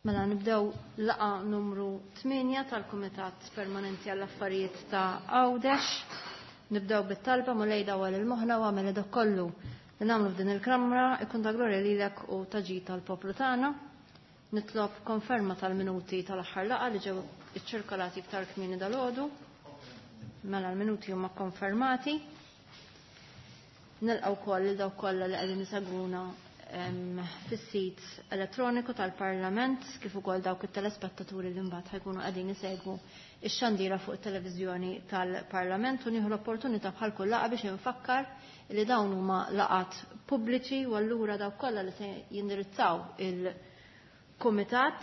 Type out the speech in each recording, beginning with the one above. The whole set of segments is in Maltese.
Mela nibdew laqgħa numru 8 tal-Kumitat Permanenti għall-Affarijiet ta' Għawdex. Nibdew bit-talba Mulej dawwal il-moħħna u għamel dak kollu li nagħmlu f'din il-kamra ikun ta' glorja lilek u ta' ġid tal-poplu tagħna. Nitlob konferma tal-minuti tal-aħħar laqgħa li ġew iċċirkolati iktar kmieni dalgħodu. Mela l-minuti huma konfermati. Nilqgħu wkoll lil dawk kollha li qegħdin isegwuna fis-sit elettroniku tal-Parlament kif ukoll dawk it-telespettaturi li mbagħad ħajkunu qegħdin isegwu x-xandira fuq it-televiżjoni tal-Parlament u nieħu l-opportunità bħal kull laqgħa biex infakkar li dawn huma laqgħat pubbliċi u allura dawk kollha li se jindirizzaw il-kumitat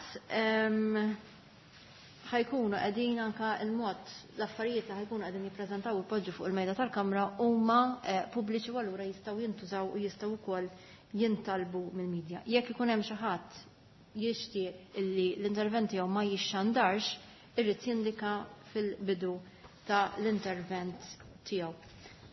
ħajkunu qegħdin anka il-mod l-affarijiet li ħajkunu qegħdin jippreżentaw u jpoġġu fuq il-mejda tal-Kamra huma pubbliċi u allura jistgħu jintużaw u jistgħu wkoll jintalbu mill-medja. Jekk ikun hemm xi ħadd jixtieq illi l-intervent tiegħu ma jixxandarx, irrid jindika fil-bidu ta' l-intervent tiegħu.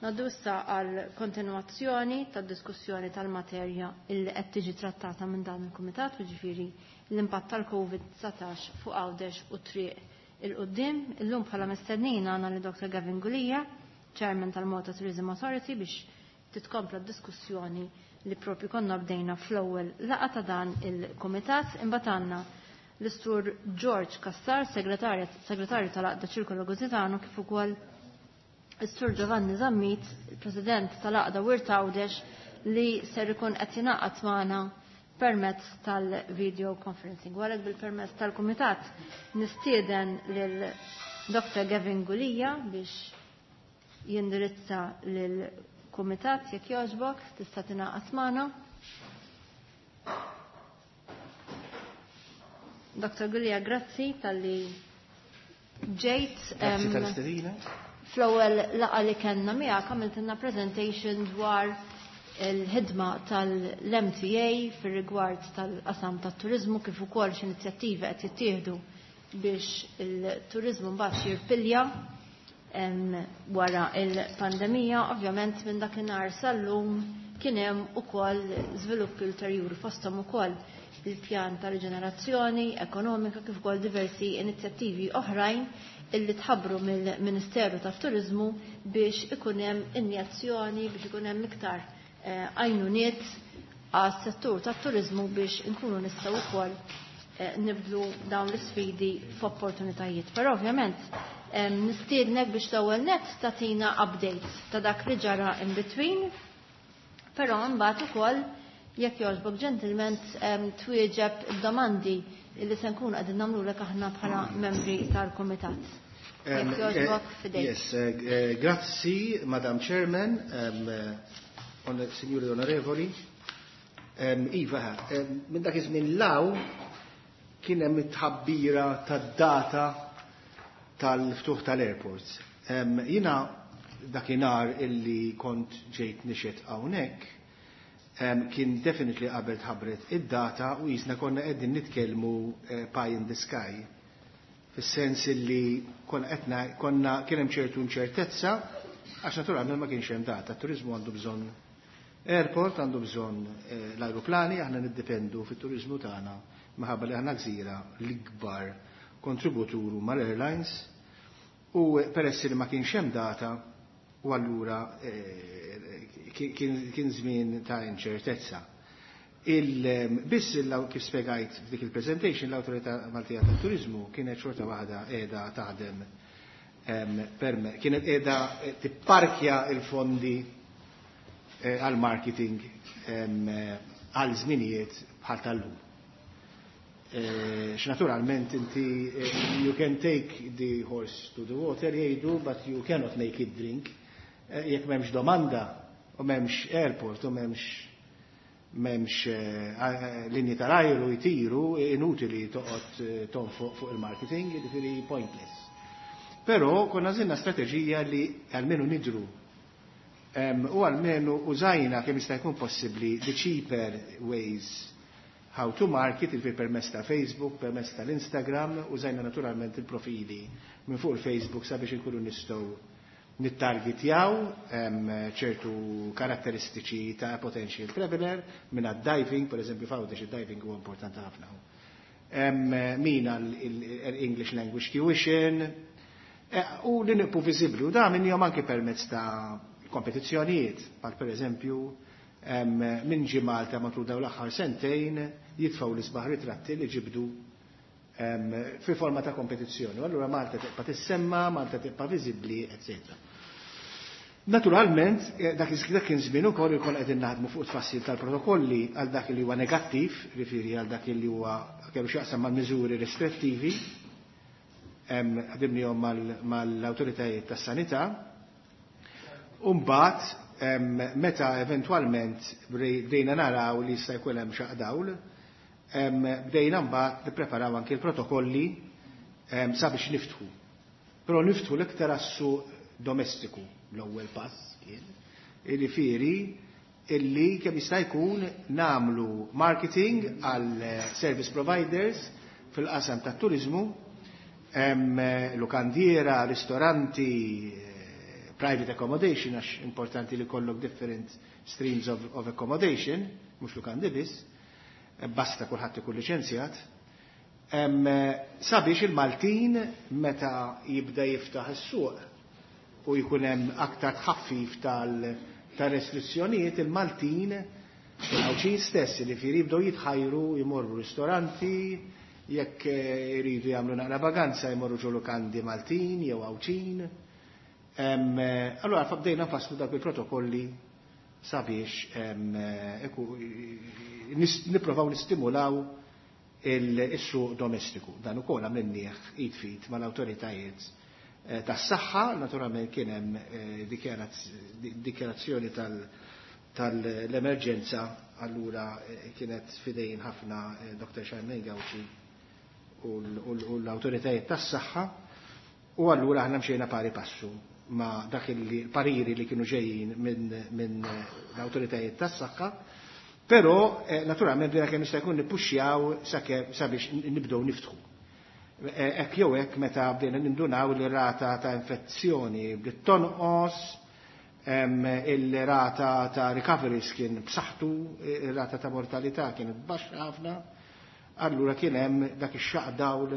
Ngħaddu issa għal kontinwazzjoni tad-diskussjoni tal-materja illi qed tiġi trattata minn dan il-kumitat, jiġifieri l-impatt tal-COVID-19 fuq Għawdex u triq il-qudiem. Illum bħala mistednin għandna li Dr. Gavin Gulia, Chairman tal-Malta Tourism Authority, biex titkompla d-diskussjoni li propju konna bdejna fl-ewwel laqgħa ta' dan il-kumitat. Imbagħad għandna l-Istur George Cassar, segretarju tal-Għaqda Ċirkolo Gozitano, kif ukoll is-Sur Giovanni Zammit, il-President tal-Għaqda Wirt Għawdex, li ser ikun qed jingħaqad magħna permezz tal-video conferencing. Għalhekk bil-permezz tal-Kumitat nistieden lil Dr. Gavin Gulia biex jindirizza lil Kumitat jekk jogħġbok tista' tingħaqad magħna. Dr. Gulia, grazzi talli ġejt. Grazzi tal-istedina. Fl-ewwel laqgħa li kellna miegħek għamiltilna presentation dwar il-ħidma tal-MTA fir-rigward tal-qasam tat-turiżmu kif ukoll x'inizjattivi qed jittieħdu biex il-turiżmu mbagħad jirpilja wara il-pandemija. Ovvjament minn dakinhar sal-lum kien hemm ukoll żviluppi ulterjuri fosthom ukoll il-pjan ta' riġenerazzjoni ekonomika kif ukoll diversi inizjattivi oħrajn illi tħabbru mill-Ministeru tat-Turiżmu biex ikun hemm injazzjoni biex ikun hemm iktar għajnuniet għas-settur tat-turiżmu biex inkunu nistgħu wkoll nibdlu dawn l-isfidi f'opportunitajiet. Però ovvjament nistiednek biex l-ewwel nett tagħtina updates ta' dak li ġara in between, però mbagħad ukoll jekk jogħġbok ġentilment twieġeb domandi li se nkunu qegħdin nagħmlulek aħna bħala membri tal-kumitat. Jekk jogħġbok f'idejk. Yes, grazzi, Madam Chairman, Signori Onorevoli. Iva, minn dak iż-żmien law kien hemm it-tħabbira tad-data tal-ftuħ tal-airports. Jiena dakinhar illi kont ġejt nixed hawnhekk, kien definitely qabel tħabbret id-data u jisna konna qegħdin nitkellmu pie in the sky. Fis-sens illi konna qedna konna kien hemm ċertu inċertezza għax naturalment ma kienx hemm data. Turizmu għandu bżonn airport, għandu bżonn l-ajruplani, aħna niddependu fit-turizmu tagħna minħabba li aħna gżira l-ikbar kontributur mal-airlines u peress li ma kienx hemm data u allura kien żmien ta' inċertezza. Biss kif spjegajt f'dik il-presentation, l-Awtorità Maltija tat-Turiżmu kienet xorta waħda qiegħda taħdem kienet qiegħda tipparkja il-fondi għal-marketing għal żminijiet bħal tal-lum. X'naturalment inti you can take the horse to the water jgħidu, but you cannot make it drink. Jekk m'hemmx domanda u m'hemmx airport u m'hemmx linji tal-ajru jtiru, inutili toqgħod tonfoq fuq il-marketing, jiġifieri pointless. Però konna żilna strateġija li almenu nidru u almenu użajna kemm jista' jkun possibbli the cheaper ways how to market, il permezz ta' Facebook, permezz tal-Instagram, użajna naturalment il-profili minn fuq il-Facebook sabiex inkunu nistgħu nittargetjaw ċertu karatteristiċi ta' potential traveler minn diving, per eżempju f'Għawdex id-diving huwa importanti ħafna. Min għal English Language Tuition, u li nibqgħu viżibbli, u da minnhom anke permezz ta' kompetizzjonijiet, bħal per eżempju, min ġie Malta matul dawn l-aħħar sentejn jitfgħu l-isbaħ ritratti li ġibdu fi forma ta' kompetizzjoni. U allura Malta tibqa' tissemma, Malta tibqa' viżibbli, etc. Naturalment, dak kien żmien ukoll ikun qegħdin naħdmu fuq tfassil tal-protokolli għal dak li huwa negattiv, riferi għal dak li huwa kellu x'jaqsam mal-miżuri restrittivi, ħdimnihom mal-awtoritajiet tas-sanità. U mbagħad meta eventwalment bdejna naraw li jista' jkun hemm xaq dawl, bdejna mbagħad nippreparaw anke l-protokolli sabiex niftħu. Però niftħu l-iktar għas-suq domestiku l-ewwel pass kien, jiġifieri illi kemm jista' jkun nagħmlu marketing għal service providers fil-qasam tat-turizmu, lukandiera, ristoranti, private accommodation, għax importanti li jkollok different streams of accommodation, mhux lukandi biss, basta kulħadd ikun liċenzjat, sabiex il-Maltin meta jibda jiftaħ is-suq u jkun hemm aktar tħaffif tal-restrizzjonijiet, il-Maltin il-Għawdxin stess li jibdew jitħajru jmorru ristoranti, jekk iridu jagħmlu naqra vaganza jmorru ġo lukandi Maltin jew Għawdxin. Allora bdejna nfasslu dak il-protokolli sabiex nipprovaw nistimulaw il-suq domestiku. Dan ukoll għamilnieh id f'id mal-awtoritajiet tas-saħħa, naturalment kien hemm dikjarazzjoni tal-emerġenza, allura kienet f'idejn ħafna Dr. Charmaine Gauci u l-awtoritajiet tas-saħħa, u allura aħna mxejna pari passu ma' dak il-pariri li kienu ġejjin minn l-awtoritajiet tas-saħħa, però naturalment bdejna kemm jista' jkun nippuxxjaw sabiex nibdew niftħu. Hekk jew hekk meta bdejna nindunaw li rata ta' infezzjoni bdiet tonqos, il-rata ta' recoveries kien b'saħħtu, il-rata ta' mortalità kienet baxxa ħafna, allura kien hemm dak ix-xaq dawl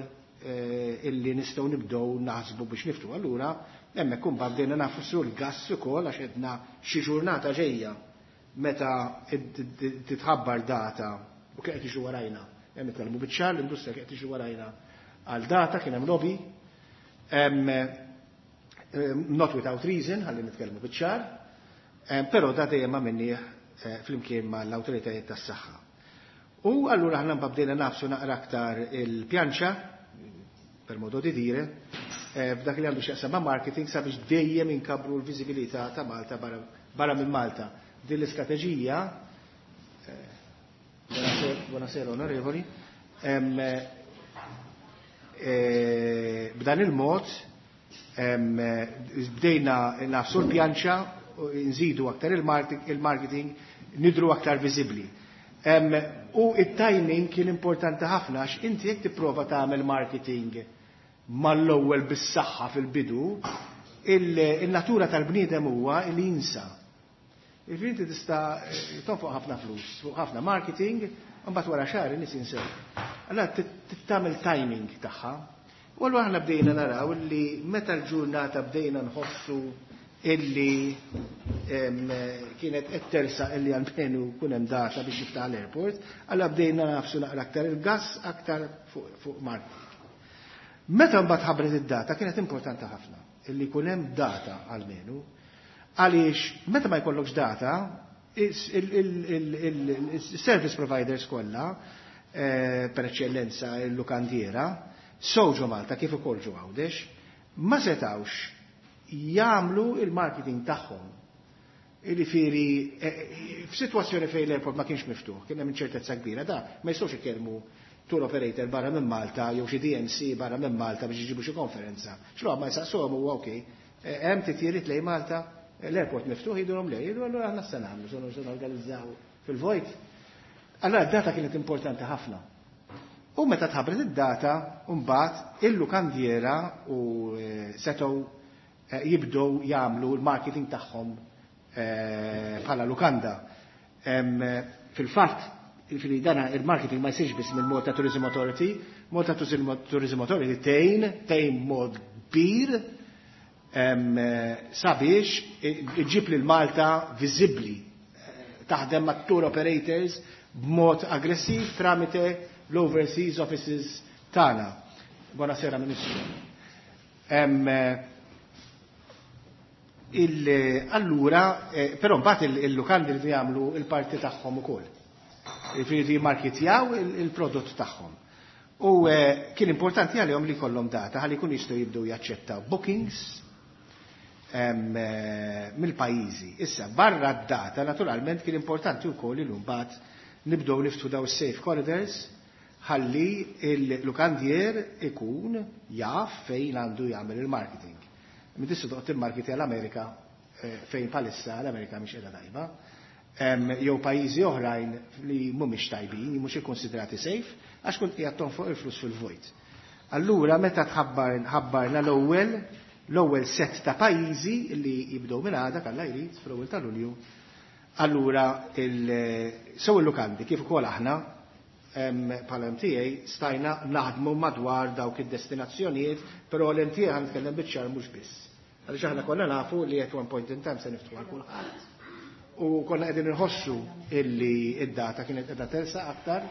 illi nistgħu nibdew naħsbu biex niftħu. Allura hemmhekk imbagħad bdejna nagħfsu l-gass ukoll għax għedna xi ġurnata ġejja meta titħabbar data u kien qed jiġu warajna. Hemm nitkellmu biċ-ċar, l-industrija kien qed jiġu warajna għal data, kien hemm lobby. Not without reason, ħalli nitkellmu biċ-ċar, però da dejjem għamilnieh flimkien mal-awtoritajiet tas-saħħa. U allura aħna bdejna nagħfsu naqra aktar il-pjanċa, per modo di dire, f'dak li għandu x'jaqsam ma' marketing sabiex dejjem inkabru l-viżibilità ta' Malta barra minn Malta. Din l-istrateġija, buonasera onorevoli, b'dan il-mod bdejna nagħfsu l-pjanċa, nżidu aktar il-marketing, nidhru aktar viżibbli. U it-timing kien importanti ħafna għax inti jekk tipprova tagħmel marketing mal-ewwel bis-saħħa fil-bidu, il-natura tal-bniedem huwa li jinsa. Jiġifieri inti tista' tonfoq ħafna flus fuq ħafna marketing, mbagħad wara xahar in-nies jinsew. Allora tagħmel timing tagħha. U allura aħna bdejna naraw li meta l-ġurnata bdejna nħossu illi kienet qed tersaq illi almenu kun hemm data biex jiftaħ l-airport, allura bdejna nagħfsu naqra aktar il-gas aktar fuq marketing. Meta mbagħad ħabbret id-data kienet importanti ħafna illi jkun hemm data almenu, għaliex meta ma jkollokx data, il-service providers kollha, per eċċellenza il-lukandiera, sew ġo Malta kif ukoll ġo Għawdex, ma setawx jagħmlu il-marketing tagħhom. Jiġifieri, f'sitwazzjoni fejn l-airport ma kienx miftuħ, kien hemm inċertezza kbira, da ma jistgħux ikellmu tour operator barra minn Malta jew xi DMC barra minn Malta biex iġibu xi konferenza. X'lo ma jsaqsuhom huwa okej, hemm titjiriet lejn Malta, l-airport miftuħ, jgħidulhom le, jgħidu allura aħna se nagħmlu, se norganizzaw fil-vojt. Allora d-data kienet importanti ħafna. U meta tħabbret id-data, mbagħad il-lukandiera u setgħu jibdew jagħmlu l-marketing tagħhom bħala lukanda. Fil-fatt, Jiġifieri dana il-marketing ma jsirx biss mill Malta Tourism Authority, Malta Tourism Authority tgħin mod kbir sabiex iġib lil Malta viżibbli, taħdem ma' tour operators b'mod aggressiv tramite l-overseas offices tagħna. Buonasera, Ministru. Allura, però mbagħad il-lukandi li jagħmlu il-parti tagħhom ukoll. Jiġifieri jimmarketjaw il-prodott tagħhom. U kien importanti għalihom li jkollhom data ħalli jkunu jistgħu jibdew jaċċettaw bookings mill-pajjiżi. Issa, barra d-data, naturalment kien importanti wkoll li mbagħad nibdew niftħu daw safe corridors ħalli il-lukandier ikun jaf fejn għandu jagħmel il-marketing. Min tista' toqgħod timmarketi għall-Amerika fejn palissa l-Amerika mhix qiegħda tajba. Jew pajjiżi oħrajn li mhumiex tajbin, mhux ikkonsidrati safe, għax kont qiegħed tonfoq il-flus fil-vojt. Allura meta tħabbar ħabbarna l-ewwel set ta' pajjiżi li jibdew minn għada kalla jrid fl-ewwel ta' Lulju, allura sew il-lukandi kif ukoll aħna bħala MTA stajna naħdmu madwar dawk id-destinazzjonijiet, però l-MTA ħa nitkellem biċ-ċar mhux biss. Għaliex aħna konna nafu li at one point in time se niftħu għal kulħadd. U konna qegħdin inħossu illi id-data kienet qiegħda tersaq aktar,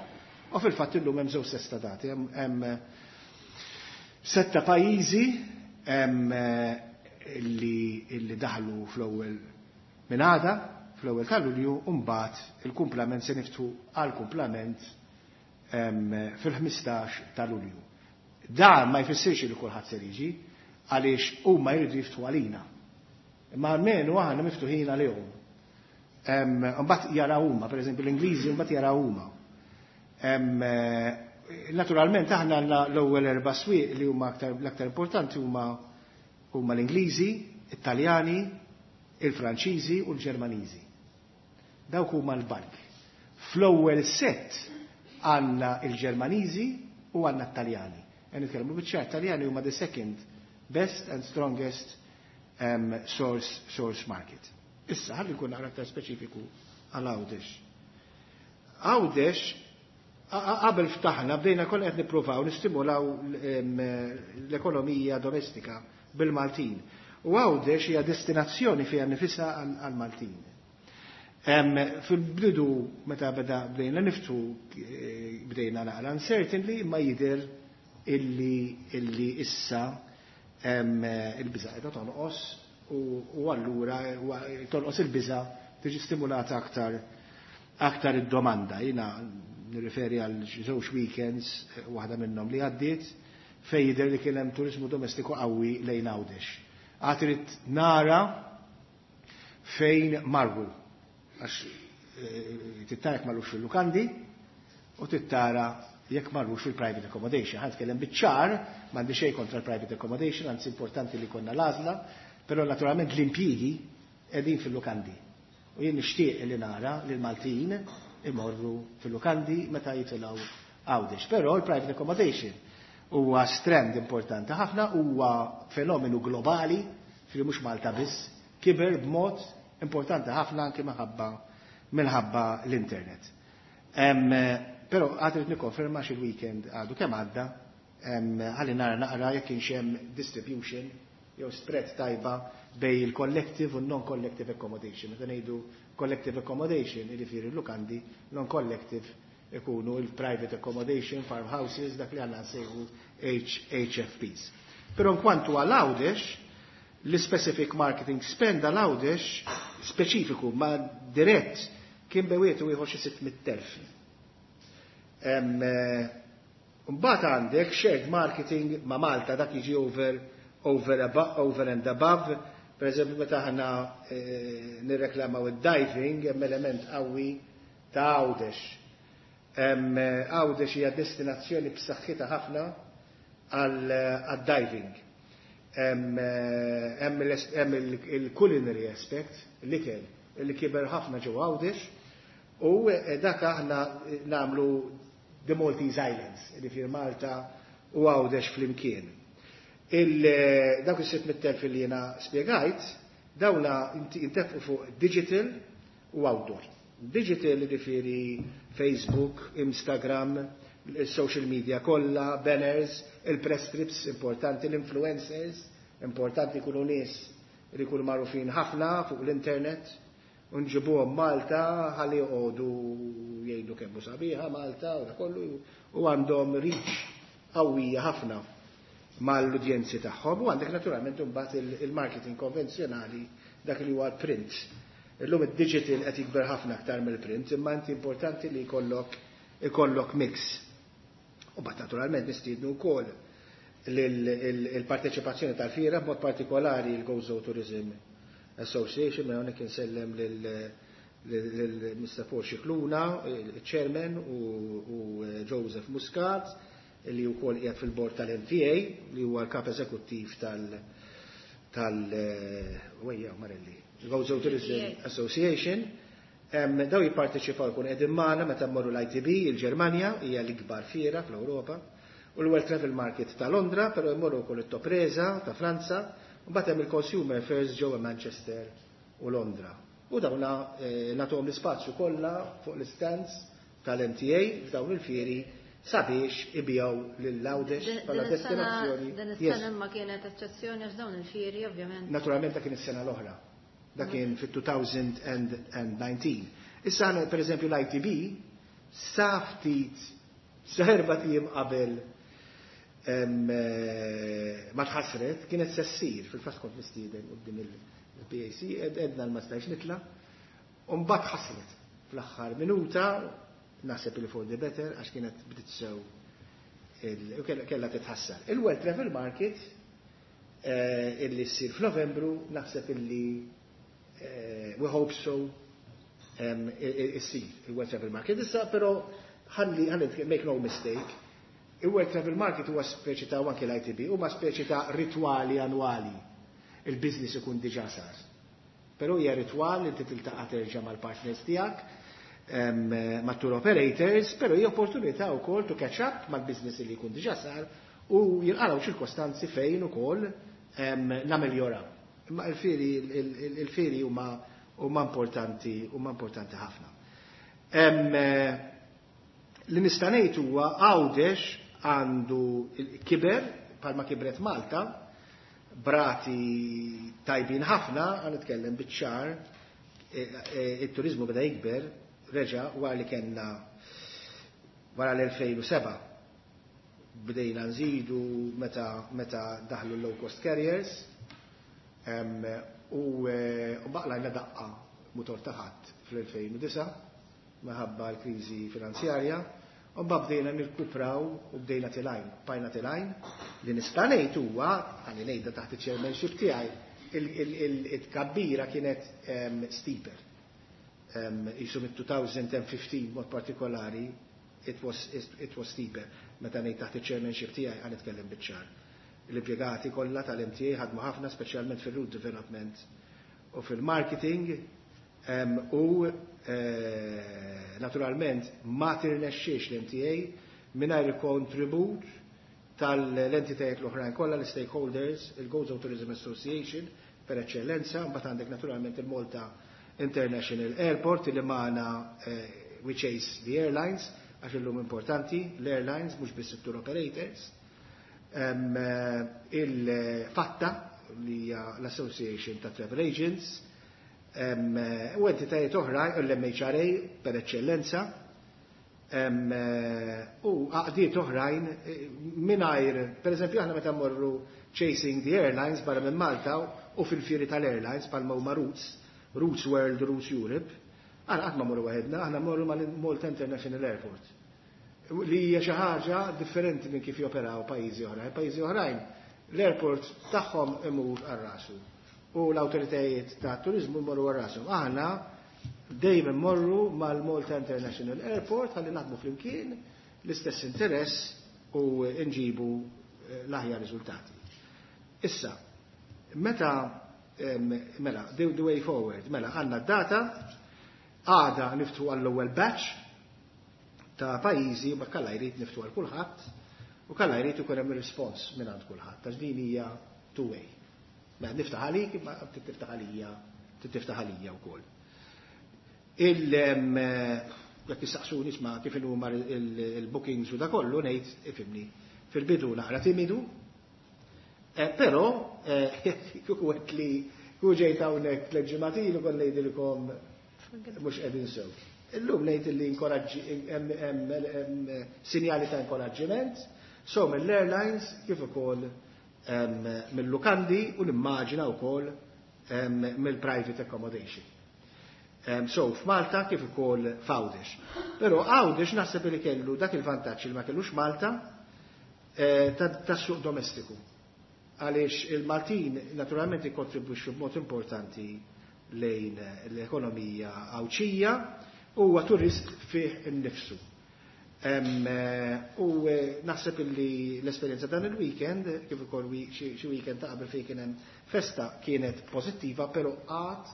u fil-fatt illum hemm żewġ setta dati, hemm setta pajjiżi illi daħlu fl-ewwel minn għada, fl-ewwel ta' Lulju, u mbagħad il-kumplament se niftħu għal kumplament fil-15 ta' Lulju. Dan ma jfissirx li kulħadd se jiġi, għaliex huma jridu jiftħu għalina. Imma almenu aħna miftuħin għalihom. Mbagħad jaraw huma, pereżempju l-Ingliżi mbagħad jaraw huma. Naturalment aħna għandna l-ewwel erba' swieq li huma l-aktar importanti huma l-Ingliżi, it-Taljani, il-Franċiżi u l-Ġermaniżi. Dawk huma l-bank. Fl-ewwel set għandna il-Ġermaniżi u għandna t-Taljani. E nitkellmu biċ-ċar, Taljani huma the second best and strongest source market. Issa, ħalli nkun naqra aktar speċifiku għal Għawdex. Għawdex, qabel ftaħna, bdejna konna qed nippruvaw nistimulaw l-ekonomija domestika bil-Maltin. U Għawdex hija destinazzjoni fiha nifisha għal-Maltin. Fil-bidu meta bdejna niftħu bdejna naqra uncertainly, ma jidher illi issa il-biża qiegħda tonqos u allura tonqos il-biża tiġi stimulata aktar id-domanda. Jiena nirriferi għal żewġ weekends, waħda minnhom li għaddiet, fejn jidher li kien hemm turizmu domestiku qawwi lejn Għawdex. Għad irid nara fejn marru, għax tittara jekk marrux fil-lukandi u tittara jekk marrux fil-private accommodation. Ħa nitkellem biċ-ċar, m'għandi xejn kontra l-private accommodation, anzi importanti li konna l-għażla, però naturalment l-impjiegi qegħdin fil-lukandi. U jien nixtieq li nara li l-Maltin imorru fil-lukandi meta jitilgħu Għawdex. Però l-private accommodation huwa trend importanti ħafna, huwa fenomenu globali, fil mhux Malta biss, kiber b'mod importanti ħafna anke minħabba l-internet. Però għad irid nikkonferma xi weekend għadu kemm għadda, ħalli nara naqra jekk kienx hemm distribution jew spread tajba bej il-collective u non-collective accommodation. Meta ngħidu collective accommodation, jiġifieri l-lukandi, non-collective ikunu il-private accommodation, farmhouses, dak li għandna nsejħu HFPs. Però nkwantu għal Għawdex, l-specific marketing spend għal Għawdex speċifiku ma dirett kien bewietu ieħor xi 600,000. Mbagħad għandek shared marketing ma' Malta, dak jiġi over and above. Per eżempju, meta aħna nirreklamaw id-diving, hemm element qawwi ta' Għawdex. Għawdex hija destinazzjoni b'saħħitha ħafna għal-diving. Hemm il-culinary aspect, l-ikel, li kiber ħafna ġewwa Għawdex, u dak aħna nagħmlu the Maltese Islands, jiġifieri Malta u Għawdex flimkien. Dawk is-600,000 li jiena spjegajt, dawna intefqu fuq digital u outdoor. Digital jiġifieri Facebook, Instagram, il-social media kollha, banners, il-press trips importanti, l-influencers, importanti jkunu nies li jkunu magħrufin ħafna fuq l-internet, u nġibuhom Malta ħalli joqogħdu jgħidu kemm hu sabiħa Malta u da kollu u għandhom reach qawwija ħafna mal-udjenzi tagħhom u għandek naturalment imbagħad il-marketing konvenzjonali, dak li huwa l-print. Illum id-digital qed jikber ħafna aktar mill-print, imma inti importanti li jkollok mix. U mbagħad naturalment nistiednu wkoll il-parteċipazzjoni tal-fiera, b'mod partikolari il-Gozo Tourism Association, ma hawnhekk insellem lil Mr. Paul Scicluna, il-chairman, u Joseph Muscat, li wkoll qiegħed fil-bord tal-MTA, li huwa l-kap eżekuttiv tal wejja Marelli, Gozo Tourism Association. Daw jipparteċipaw, jkun qegħdin magħna meta mmorru l-ITB, il-Ġermanja, hija l-ikbar fiera fl-Ewropa, u l-World Travel Market ta' Londra, però jmorru wkoll it-Topresa ta' Franza, u mbagħad hemm il-Consumer Fairs ġewwa Manchester u Londra. U dawna nagħtuhom l-ispazju kollha fuq l-stands tal-MTA f'dawn il-fieri sabiex ibijaw lil Għawdex bħala destinazzjoni. Din is-sena ma kienet eċċezzjoni għax dawn il-fieri ovvjament. Naturalment dak kien is-sena l-oħra. Dak kien fit-2019. Issa għandna per eżempju l-ITB sa ftit sa 4 ijiem qabel ma tħassret kienet se ssir, fil-fatt kont mistieden quddiem il-PAC, edna l-ma stajx nitla', u mbagħad ħassret fl-aħħar minuta, naħseb li for the better għax kienet bdiet sew u kellha titħassar. Il-World Travel Market illi ssir f'Novembru naħseb illi we hope so issir il-World Travel Market. Issa però ħalli make no mistake, il-World Travel Market huwa speċi ta' anke l-ITB, huma speċi ta' ritwali annwali. Il-business ikun diġà sar. Però hija ritwal li inti tiltaqa' terġa' mal-partners tiegħek, ma' tour operators, però hija opportunità wkoll to catch up mal-business li jkun diġà sar u jinqalgħu ċirkostanzi fejn ukoll nameljoraw. Imma il-fieri huma importanti ħafna. Li nista' ngħid huwa Għawdex għandu kiber palma kibret Malta, b'rati tajbin ħafna, għan nitkellem biċ-ċar, il-turizmu beda jikber, reġa wara li kellna wara l-2007 bdejna nżidu meta daħlu low cost carriers u baqlajna daqqa motor taħat fl-2009 minħabba l-kriżi finanzjarja u bdejna nirkupraw u bdejna telgħin, bqajna telgħin. Li nista' ngħid huwa, għani ngħidha taħt il-chairmanship tiegħi, il-tkabbira kienet steeper. Isu mit-2015 mod partikolari it was steeper. Meta ngħid taħt il-chairmanship tiegħi għan nitkellem biċ-ċar. L-impjegati kollha tal-MTA ħadmu ħafna, speċjalment fil-route development u fil-marketing, u naturalment ma tirnexxiex l-MTA mingħajr il-kontribut tal-entitajiet l-oħrajn kollha, l-stakeholders, il-Gozo Tourism Association per eccellenza, mbagħad għandek naturalment il-Malta International Airport li magħna we chase the airlines, għax illum importanti l-airlines mhux biss it-tour operators. Il-FATTA li hija l-Association ta' Travel Agents, u entitajiet oħra, l-MHRA per eccellenza, u għaqdiet oħrajn mingħajr, per eżempju, aħna meta mmorru chasing the airlines barra minn Malta u fil-fieri tal-airlines palma huma Routes, Routes World, Routes Europe, aħna qatt ma mmorru waħedna, aħna mmorru mal-Malta International Airport. Li hija xi ħaġa differenti minn kif joperaw pajjiżi oħrajn. Pajjiżi oħrajn l-airport tagħhom imur għal rasu u l-awtoritajiet ta' turizmu jmorru għal rashom. Aħna dejjem immorru mal-Malta International Airport ħalli naħdmu flimkien l-istess interess u nġibu l-aħjar riżultati. Issa, meta mela, the way forward, mela għandna d-data, għada niftħu għall-ewwel batch ta' pajjiżi, ma kalla jrid niftħu għal kulħadd u kalla jrid ikun hemm respons minn għand kulħadd, għax din hija two way. Mela niftaħ għalik, imma tiftaħ għalija, tiftaħ għalija wkoll. Jekk issaqsuni isma' kif huma il-bookings u da kollu ngħid ifhimni. Fil-bidu naqra timidu, però kieku għedt li kieku ġejt hawnhekk 3 ġimgħat ilu kont ngħidilkom mhux qegħdin sew. Illum ngħid li hemm sinjali ta' inkoraġġiment, so mill-airlines kif ukoll mill-lukandi u nimmaġina wkoll mill-private accommodation. So f'Malta kif ukoll f'Għawdex. Però Għawdex naħseb li kellu dak il-vantaġġ li ma kellux Malta tas-suq domestiku. Għaliex il-Maltin naturalment ikkontribwixxu b'mod importanti lejn l-ekonomija Għawdxija u huwa turist fih innifsu. U naħseb illi l-esperjenza dan il-weekend, kif ukoll xi weekend ta' qabel fejn kien hemm festa kienet pożittiva, però għad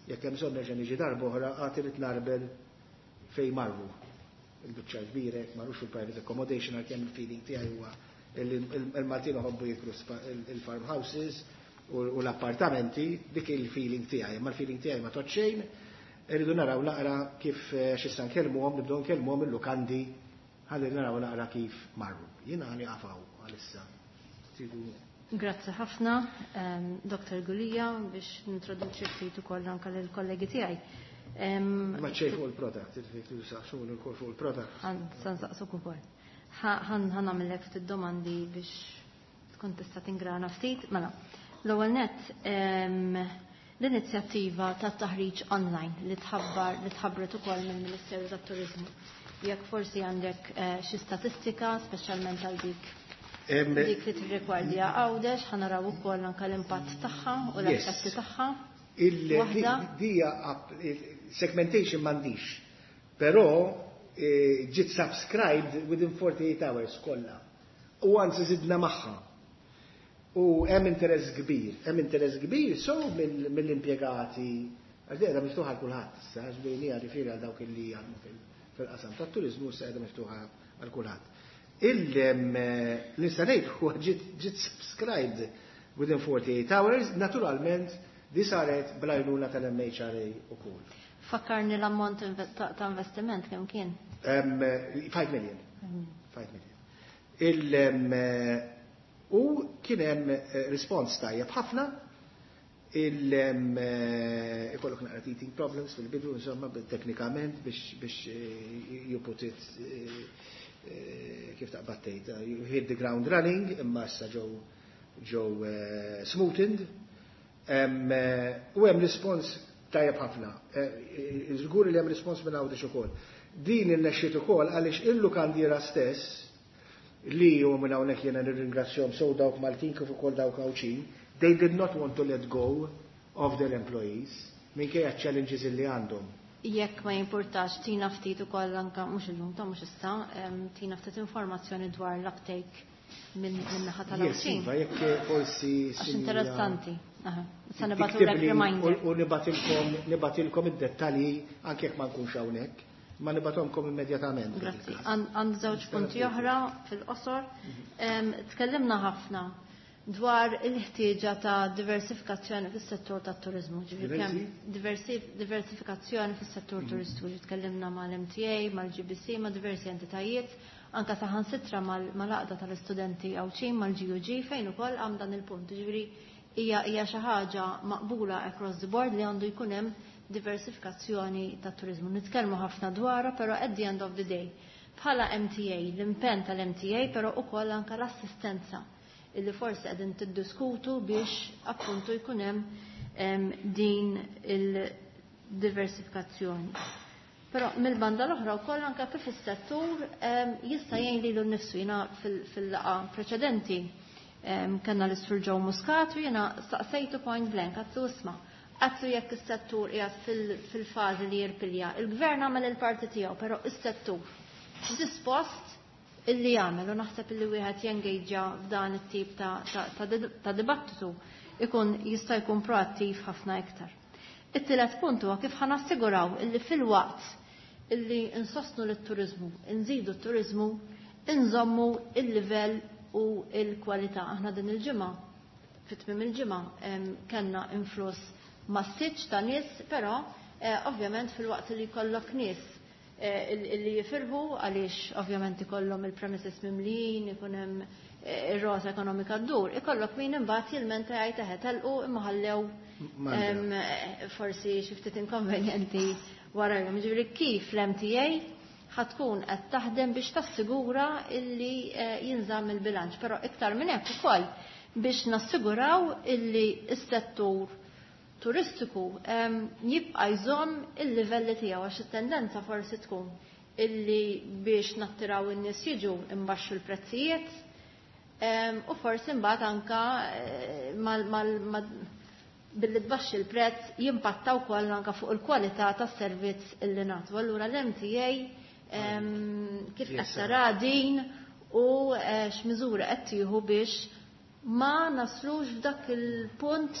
jekk hemm bżonn nerġa' niġi darba oħra għad irid narbel fejn marru. Il-biċċa kbira jekk marrux fil-private accommodation għalkemm il-feeling tiegħi huwa il-Maltin iħobbu jikru il-farmhouses u l-appartamenti, dik il-feeling tiegħi, imma l-feeling tiegħi ma tgħodd xejn, irridu naraw naqra kif x'issa nkellmuhom, nibdew nkellmuhom il-lukandi ħalli naraw naqra kif marru. Jiena ħa nieqaf hawn għalissa. Grazzi ħafna, Dr. Gulia, biex nintroduċi ftit ukoll anke lill-kollegi tiegħi. Ma ċej fuq il-product, saqsuni wkoll fuq il-product. Sa nsaqsuk ukoll. Ħa nagħmellek ftit domandi biex tkun tista' tingrana ftit. Mela, l-ewwel nett l-inizjattiva ta' taħriġ online li tħabbar li tħabbret ukoll mill-Ministeru tat-Turiżmu. Jekk forsi għandek xi statistika, speċjalment għal dik li tirrigwardja Għawdex, ħa naraw ukoll anke l-impatt tagħha u l-effetti tagħha. Dija segmentation m'għandix, però ġiet subscribed within 48 hours kollha. U anzi zidna magħha. U hemm interess kbir, hemm interess kbir so mill-impjegati, għax qiegħda miftuħa għal kulħadd issa, għax bejnija riferi għal dawk li jaħdmu fil-qasam tat-turiżmu issa qiegħda miftuħa għal kulħadd. L-nista' ngħid huwa ġiet subscribed within 48 hours, naturalment di saret bl-għajnuna tal-MHRA ukoll. Fakkarni l-ammont ta' investiment kemm kien? 5 million. 5 million. U kien hemm respons tajjeb ħafna, ikollok naqra teething problems fil-bidu, insomma, teknikament biex you put it kif taqbad tgħid, you hit the ground running, imma issa ġew smoothened. U hemm respons tajjeb ħafna. Żgur li hemm respons minn Għawdex ukoll. Din irnexxiet ukoll għaliex il-lukandiera stess li u minn hawnhekk jiena nirringrazzjahom sew dawk Maltin kif ukoll dawk Għawdxin, they did not want to let go of their employees minkejja challenges li għandhom. Jekk ma jimpurtax tina ftit ukoll anke mhux illum ta' mhux issa, tina ftit informazzjoni dwar l-uptake minn naħa Yes, tal-Għawdxin. Iva, jekk forsi Għax sinjura interessanti. Aha. Sa nibagħtulek tiktibli reminder. U nibagħtilkom id-dettalji anke jekk ma nkunx hawnhekk, ma nibagħthomkom immedjatament. Grazzi. Għand żewġ punti oħra fil-qosor. Tkellimna ħafna dwar il-ħtieġa ta' diversifikazzjoni fis-settur tat-turiżmu. Ġifieri kemm diversifikazzjoni fis-settur turistiku. Ġifieri tkellimna mal-MTA, mal-GBC, ma' diversi entitajiet, anka saħansitra mal-għaqda tal-istudenti Għawdxin, mal-GUG, fejn ukoll għam dan il-punt. Ġifieri hija xi ħaġa maqbula across the board li għandu jkun hemm diversifikazzjoni tat-turiżmu. Nitkellmu ħafna dwarha, però at the end of the day, bħala MTA, l-impenn tal-MTA, però ukoll anka l-assistenza illi forsi qegħdin tiddiskutu biex appuntu jkun hemm din il-diversifikazzjoni. Però mill-banda l-oħra wkoll anke kif is-settur jista' jgħin lilu nnifsu. Jiena fil-laqgħa preċedenti kellna l-Sur Joe Muscat u jiena staqsejtu point blank, għedtlu isma', għedtlu jekk is-settur qiegħed fil-fażi li jirpilja. Il-gvern għamel il-parti tiegħu, però is-settur dispost illi jagħmel u naħseb illi wieħed jengaġa f'dan it-tip ta' dibattitu ikun jista' jkun proattiv ħafna iktar. It-tielet punt huwa kif ħa nassiguraw illi fil-waqt illi insostnu lit-turiżmu, nżidu t-turiżmu, inżommu il-livell u il-kwalità. Aħna din il-ġimgħa, fit-tmiem il-ġimgħa, kellna influss massiċ ta' nies, però Ovvjament filwaqt li jkollok nies illi jifirħu għaliex ovvjament ikollhom il-premises mimlijin, ikun hemm ir-rota ekonomika ddur, ikollok min imbagħad jilmenta jgħid eħe telqu imma ħallew forsi xi ftit inkonvenjenti warajhom. Jiġifieri kif l-MTA ħa tkun qed taħdem biex tassigura illi jinżamm il-bilanċ, però iktar minn hekk ukoll biex nassiguraw illi s-settur turistiku jibqa' jżomm il-livelli tiegħu, għax it-tendenza forsi tkun illi biex nattiraw in-nies jiġu imbaxxu l-prezzijiet u forsi mbagħad anka billi tbaxxi l-prezz jimpatta wkoll anka fuq il-kwalità tas-servizz illi nagħtu. Allura l-MTA kif qed tara din u x'miżura qed tieħu biex ma naslux f'dak il-punt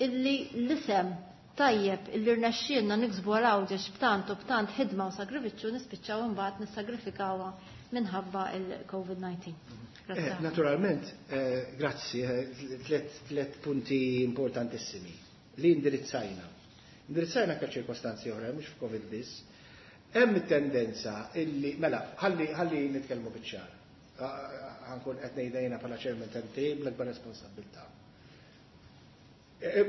illi l-isem tajjeb illi rnexxielna niksbu għal Għawdex b'tant u b'tant ħidma u sagrifiċċju nispiċċaw imbagħad nissagrifikawha minħabba il-COVID-19. Naturalment, grazzi, tlet punti importantissimi li indirizzajna. Indirizzajna ka ċirkostanzi oħra, mhux f'Covid biss. Hemm tendenza illi, mela, ħalli nitkellmu biċ-ċar. Ħa nkun qed ngħidha jiena bħala chairman tal-MTA bl-akbar responsabilità.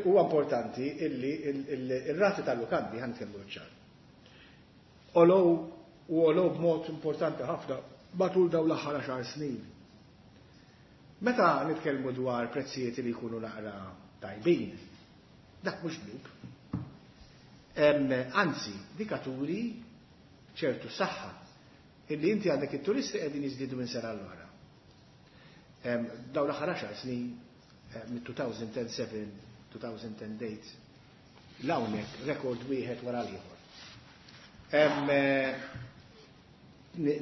Huwa importanti illi ir-rati tal-lukandi, ħa nitkellmu biċ-ċar, għolew u għolew b'mod importanti ħafna matul dawn l-aħħar 10 snin. Meta nitkellmu dwar prezzijiet li jkunu naqra tajbin, dak mhux dnub. Anzi, dik turi ċertu saħħa illi inti għandek it-turisti qegħdin jiżdiedu minn sena l-oħra. Dawn l-aħħar 10 snin, mit-2007, 2008, l-hawnhekk rekord wieħed wara l-ieħor.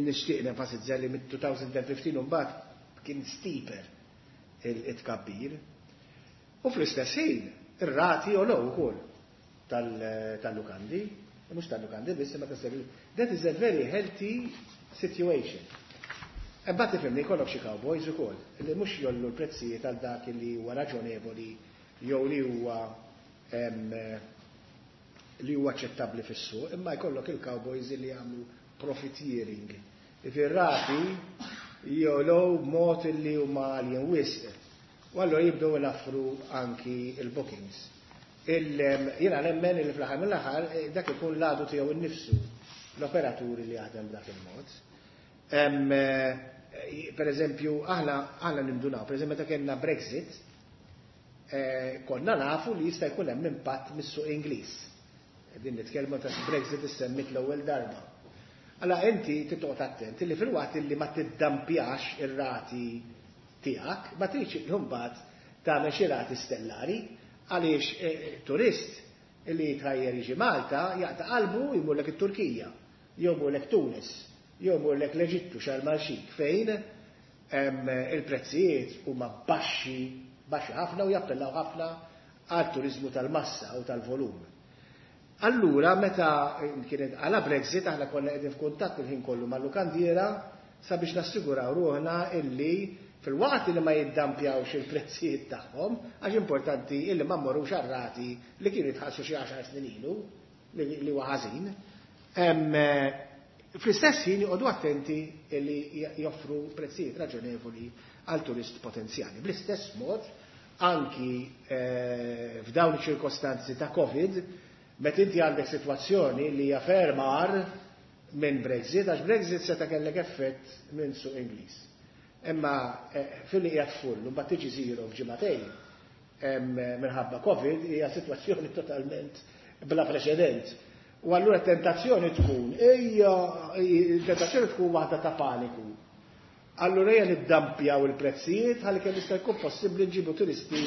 Nixtieq nenfasizza li mit-2015 mbagħad kien steeper it-tkabbir. U fl-istess ħin, ir-rati għolew ukoll tal-lukandi, mhux tal-lukandi biss, imma tas-servizz. That is a very healthy situation. Imbagħad tifhimni, jkollok xi cowboys ukoll li mhux jgħollu l-prezzijiet għal dak li huwa raġonevoli jew li huwa aċċettabbli fis-suq, imma jkollok il-cowboys li jagħmlu profiteering. Ir-rati jogħlew b'mod li huma għaljin wisq. U allura jibdew ilaffru anki il-bookings. Jiena nemmen li fl-aħħar mill-aħħar dak ikun l-għadu tiegħu innifsu, l-operaturi li jaħdem b'dak il-mod. Per eżempju, aħna nindunaw, per eżempju, meta kellna Brexit, konna nafu li jista' jkun hemm impatt mis-suq Ingliż. Din nitkellmu ta' Brexit issemmit l-ewwel darba. Alla inti titqgħod attent li filwaqt li ma tiddampjax ir-rati tiegħek, ma tridx mbagħad tagħmel xi rati stellari, għaliex turist li jitħajjer jiġi Malta jaqta' qalbu jmurlek it-Turkija, jew jmurlek Tunis, jew jmurlek l-Eġittu, Sharm el-Sheikh, fejn il-prezzijiet huma baxxi, baxxi ħafna u jappellaw ħafna għal turizmu tal-massa u tal-volum. Allura, meta kienet għala Brexit, aħna konna qegħdin f'kuntatt il-ħin kollu mal-lukandiera sabiex nassiguraw ruħna illi filwaqt li ma jiddampjawx il-prezzijiet tagħhom, għax importanti illi ma mmorrux għar-rati li kienu jitħallsu xi 10 snin ilu, li huwa ħażin. Fl-istess ħin joqogħdu attenti li joffru prezzijiet raġonevoli għal turist potenzjali. Bl-istess mod, anki f'dawn iċ-ċirkostanzi ta' Covid, meta inti għandek sitwazzjoni li hija ferm agħar minn Brexit, għax Brexit seta' kellek effett minn suq Ingliż. Imma fil-li qiegħed full, u mbagħad tiġi zero f'ġimagħtejn minħabba Covid, hija sitwazzjoni totalment bla preċedent. U allura tentazzjoni tkun, ejja, tentazzjoni tkun waħda ta' paniku. Allura ejja niddampjaw il-prezzijiet ħalli kemm jista' jkun possibbli nġibu turisti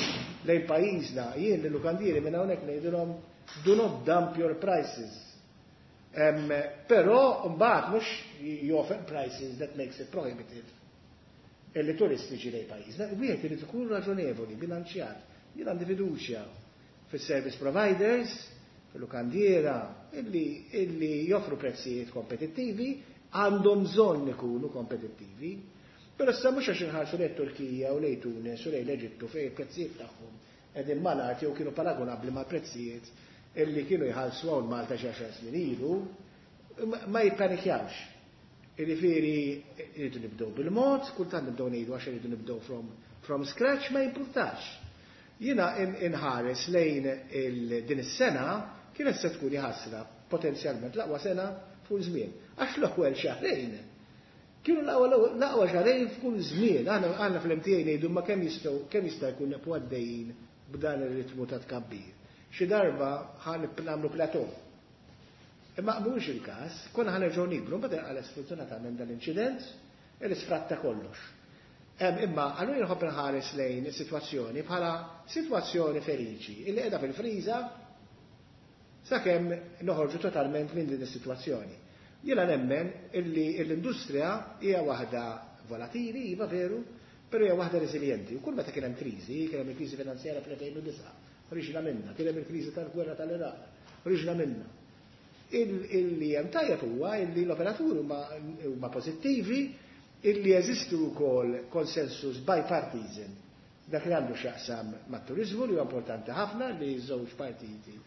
lejn pajjiżna. Jien lill-lukandieri minn hawnhekk ngħidilhom: do not dump your prices. Però mbagħad mhux you offer prices that makes it prohibitive illi turisti jiġi lejn pajjiżna. Wieħed irid ikun raġonevoli, bilanċjat. Jien għandi fiduċja fis-service providers, fil-lukandiera, illi joffru prezzijiet kompetittivi, għandhom bżonn ikunu kompetittivi. Però issa mhux għax inħarsu lejn Turkija u lejn Tunis u lejn l-Eġittu fejn il-prezzijiet tagħhom qegħdin mal-art jew kienu paragonabbli mal-prezzijiet. illi kienu jħallsu hawn Malta xi 10 snin ilu ma jippanikjawx. Jiġifieri rridu nibdew bil-mod, kultant nibdew ngħidu għax irridu nibdew from scratch, ma jimpurtax. Jiena inħares lejn din is-sena kienet se tkun ħasra potenzjalment l-aqwa sena fuq żmien. Għax l-ewwel xahrejn kienu l-aqwa xahrejn f'kull żmien. Aħna fl-MTA ngħidu ma kemm jistgħu kemm jista' jkun nibqgħu għaddejjin b'dan ir-ritmu ta' tkabbir. Xi darba ħa nagħmlu plateau. Imma mhuwiex il-każ, konna ħa nerġgħu nikbru, mbagħad inqala' sfortunatament dal-inċident li sfratta kollox. Imma allura nħobb nħares lejn is-sitwazzjoni bħala sitwazzjoni feliċi illi qiegħda fil-friża sakemm noħorġu totalment minn din is-sitwazzjoni. Jiena nemmen illi l-industrija hija waħda volatili, iva veru, però hija waħda reżiljenti. U kull meta kien hemm kriżi, kien hemm il-kriżi finanzjarja fl-2009, ħriġna minnha, kien hemm il-kriżi tal-gwerra tal-Iraq, ħriġna minnha. Illi hemm tajjeb huwa illi l-operaturi huma pożittivi, illi jeżistu wkoll konsensus bipartisan dak li għandu x'jaqsam mat-turiżmu, li huwa importanti ħafna li żewġ partiti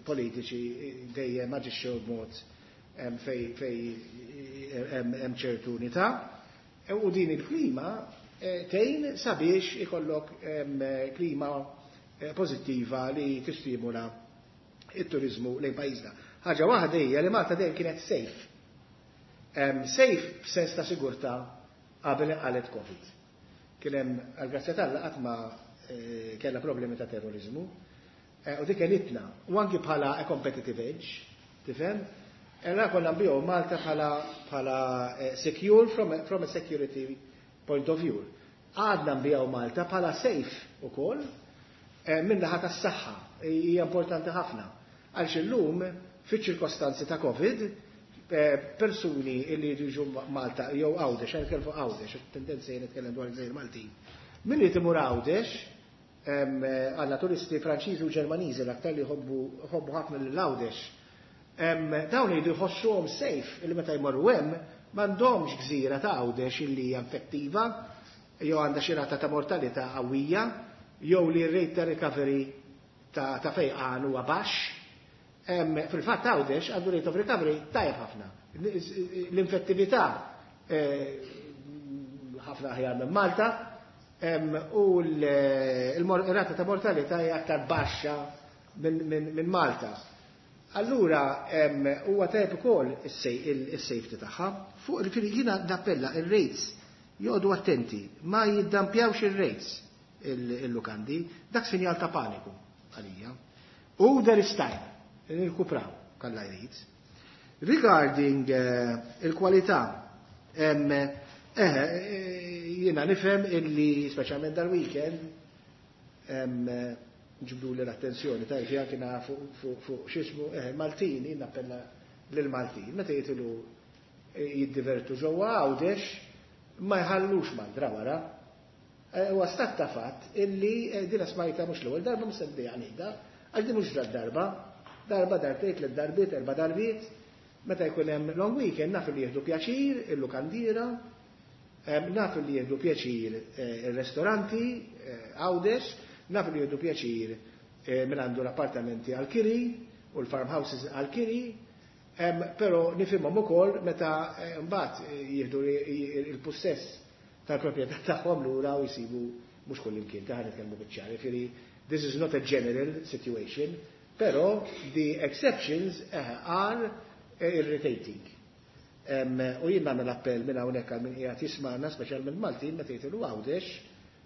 politiċi dejjem aġixxew b'mod fej hemm ċertu unità. U din il-klima tgħin sabiex ikollok klima pożittiva li tistimula it-turizmu lejn pajjiżna. Ħaġa waħda hija li Malta dejjem kienet safe. Safe f'sens ta' sigurtà qabel qalet Covid. Kien hemm, għall-grazzja t'Alla, qatt ma kellha problemi ta' terrorizmu. U dik għenitna, u anki bħala a competitive edge, tifhem? Era konna nbigħu Malta bħala secure from a security point of view. Għadna nbigħu Malta bħala safe ukoll minn naħa tas-saħħa. Hija importanti ħafna. Għalx illum, fiċ-ċirkostanzi ta' Covid, persuni illi jiġu Malta jew Għawdex, għan nitkellem fuq Għawdex, tendenza jien nitkellem dwar il-Gżejjer Maltin. Min li timur Għawdex, għandna turisti Franċiżi u Ġermaniżi l-aktar li jħobbu ħafna lil Għawdex. Dawn jridu jħossuhom safe illi meta jmorru hemm m'għandhomx gżira ta' Għawdex illi hija infettiva jew għandha xi rata ta' mortalità qawwija jew li r-rate ta' recovery ta' fejqan huwa baxx. Fil-fatt Għawdex għandu rate of recovery tajjeb ħafna. L-infettività ħafna aħjar minn Malta u l-rata ta' mortalità hija aktar baxxa minn Malta. Allura huwa tajjeb ukoll is-safety tagħha. Fuq il jiena nappella ir-rates joqogħdu attenti, ma jiddampjawx ir-rates il-lukandi, dak sinjal ta' paniku għalija. U there is time, nirkupraw, kalla jrid. Regarding il-kwalità, jiena nifhem illi speċjalment dal-weekend ġibdu li l-attenzjoni ta' anki fuq x'ismu Maltin, jien nappella lil-Maltin, meta jitilu jiddivertu ġewwa Għawdex ma jħallux mandra wara. Huwa stat ta' fatt illi dina smajta mhux l-ewwel darba, mhux se ngħidha, għax din mhux darba, darba, darbtejn, tliet darbiet, erba' darbiet, meta jkun hemm long weekend naf li jieħdu pjaċir il-lukandiera, naf li jieħdu pjaċir il-restoranti Għawdex, naf li jieħdu pjaċir minn għandu l-appartamenti għal-kiri u l-farmhouses għal-kiri, però nifhimhom ukoll meta mbagħad jieħdu il-possess tal-proprjetà tagħhom lura u jsibu mhux kull imkien ta' nitkellmu biċ-ċar. Jiġifieri this is not a general situation, però the exceptions are irritating. U jien nagħmel appell minn hawnhekk għal min qiegħed jisma'na, speċjalment Maltin, meta jitilgħu Għawdex,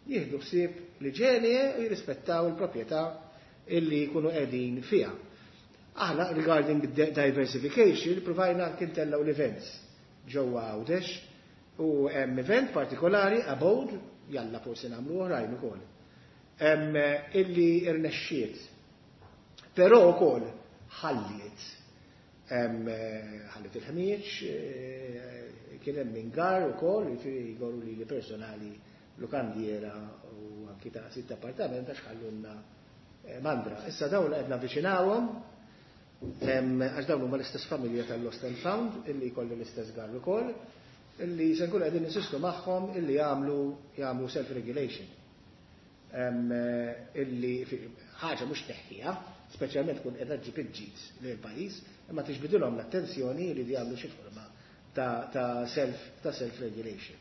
jieħdu ħsieb l-iġene u jirrispettaw il-proprjetà illi jkunu qegħdin fiha. Aħna regarding diversification provajna kien tellgħu l-events ġewwa Għawdex u hemm event partikolari Abode, jalla forsi nagħmlu oħrajn ukoll. Illi irnexxiet. Però wkoll ħalliet il-ħmieġ, kien hemm ingar ukoll, jiġifieri jgorru li personali lukandiera u anki ta' sitt appartament għax ħallunna mandra. Issa dawn qed navviċinawhom għax dawn huma l-istess familja tal-Lost and Found illi jkollu l-istess gar ukoll, illi se nkunu qegħdin insistu magħhom illi jagħmlu self-regulation. Illi ħaġa mhux teħħiha, speċjalment tkun qiegħda ġġib il-ġid lill-pajjiż, imma tiġbidilhom l-attenzjoni li jagħmlu xi forma ta' self regulation.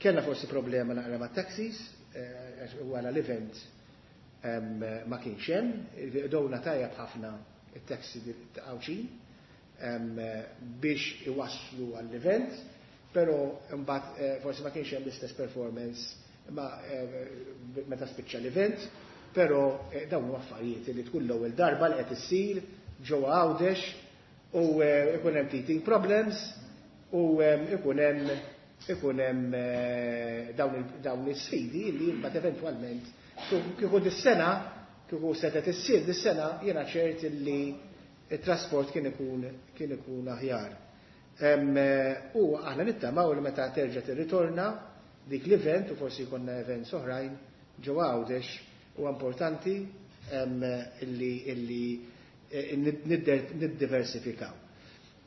Kellna forsi problema naqra ma' taxis, wara l-event ma kienx hemm, downa tajjeb ħafna it-taxi Għawdxin biex iwasslu għall-event, però mbagħad forsi ma kienx hemm l-istess performance ma meta spiċċa l-event, però dawn huma affarijiet li tkun l-ewwel darba li qed issir ġewwa Għawdex u ikun hemm teething problems u ikun hemm dawn is-sfidi li mbagħad eventwalment kieku dis-sena, kieku setgħet issir dis-sena, jiena ċert li it-trasport kien ikun aħjar. U aħna nittamaw li meta terġa' tirritorna dik l-event u forsi jkollna events oħrajn ġewwa Għawdex, huwa importanti illi niddiversifikaw.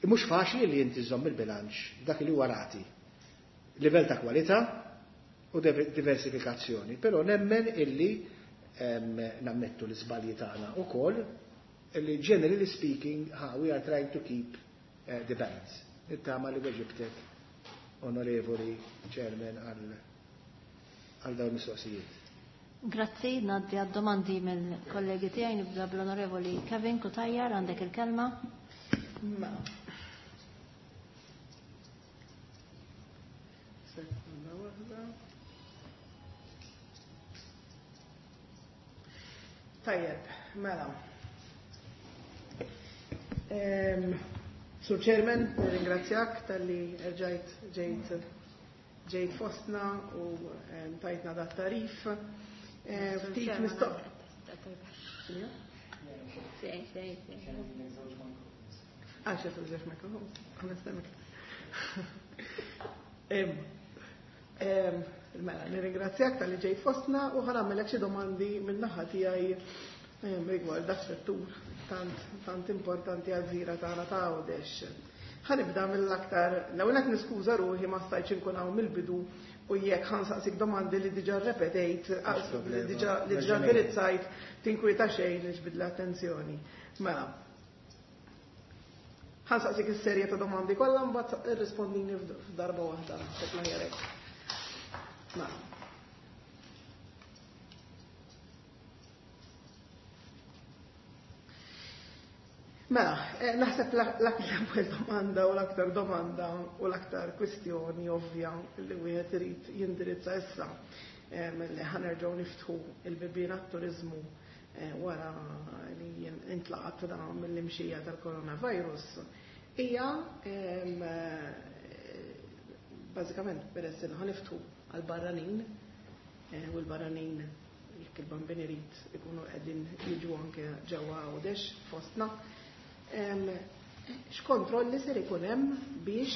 Mhux faċli li inti żomm il-bilanċ dak li huwa rati. Livell ta' kwalità u diversifikazzjoni, però nemmen illi nammettu l-iżbalji tagħna ukoll illi generally speaking we are trying to keep the balance. Nittama li weġibtek, onorevoli chairman, għal dawn mistoqsijiet. Grazzi, ngħaddi għad-domandi mill-kollegi tiegħi, nibda bl-onorevoli Kevin Cutajar, għandek il-kelma. Ma. Sekonda waħda. Tajjeb, mela. Sur Chairman, ringrazzjak talli rġajt ġejt fostna u tajtna dat tarif. Ftit mistoq. Sì. Għax tużax mikrofon, onestament. Mela, nirringrazzjak talli ġejt fostna u ħa nagħmellek xi domandi min-naħa tiegħi rigward dak settur tant tant importanti għal-gżira tagħna ta' Għawdex. Ħa nibda mill-aktar, l-ewwel qed niskuża ruħi ma stajtx inkun hawn mill-bidu u jekk ħa nsaqsik domandi li diġà repetejt, li diġà indirizzajt, tinkwieta xejn, niġbid l-attenzjoni. Mela, ħa nsaqsik is-serje ta' domandi kollha, mbagħad irrispondini f'darba waħda, naħseb l-aħjar hekk. Mela. Mela, naħseb l-ewwel domanda u l-aktar domanda u l-aktar kwistjoni ovvja li wieħed irid jindirizza issa li ħa nerġgħu niftħu il-bibien għat-turiżmu wara li intlaqat da mill-imxija tal-coronavirus hija bażikament peress li ħa niftħu għal-barranin u l-barranin, jekk il-Bambin irid, ikunu qegħdin jiġu anke ġewwa Għawdex fostna. X'kontrolli ser ikun hemm biex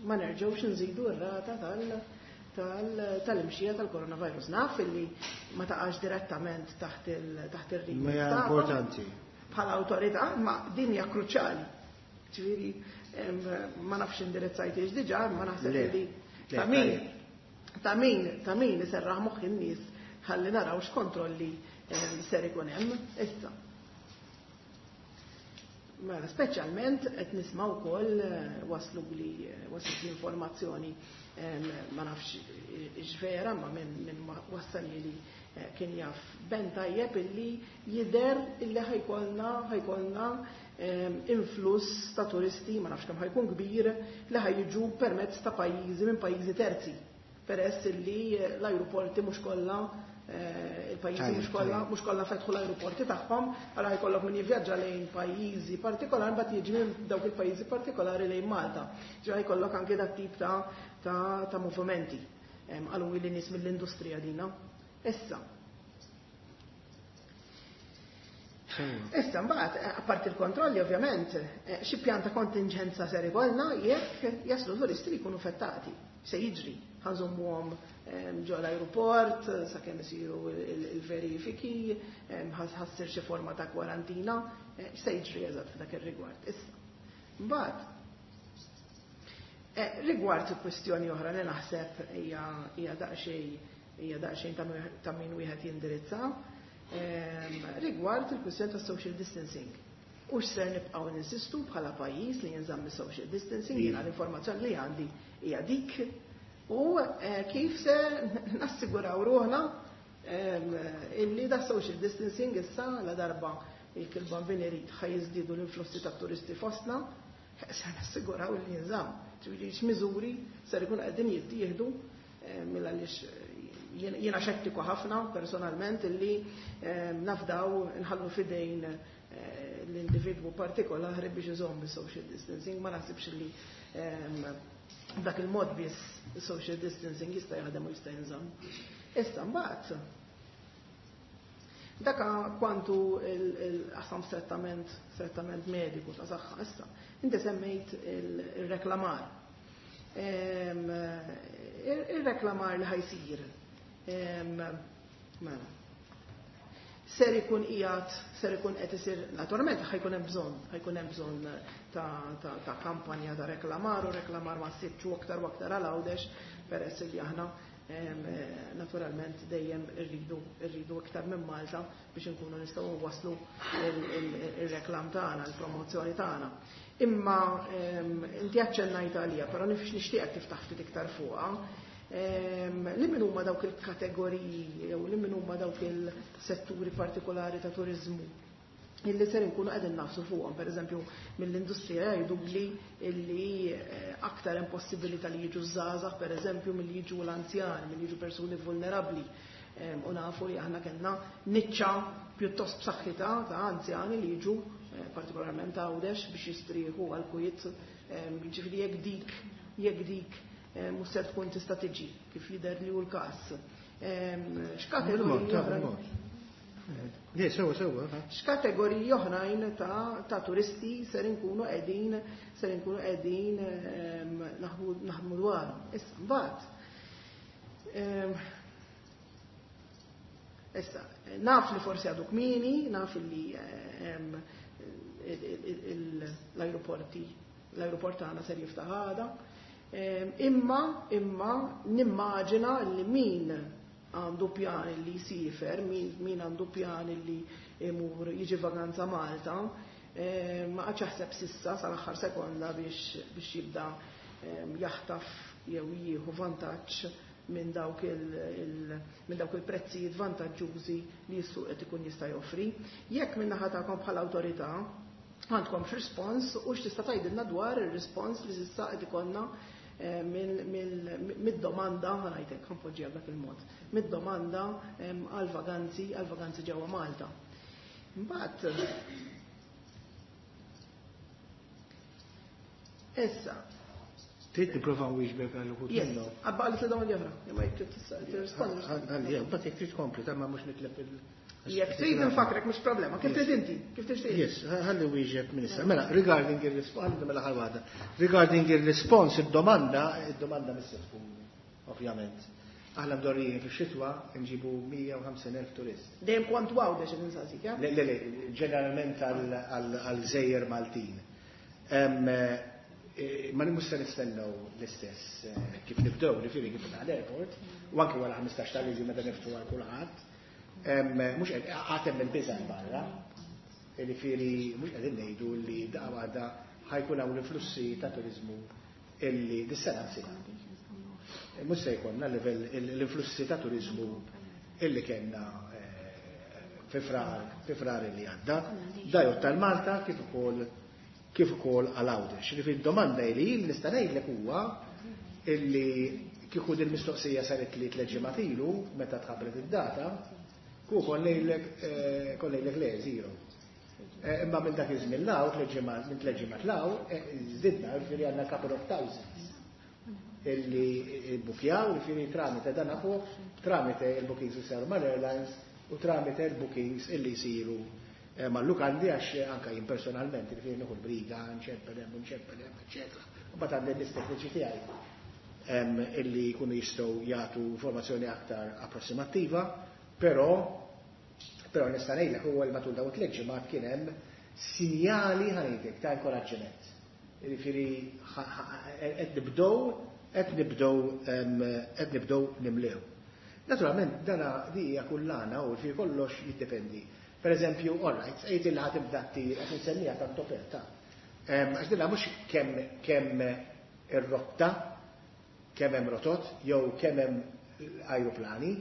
ma nerġgħux nżidu r-rata tal-imxija tal-coronavirus? Naf illi ma taqax direttament taħt ir-remit Ma hija tagħkom importanti. bħala awtorità, ma din hija kruċjali. Ġifieri ma nafx indirizzajtix diġà, ma naħseb Le. li Le, ta' min tajjeb. ta' min iserraħ moħħ in-nies ħalli naraw x'kontrolli ser ikun hemm issa. Mela, speċjalment qed nisma' wkoll waslu li waslet l-informazzjoni, ma nafx x'vera, ma minn wassal li kien jaf ben tajjeb illi jidher illi ħa jkollna influss ta' turisti, ma nafx kemm ħa jkun kbir, li ħa jiġu permezz ta' pajjiżi minn pajjiżi terzi. Peress illi l-ajruporti mhux kollha il-pajjiżi mhux kollha fetħu l-ajruporti tagħhom, allura jkollok min jivvjaġġa lejn pajjiżi partikolari, mbagħad jiġi minn dawk il-pajjiżi partikolari lejn Malta. Ġa jkollok anke dat tip ta' movimenti. Qalu li nies mill-industrija dina. Issa. Issa, mbagħad, apparti il-kontrolli, ovvjament, xi pjan ta' kontinġenza ser ikollna jekk jaslu turisti li jkunu fettati? Se jiġri, ħa nżommuhom ġo l-aeroport, sakemm isiru il-verifiki, ħa ssir xi forma ta' kwarantina, se jiġri eżatt f'dak ir-rigward. Issa. Mbagħad, rigward kwestjoni oħra li naħseb hija daqsxejn hija daqsxejn ta' min wieħed jindirizza, rigward il-kwistjoni ta' social distancing. U x'ser nibqgħu ninsistu bħala pajjiż li jinżamm social distancing, jiena l-informazzjoni li għandi hija dik, u kif se nassiguraw ruħna illi da social distancing issa la darba jekk il-Bambin irid ħa jiżdiedu l-influssi ta' turisti fostna, se nassiguraw li jinżamm. Ġifieri x'miżuri ser ikun qegħdin jittieħdu, mela għaliex jiena xettiku ħafna personalment illi nafdaw nħallu fidejn l-individwu partikolari biex iżomm social distancing, ma naħsibx li dak il-mod biss social distancing jista' jaħdem u jista' jinżamm. Issa mbagħad daka kwantu il-qasam strettament mediku ta' saħħa. Issa, inti semmejt il-reklamar. Il-reklamar li ħa jsir. Mela. Ser ikun qiegħed, ser ikun qed isir, naturalment ħa jkun hemm bżonn ta' kampanja ta' reklamar u reklamar massiċċu aktar u aktar għal Għawdex, peress li aħna naturalment dejjem irridu iktar minn Malta biex inkunu nistgħu waslu il-reklam tagħna, il-promozzjoni tagħna. Imma inti aċċennajt għalija, però nifx nixtieqek tiftaħ ftit iktar fuqha. Li min huma dawk il-kategoriji jew li min huma dawk il-setturi partikolari ta' turizmu illi ser inkunu qegħdin nagħfsu fuqhom, pereżempju mill-industrija jgħidu li illi aktar hemm possibilità li jiġu żgħażagħ pereżempju milli jiġu l-anzjani, milli jiġu persuni vulnerabbli. U nafu li aħna kellna niċċa pjuttost b'saħħitha ta' anzjani li jiġu partikolarment Għawdex biex jistrieħu għal kwiet, ġifieri jekk dik mhux ser tkun tista' tiġi kif jidher li hu l-każ. X'kategoriji oħrajn? Le, sewa, sewa. X'kategoriji oħrajn ta' turisti ser inkunu qegħdin naħdmu dwar? Issa mbagħad. Issa, naf li forsi għadu kmieni, naf li l-aeroporti, l-aeroport tagħna ser jiftaħ għada. Imma nimmaġina li min għandu pjan li jsifer, min għandu pjan li imur jiġi vaganza Malta, ma qagħadx jaħseb s'issa sal-aħħar sekonda biex jibda jaħtaf jew jieħu vantaġġ minn dawk il-prezzijiet vantaġġużi li s-suq qed ikun jista' joffri. Jekk minn naħa tagħkom bħala awtorità għandkom x'rispons u x'tista' tgħidilna dwar ir-rispons li s'issa qed ikollna mid-domanda, ħa ngħidlek, ħa npoġġiha b'dak il-mod, mid-domanda għal-vaganzi ġewwa Malta. Mbagħad issa, Trid nipprova nwieġbek għal uħud yes, minnhom. Għabba għal domandi oħra, imma jekk trid tirrispondi. Għalli, mbagħad jekk trid tkompli, ta' ma mhux nitlef il- Jekk trid nfakrek mhux problema, kif trid inti, kif tixtieq. Yes, ħalli wieġeb minister. Mela, regarding il-response, mela ħal waħda. Regarding il-response, id-domanda mhix se tkun, ovvjament. Aħna mdorrijin fix-xitwa nġibu 150,000 turist. Dejjem kont Għawdex qed insaqsik, ja? Le, ġeneralment għal-gżejjer Maltin. Ma mhux se nistennew l-istess kif nibdew, ġifieri kif l-airport, u anke wara 15 ta' Lulju meta niftħu għal kulħadd. Mhux għad hemm il-biża' barra, ġifieri mhux qegħdin ngħidu li daqqa waħda ħa jkun hawn l-influssi ta' turizmu illi dis-sena nsina. Mhux se jkollna livell l-influssi ta' turizmu illi kellna fi Frar li għadda, da jgħod tal-Malta kif ukoll għal Għawdex. Ġifieri domanda li jien nista' ngħidlek huwa illi kieku din mistoqsija saret li 3 ġimgħat ilu meta tħabbret id-data, ku kon ngħidlek le, zero. Imma minn dak iż-żmien 'l hawn, 3 ġimgħat, minn 3 ġimgħat 'l hawn, żdidna, ġifieri għandna couple of thousands illi bukjaw, ġifieri tramite dan fuq, tramite il-bookings li saru mal-airlines u tramite il-bookings illi jsiru mal-lukandi, għax anka jien personalment, ġifieri nieħu l-briga, nċempel hemm, nċempel hemm, eċetera. U mbagħad għandi l-istekniċi tiegħi illi jkunu jistgħu jagħtu informazzjoni aktar approssimattiva, però nista' ngħidlek huwa li matul dawn 3 ġimgħat kien hemm sinjali, ħa ngħidlek, ta' inkoraġġiment. Jiġifieri qed nibdew nimlew. Naturalment, dana di hija kullana u fi kollox jiddependi. Per eżempju, all right, għid il ħa tibda ttir, qed insemmija tant ta'. Għax dinha mhux kemm ir-rotta, kemm hemm rotot, jew kemm hemm ajruplani,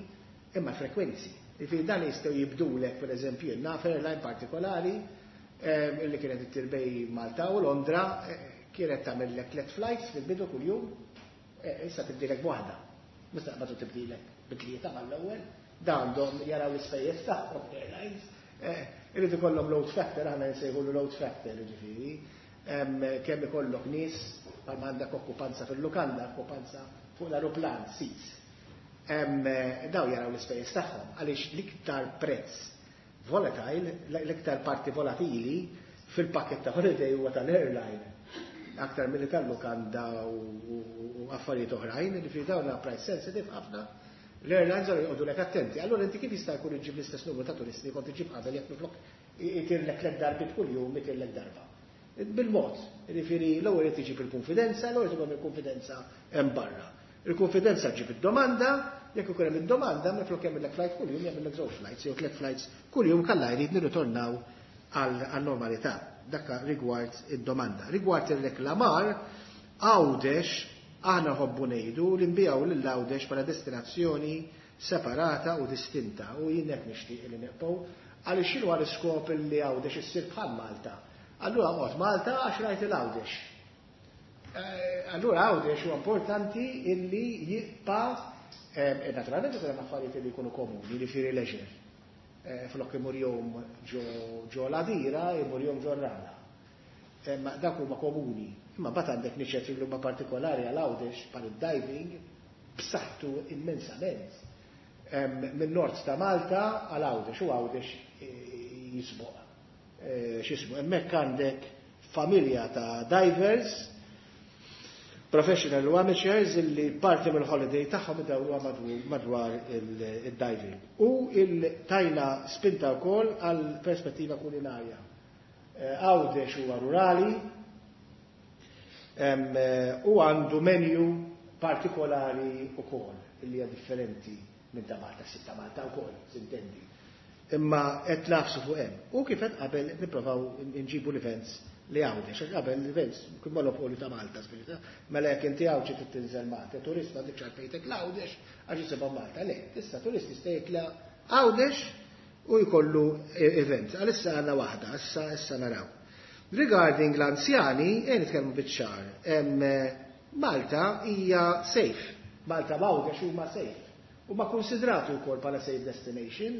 imma frekwenzi. Jiġifieri dan jistgħu jibdulek, per eżempju, naf airline partikolari illi kienet ittir bejn Malta u Londra, kienet tagħmellek tliet flights fil-bidu kuljum, issa tibdilek b'waħda. Mhux taqbad u tibdilek bi tlieta mal-ewwel, da għandhom jaraw l-ispejjeż tagħhom airlines. Irid ikollhom load factor, aħna nsejħulu load factor, ġifieri. Kemm ikollok nies, bħalma għandek okkupanza fil-lukanda, okkupanza fuq l-aeroplan, seats. Daw jaraw l-ispejjeż tagħhom, għaliex l-iktar prezz volatile, l-iktar parti volatili fil-pakket ta' holiday huwa tal-airline. Aktar milli tal-lukanda u affarijiet oħrajn, li fi dawn price sensitive ħafna, l-airlines għallu jqogħdu lek attenti. Allora inti kif jista' jkun iġġib l-istess numru ta' turisti kont iġġib qabel jekk minflok itirlek tliet darbiet kuljum itirlek darba? Bil-mod, jiġifieri l-ewwel irid iġib il-konfidenza, l-ewwel irid il-konfidenza hemm barra. Il-konfidenza ġib id-domanda, jekk ikun hemm id-domanda, minflok jagħmellek flight kuljum, jagħmellek żewġ flights jew tliet flights kuljum kalla jrid nirritornaw għal-normalità. Dakka rigward id-domanda. Rigward ir-reklamar, Għawdex, aħna ħobbu ngħidu li nbiegħu lil Għawdex bħala destinazzjoni separata u distinta u jien hekk nixtieq li nibqgħu, għaliex x'inhu l-iskop li Għawdex issir bħal Malta? Allura qgħod Malta għax rajt il-Għawdex. Allura Għawdex huwa importanti illi jibqa', naturalment ikun hemm affarijiet li jkunu komuni, jiġifieri leisure. Flok imur jum ġo l-Għadira, imur jum ġo r-Rala. Ma dak huma komuni. Imma mbagħad għandek niċet li huma partikolari għal Għawdex bħal id-diving b'saħħtu immensament. Minn nord ta' Malta għal Għawdex u Għawdex jisboq. X'ismu, hemmhekk għandek familja ta' divers, professional u amateurs, illi parti mill-holiday tagħhom idawruha madwar il-diving. U il-tajna spinta wkoll għal perspettiva kulinarja. Għawdex huwa rurali u għandu menu partikolari wkoll illi hija differenti minn ta' Malta, sitta Malta wkoll, s'intendi. Imma qed nafsu fuq hemm. U kif qed qabel nipprovaw nġibu l-events li Għawdex, għax qabel l-events kien monopolju ta' Malta, spirita. Mela jekk inti Għawdxi trid tinżel Malta, turist ma dik xarpejtek l-Għawdex għax jisibha Malta. Le, issa turist jista' jitla' Għawdex u jkollu event. Għalissa għandna waħda, issa naraw. Regarding l-anzjani, nitkellmu biċ-ċar. Malta hija safe. Malta, Għawdex huma safe. Huma konsidrati wkoll bħala safe destination.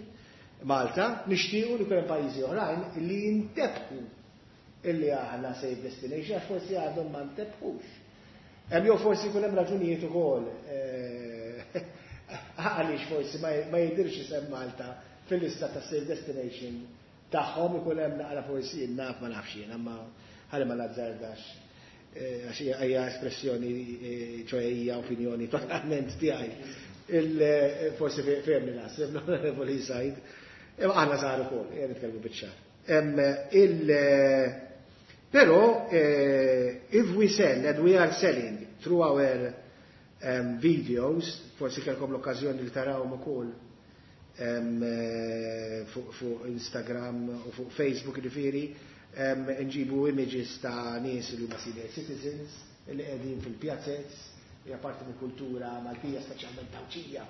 Malta, nixtiequ li hemm pajjiżi oħrajn li jintebħu illi aħna safe destination, għax forsi għadhom ma ntebħux. Hemm jew forsi jkun hemm raġunijiet ukoll għaliex forsi ma jidirx isem Malta fil-lista ta' safe destination tagħhom, ikun hemm naqra forsi naf ma nafx jien, imma ħalli ma nazzardax, għax hija espressjoni, ċoè hija opinjoni totalment tiegħi. Forsi fehmni naħseb l-Onorevoli Said. Imma aħna saru ukoll, ejja nitkellmu biċ-ċar. Però if we sell and we are selling through our videos, forsi kellkom l-okkażjoni li tarawhom ukoll fuq Instagram u fuq Facebook, ġifieri, nġibu images ta' nies li huma senior citizens li qegħdin fil-pjazzez, hija parti mill-kultura Maltija, speċjalment Għawdxija.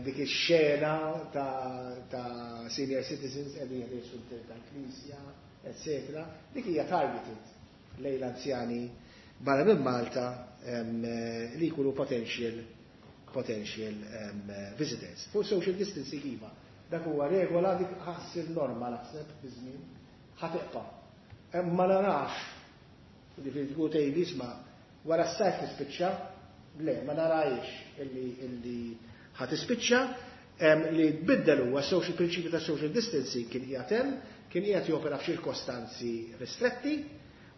Dik ix-xena ta' senior citizens qegħdin jħirsu tal-knisja, etc. Dik hija targeted lejn l-anzjani barra minn Malta li jkunu potential visitors. Fuq social distancing iva, dak huwa regola, dik ħa ssir norma naħseb biż-żmien, ħa tibqa'. Ma narax, ġifieri tkun tgħid isma' wara s-sajf tispiċċa, le, ma narajx illi ħa tispiċċa, li tbiddel huwa social prinċipju ta' social distancing kien qiegħed hemm, kien qiegħed jopera f'ċirkostanzi ristretti,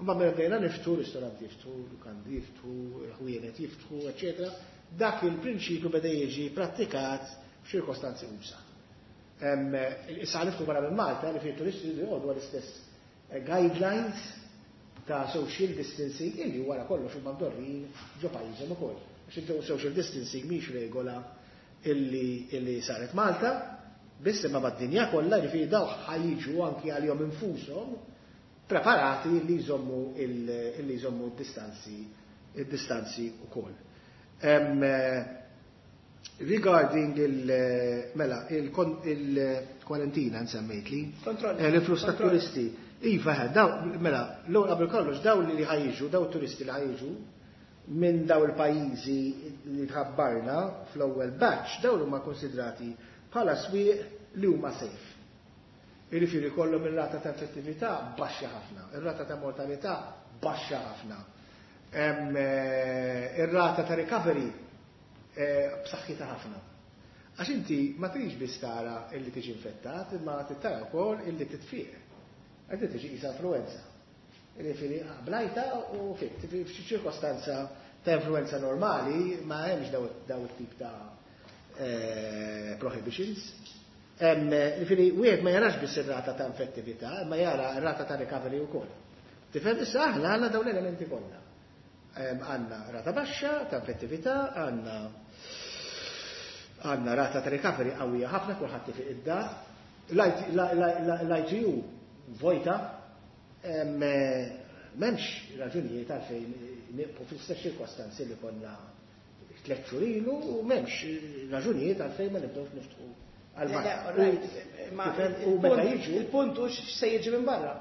ma mela bdejna niftħu, ristoranti jiftħu, lukandi jiftħu, ħwienet jiftħu, eccetera. Dak il-prinċipju beda jiġi prattikat f'ċirkostanzi usa'. Issa niftħu barra minn Malta li fi turisti li jgħodu għall-istess guidelines ta' social distancing illi wara kollox huma mdorrin ġo pajjiżhom ukoll. Għax social distancing mhix regola. Illi saret Malta, biss imma mad-dinja kollha, jiġifieri daw ħa jiġu anki għalihom infushom preparati li jżommu d-distanzi ukoll. Regarding il-mela, il-kwarantina nsemmejt li, l-influss ta' turisti. Iva, daw, mela, l qabel kollox, daw li ħa jiġu, daw turisti li ħa jiġu, minn daw il-pajjiżi li tħabbarna fl-ewwel batch, daw huma konsidrati bħala swieq li huma safe. Jiġifieri kollhom ir-rata ta' infettività baxxa ħafna, ir-rata ta' mortalità baxxa ħafna. Ir-rata ta' recovery b'saħħitha ħafna. Għax inti ma tridx biss tara illi tiġi infettat, imma tara wkoll illi titfiq. Għad tiġi qisha influenza. Jiġifieri blajtha u fiqt. F'xi ċirkostanza ta' influenza normali ma hemmx daw it-tip ta' prohibitions. Jiġifieri wieħed ma jarax biss ir-rata ta' infettività, ma jara r-rata ta' recovery wkoll. Tifhem, issa aħna għandna dawn l-elementi kollha. Għandna rata baxxa ta' infettività, għandna rata ta' recovery qawwija ħafna, kulħadd ifiq id-dar. L-ITU vojta, m'hemmx raġunijiet għalfejn nibqgħu fl-istess ċirkostanzi li konna 3 xhur ilu u m'hemmx raġunijiet għalfejn ma nibdewx niftħu għal. U meta jiġu. Il-punt hu x'se jiġi minn barra.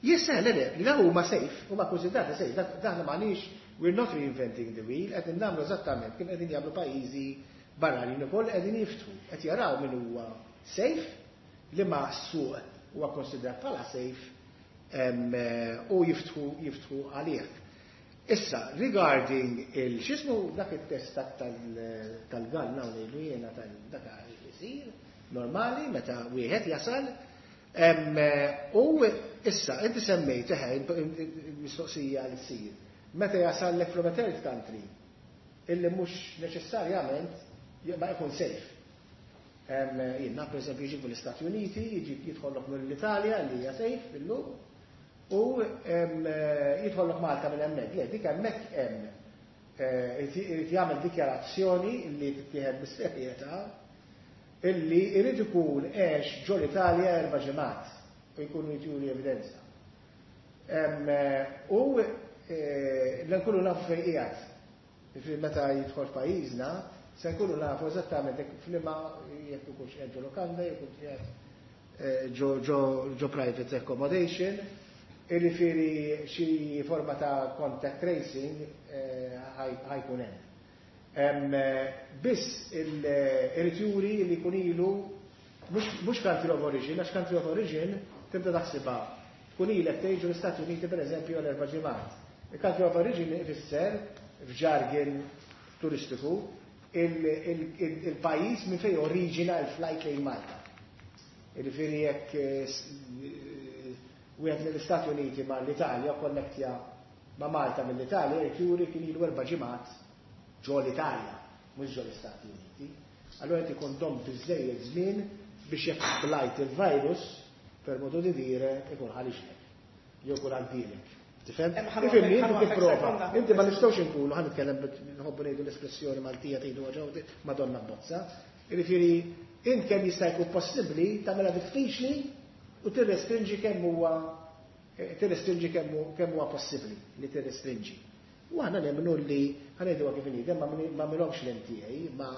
Jissa, le, le, le, huma safe, huma konsidrati safe, daħna m'għandniex, we're not reinventing the wheel, qed nagħmlu eżattament kif qegħdin jagħmlu pajjiżi barranin ukoll, qegħdin jiftħu, qed jaraw min huwa safe, li ma suq huwa konsidrat bħala safe u jiftħu għalih. Issa, regarding il-xismu dak il-test tal-gall ngħidu jiena tal-dak isir normali meta wieħed jasal. U issa, inti semmejt, eħe, mistoqsija li ssir. Meta jasal lek from a third country, illi mhux neċessarjament ma jkun safe. Jiena, per esempio, jiġi mill-Istati Uniti, jiġi jidħollok mill-Italja li hija safe illum, u jidħollok Malta minn hemmhekk. Le, dik hemmhekk hemm irid jagħmel dikjarazzjoni li tittieħed bis-serjetà illi irid ikun għex ġo l-Italja 4 ġimgħat u jkunu jturi evidenza. U l-nkunu nafu fejn qiegħed. Jiġifieri meta jidħol pajjiżna, se nkunu nafu eżattament jekk f'liema, jekk ikunx qiegħed ġo lokanda, jekk ikunx qiegħed ġo private accommodation, jiġifieri xi forma ta' contact tracing ħa jkun hemm. Biss irid juri li jkun ilu mhux country of origin, għax country of origin tibda taħsibha tkun ilek tgħix l-Istati Uniti, per eżempju, għal 4 ġimgħat. Il-country of origin ifisser f'jargon turistiku il-pajjiż minn fejn oriġina l-flight lejn Malta. Jiġifieri jekk wieħed mill-Istati Uniti ma' l-Italja konnektja ma' Malta mill-Italja, jrid juri kien ilu 4 ġimgħat ġo l-Italja, mhux ġo l-Istati Uniti. Allora qed ikun dom biżejjed żmien biex jekk blajt il-virus, per modo di dire, ikun ħariġlek, jew ikun għaddilek. Tifhem? Ifhimni, inti tipprova. Inti ma nistgħux inkunu, ħa nitkellem, nħobbu ngħidu l-espressjoni Maltija, tgħidu ġew Madonna bozza. Jiġifieri int kemm jista' jkun possibbli tagħmilha diffiċli u tirrestrinġi kemm huwa possibbli li tirrestrinġi. U aħna nemmnu li, ħa ngħidu kif inhi, ma milhomx l-MTA, ma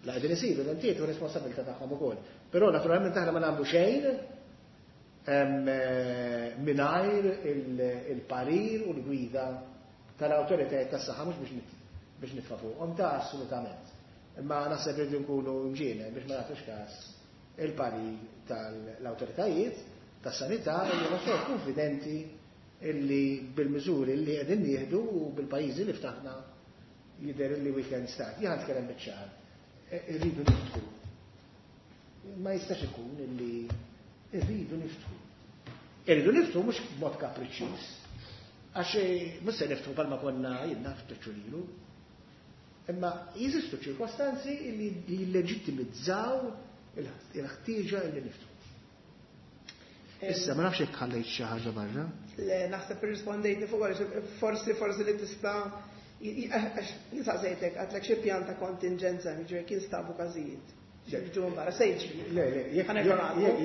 la qegħdin isiru l-MTA tu responsabilità tagħhom ukoll. Però naturalment aħna ma nagħmlu xejn mingħajr il-parir u l-gwida tal-awtoritajiet tas-saħħa, mhux biex nitfa' fuqhom ta' assolutament. Imma naħseb li nkunu mġiene biex ma nagħtux każ il-parir tal-awtoritajiet tas-sanità li huma sort konfidenti illi bil-miżuri li qegħdin nieħdu u bil-pajjiżi li ftaħna jidher illi we can start. Jien nitkellem biċ-ċar. Irridu niftħu. Ma jistax ikun illi irridu niftħu. Irridu niftħu mhux b'mod kapriċċjuż. Għax mhux se niftħu bħalma konna jiena ftit ilu. Imma jeżistu ċirkostanzi li jilleġittimizzaw il-ħtieġa illi niftħu. Issa, ma nafx jekk ħallejt xi ħaġa barra. Le, naħseb irrispondejtni fuq għaliex forsi li tista' Jien saqsejtek għedtlek xi pjan ta' kontinġenza, jiġifieri kien stabu każijiet. Jiġu minn barra, se jiġri. Le, le,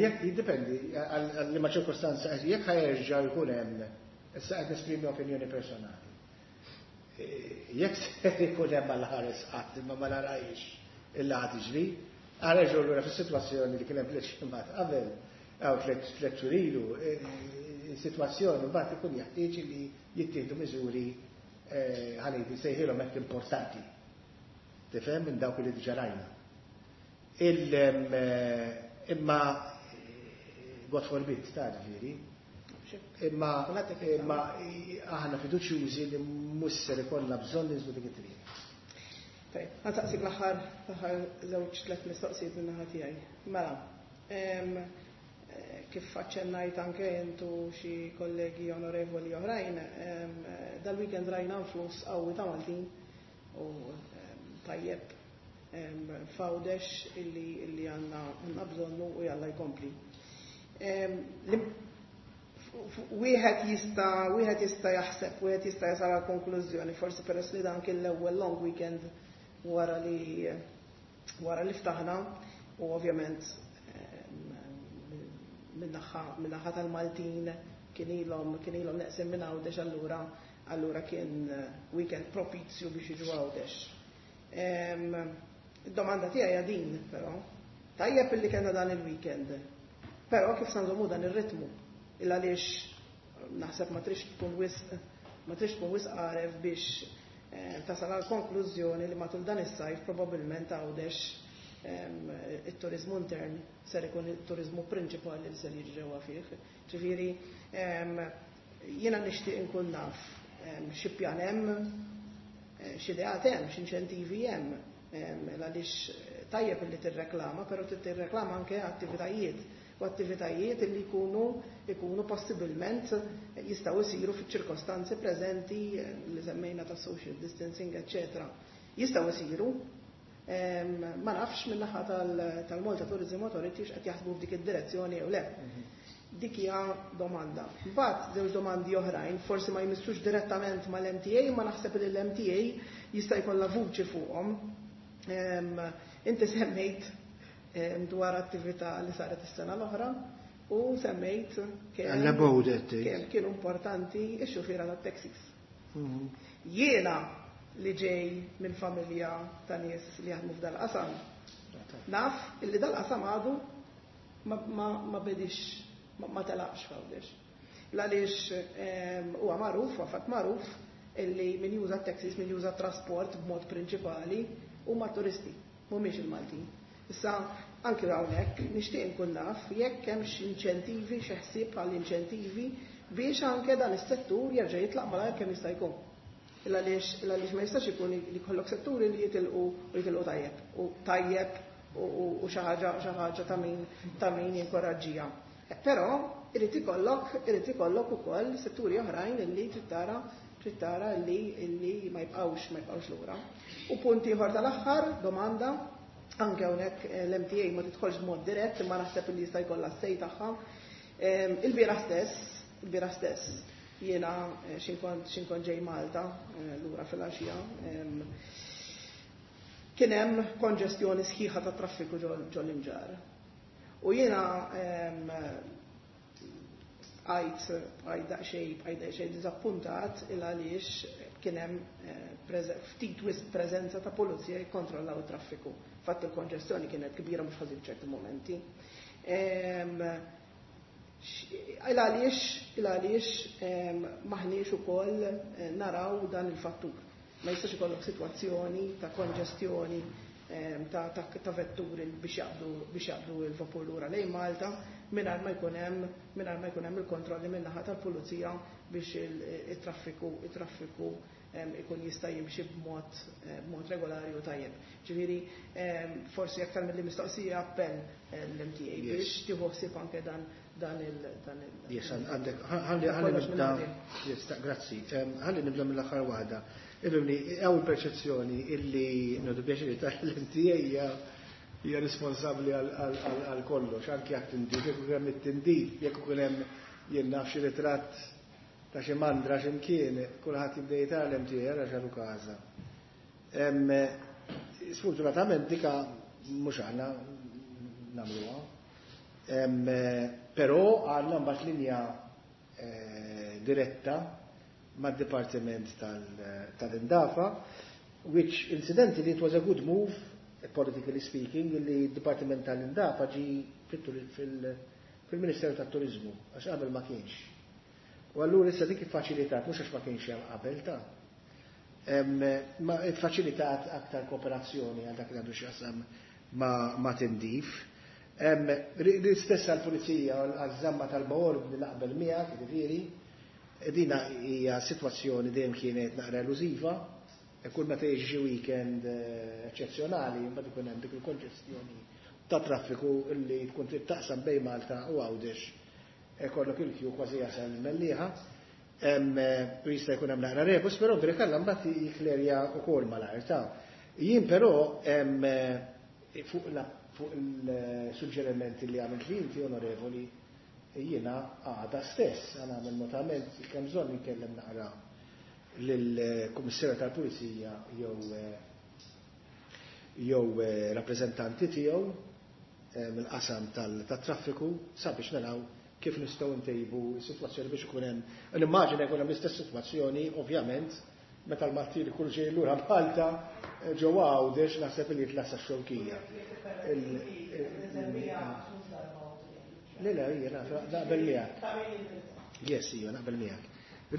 jekk jiddependi għal liema ċirkostanza, jekk ħa jerġa' jkun hemm, issa qed nesprimi opinjoni personali. Jekk se jkun hemm għal ħares qatt imma ma narajx illa ħad tiġri, ħa nerġgħu lura fis-sitwazzjoni li kien hemm tliet ġimgħat qabel, jew tliet xhur ilu, sitwazzjoni mbagħad ikun jeħtieġ li jittieħdu miżuri ħa ngħid sejħilhom hekk importanti. Tifhem minn dawk li diġà rajna. Imma God forbid, ta' ġifieri. Imma aħna fiduċjużi li mhux ser ikollna bżonn ninżlu dik it-triq. Tajjeb, ħa nsaqsik l-aħħar żewġ tliet mistoqsijiet minn naħa tiegħi. Mela, kif aċċennajt anke intu xi kollegi onorevoli oħrajn, dal-weekend rajna flus qawwi ta' Maltin u tajjeb f'Għawdex illi għandna bżonnu u jalla jkompli. Wieħed jista' jaħseb, wieħed jista' jasal għal konklużjoni, forsi peress li dan kien l-ewwel long weekend wara li ftaħna u ovvjament min-naħa tal-Maltin kien ilhom neqsin minn Għawdex, allura kien weekend propizju biex jiġu Għawdex. Id-domanda tiegħi hija din però. Tajjeb illi kellna dan il-weekend. Però kif sa nżommu dan ir-ritmu? Il għaliex naħseb ma trix tkun wisq għaref biex tasal għal konklużjoni li matul dan is-sajf probabbilment Għawdex it-turizmu intern ser ikun it-turizmu prinċipali li ser jiġi ġewwa fih. Ġifieri jiena nixtieq inkun naf xi pjan hemm, x'ideat hemm, x'inċentivi hemm, għaliex tajjeb li tirreklama, però tirreklama anke attivitajiet u attivitajiet li jkunu possibilment jistgħu jsiru fiċ-ċirkostanzi preżenti li semmejna ta' social distancing, eccetera. Jistgħu jsiru, ma nafx min-naħa tal-Malta Tourism Authority x'qed jaħsbu f'dik id-direzzjoni jew le. Dik hija domanda. Mbagħad żewġ domandi oħrajn, forsi ma jmissux direttament mal-MTA, ma naħseb li l-MTA jista' jkollha vuċi fuqhom. Inti semmejt dwar attività li saret is-sena l-oħra u semmejt kemm kienu importanti x-xufiera tat-taxis. Jiena li ġej minn familja ta' nies li jaħdmu f'dal-qasam, naf illi dal-qasam għadu ma bedix, ma telaqx f'Għawdex. Għaliex huwa magħruf, huwa fatt magħruf, illi min juża taxis, min juża trasport b'mod prinċipali huma turisti, mhumiex il-Maltin. Issa, anki hawnhekk nixtieq inkun naf jekk hemm inċentivi, xi ħsieb għall inċentivi biex anke dan is-settur jerġa' jitlaq malajr kemm jista' jkun. Il għaliex ma jistax ikun li jkollok setturi li jitilqu u jitilqu tajjeb u tajjeb u xi ħaġa ta' min jinkoraġġija. Però irid ikollok ukoll setturi oħrajn illi trid tara li ma jibqgħux lura. U punt ieħor tal-aħħar, domanda, anke hawnhekk l-MTA ma tidħolx b'mod dirett, imma naħseb li jista' jkollha s-say tagħha. Il-bieraħ stess, jiena x'inkont ġej Malta lura fil-għaxija, kien hemm konġestjoni sħiħa ta' traffiku ġol Imġarr. U jiena għajt daqsxejn dizappuntat il għaliex kien hemm ftit wisq preżenza ta' pulizija jikkontrollaw it-traffiku. Fatt il-konġestjoni kienet kbira mhux ħażin ċerti momenti. Il għaliex m'aħniex ukoll naraw dan il-fattur? Ma jistax ikollok sitwazzjoni ta' konġestjoni ta' vetturi biex jaqbdu il-vapur lura lejn Malta mingħajr ma jkun hemm il-kontrolli min-naħa tal-pulizija biex it-traffiku ikun jista' jimxi b'mod regolari u tajjeb. Ġifieri forsi aktar mill mistoqsija appell l-MTA biex tieħu ħsieb anke dan il Yes, għandek, ħalli nibda, yes, grazzi, ħalli nibda mill-aħħar waħda. Ibni, għaw il-perċezzjoni illi nieħdu pjaċir tal-MTA hija responsabbli għal kollox, anki għat tindif, jekk ikun hemm it-tindif, jekk ikun hemm jien naf xi ritratt. ta' xi mandra x'imkien, kulħadd jibda jitgħallem tiegħi ara x'għadu każa. Sfortunatament dika mhux aħna nagħmluha. Però għandna mbagħad linja diretta mad-Dipartiment tal-Indafa, which incidentally it was a good move, politically speaking, li d-Dipartiment tal-Indafa ġi fil-Ministeru tat-Turizmu, għax qabel ma kienx. U allura issa dik iffaċilitat, mhux għax ma kienx hemm qabel ta' ma iffaċilitat aktar kooperazzjoni għal dak li għandu x'jaqsam ma' tindif. L-istess għall-pulizija għaż-żamma tal-baordni naqbel miegħek, jiġifieri, dina hija sitwazzjoni dejjem kienet naqra elużiva, kull meta jiġi xi weekend eċċezzjonali mbagħad ikun hemm dik il-konġestjoni ta' traffiku li tkun trid taqsam bejn Malta u Għawdex ikollok il-kju kważi jasal il-Mellieħa. U jista' jkun hemm naqra rebus, però Brikalla mbagħad jiklerja wkoll malajr ta'. Jien però fuq fuq il-suġġerimenti li għamilt li inti onorevoli jiena għada stess għan nagħmel notament kemm bżonn inkellem naqra lill-Kummissarju tal-Pulizija jew jew rappreżentanti tiegħu mill-qasam tat-traffiku sabiex naraw kif nistgħu ntejbu s-sitwazzjoni biex ikun hemm. Nimmaġina jkun hemm l-istess sitwazzjoni ovvjament meta l-Maltin ikunu ġejjin lura Malta ġewwa Għawdex naħseb li jitla' sax-Xewkija. Le le jiena naqbel miegħek. Yes, ija naqbel miegħek.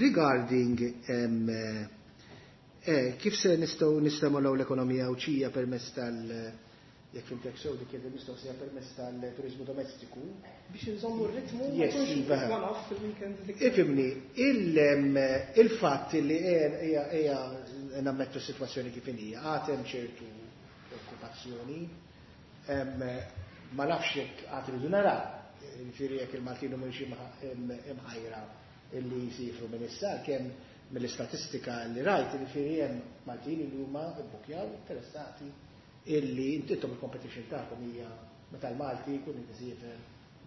Regarding kif se nistgħu nistimolaw l-ekonomija Għawdxija permezz tal jekk fimtek sew dik kienet il-mistoqsija permezz tal-turizmu domestiku. Biex nżommu r-ritmu, Yes, iva. one-off fil-weekend dik. Ifimni, il-fatt li hija nammettu s-sitwazzjoni kif hija, għad hemm ċertu preokkupazzjoni, ma nafx jekk għad iridu naraw, jiġifieri jekk il-Maltin mhumiex imħajra illi jsifru minn issa, kemm mill-istatistika li rajt, jiġifieri hemm Maltin li huma bbukjaw interessati illi intom il-competition tagħkom hija meta l-Malti jkun isiefer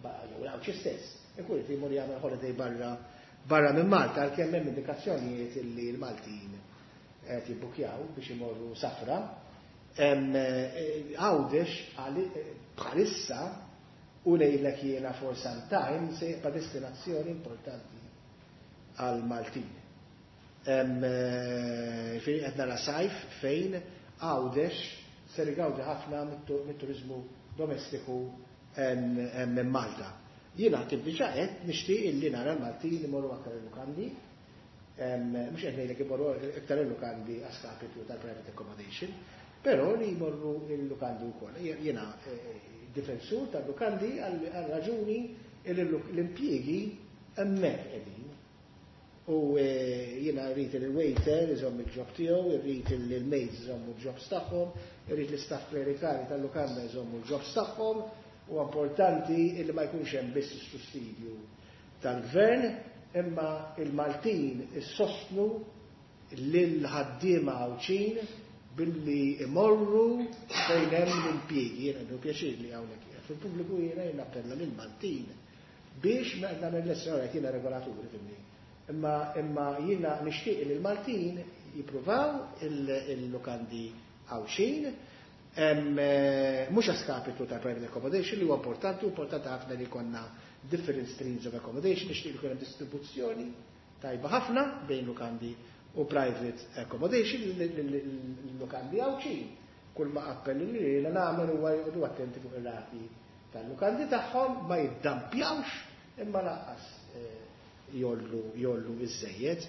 jew l-Għawdxi stess, ikun irid imur jagħmel holiday barra minn Malta, għalkemm hemm indikazzjonijiet illi l-Maltin qed jibbukjaw biex imorru safra. Għawdex bħalissa u ngħidlek jiena for some time se jibqa' destinazzjoni importanti għal Maltin. Fejn qed nara sajf fejn Għawdex ser igawdi ħafna mit-turizmu domestiku minn Malta. Jiena kif diġà qed nixtieq illi nara l-Maltin imorru aktar il-lukandi, mhux qed ngħidlek imorru iktar il-lukandi a skapitu tal-private accommodation, però li jmorru il-lukandi wkoll. Jiena difensur tal-lukandi għal raġuni l-impjiegi hemmhekk qegħdin. U jiena rrid il-waiter iżomm il-job tiegħu, irrid il-maids iżommu l-jobs tagħhom, irrid l-istaff klerikali tal-lukanda iżommu l-jobs tagħhom, u importanti illi ma jkunx hemm biss is-sussidju tal-gvern, imma il-Maltin issostnu lil ħaddiema Għawdxin billi imorru fejn hemm l-impjiegi. Jiena għandu pjaċir li hawnhekk fil-pubbliku jiena nappella lill-Maltin biex ma nagħmel l-essora jiena regolaturi fimni. Imma jiena nixtieq li l-Maltin jippruvaw il-lukandi Għawdxin, mhux a skapitu ta' private accommodation li huwa importanti, importanti ħafna li jkollna different streams of accommodation, nixtieq li jkun hemm distribuzzjoni tajba ħafna bejn lukandi u private accommodation, l-lukandi Għawdxin. Kull ma appelli li jiena nagħmel huwa joqogħdu attenti fuq ir-rati tal-lukandi tagħhom, ma jiddampjawx imma lanqas jollu iż-żejjed.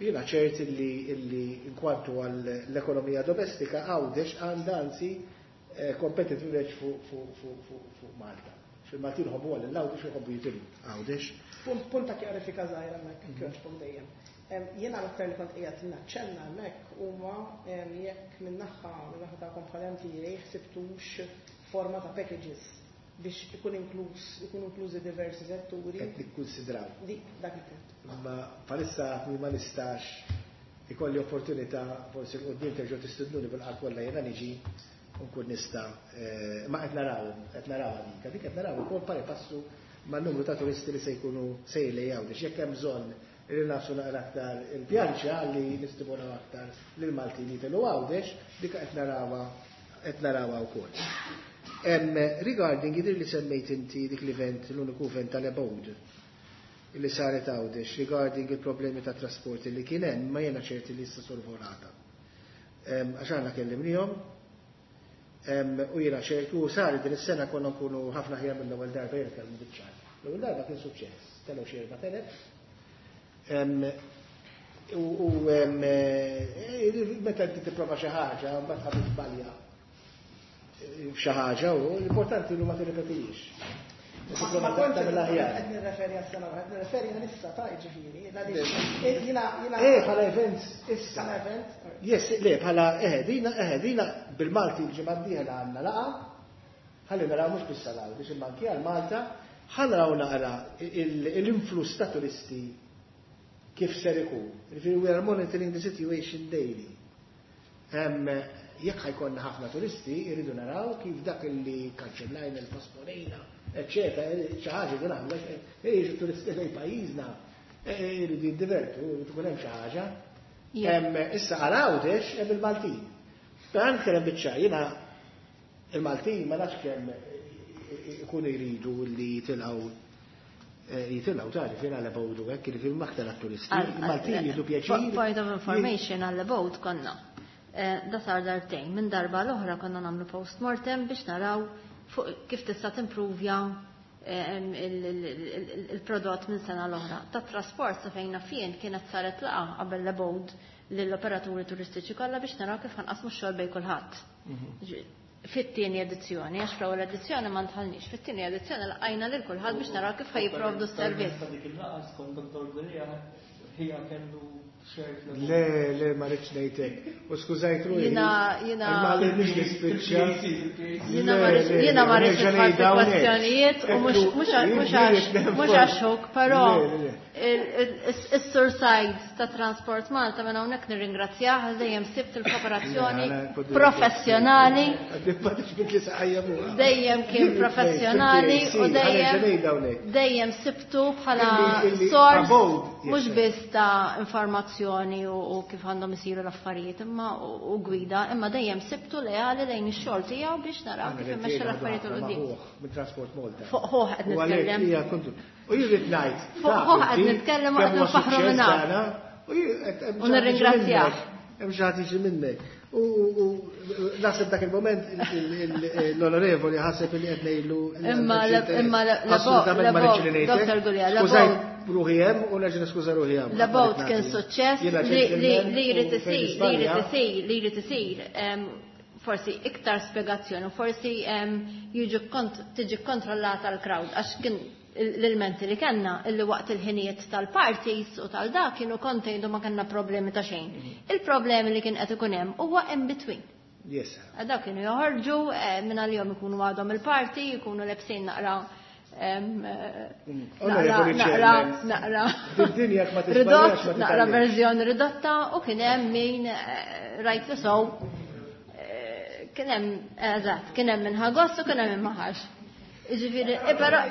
Jiena ċert illi inkwantu għall-ekonomija domestika Għawdex għandha anzi competitive edge fuq Malta. Fil-Maltin ħobbu għal l-Għawdex u ħobbu jitilgħu Għawdex. Punt ta' kjarifika żgħira hemmhekk, kjoġbok dejjem. Jiena l-aktar li kont qiegħed naċċenna hemmhekk huma jekk min-naħa tagħkom bħala MTA ħsibtux forma ta' packages biex ikun inkluż, ikun inklużi diversi setturi. Qed nikkunsidraw. Dik, dak il-punt. Ma bħalissa ma nistax ikolli opportunità forsi l-qudiem terġgħu tistidnuni bil-qalb kollha jiena niġi u nkun nista' ma qed naraw, qed naraw dik, dik qed naraw ukoll pari passu man-numru ta' turisti li se jkunu sejrin lejn Għawdex. Jekk hemm bżonn Li nagħfsu naqra aktar il-pjanċa li nistimulaw aktar lil Maltin jitilgħu Għawdex, dik qed narawha qed narawha wkoll. Regarding jidher li semmejt inti dik l-event, l-uniku event tal-Abode li saret Għawdex regarding il-problemi ta' trasport li kien hemm, ma jiena ċerti li issa solvolata. Għax aħna kellimnihom u jiena ċerti u saret din is-sena konna nkunu ħafna aħjar mill-ewwel darba jien nitkellmu biċ-ċar. L-ewwel darba kien suċċess, telgħu xi 4000. U meta inti tipprova xi ħaġa, mbagħad ħa tiżbalja f'xi ħaġa u l-importanti li ma tirrepetix. Ma kontx qed nirreferi għas-sena l-oħra, qed nirreferi għal issa ta' jiġifieri. Jiena jiena Eh, bħala events issa. Bħala event? Yes, le, bħala eh, dina, eh, dina bil-Malti l-ġimgħa d-dieħla għandna laqgħa. Ħalli naraw mhux biss għal Għawdex imma anki għal Malta, ħa naraw naqra l-influss ta' turisti kif ser ikun. Jiġifieri we are monitoring the situation daily. Jekk ħa jkollna ħafna turisti, irridu naraw kif dak li kanċellajna, il-posponejna, eċċetera, xi ħaġa li nagħmlu, jiġu turisti lejn pajjiżna, irridu jiddivertu, irid ikun hemm xi ħaġa. Issa għal Għawdex hemm il-Maltin. Però nitkellem biċ-ċar, jiena il-Maltin ma nafx kemm ikunu jridu li jitilgħu jitilgħu tali fejn għal Abode u hekk, jiġifieri aktar għat-turisti. Il-Maltin jieħdu pjaċir. Point of information għal Abode konna. Da sar darbtejn, minn darba l-oħra konna nagħmlu post-mortem biex naraw fuq kif tista' timpruvja il-prodott minn sena l-oħra. Ta' trasport sa fejna fien kienet saret laqa qabel l-Abode lill-operaturi turistiċi kollha biex naraw kif ħanqasmu x-xogħol bejn kulħadd. Fit-tieni edizzjoni, għax fl-ewwel edizzjoni ma ntħallniex, fit-tieni edizzjoni laqajna lil kulħadd biex naraw kif ħajjipprovdu s-servizz. Ta' dik il-laqgħa skont Dr. Gulia hija kellu Le, le, ma rridx ngħidlek. U skużajt ruħi. Jiena jiena Ma rridx nispiċċa. Jiena ma rridx jiena ma rridx nidħol fi kwestjonijiet u mhux mhux mhux għax mhux għax huk, però is-Sur Said ta' Transport Malta minn hawnhekk nirringrazzjah għal dejjem sibt il-kooperazzjoni professjonali. Dejjem kien professjonali u dejjem dejjem sibtu bħala sors mhux biss ta' informazzjoni u kif għandhom isiru l-affarijiet imma u gwida, imma dejjem sibtu leali lejn ix-xogħol tiegħu biex naraw kif immexxu l-affarijiet 'il quddiem. Minn Transport Malta. Fuq ħuh qed nitkellem. U jien rrid ngħid. Fuq ħuh qed nitkellem u qed nfaħħru minn hawn. U nirringrazzjah. Hemm xi ħadd jiġi minnek. U naħseb dak il-moment l-onorevoli ħaseb li qed ngħidlu. Imma imma Assolutament ma rridx li ngħidlek. Dr. Gulia, Skużajt ruħi hemm u nerġa' niskuża ruħi hemm. L-Abode kien suċċess li jrid isir, li jrid isir, li jrid isir forsi iktar spjegazzjoni u forsi jiġu tiġi kontrollata l-crowd għax kien l-elementi li kellna illi waqt il-ħinijiet tal-parties u tal-da kienu contained u ma kellna problemi ta' xejn. Il-problemi li kien qed ikun hemm huwa in between. Yes. Dak kienu joħorġu minn għal-jom ikunu għadhom il-party, ikunu lebsin naqra Onorevoli naqra Chairman, naqra Did-dinja ma ridott, tisbaljax ma naqra titgħallimx. verżjoni ridotta u kien hemm min rajt li sow kien hemm eżatt, kien hemm min ħa gost u kien hemm min ma ħax. Jiġifieri,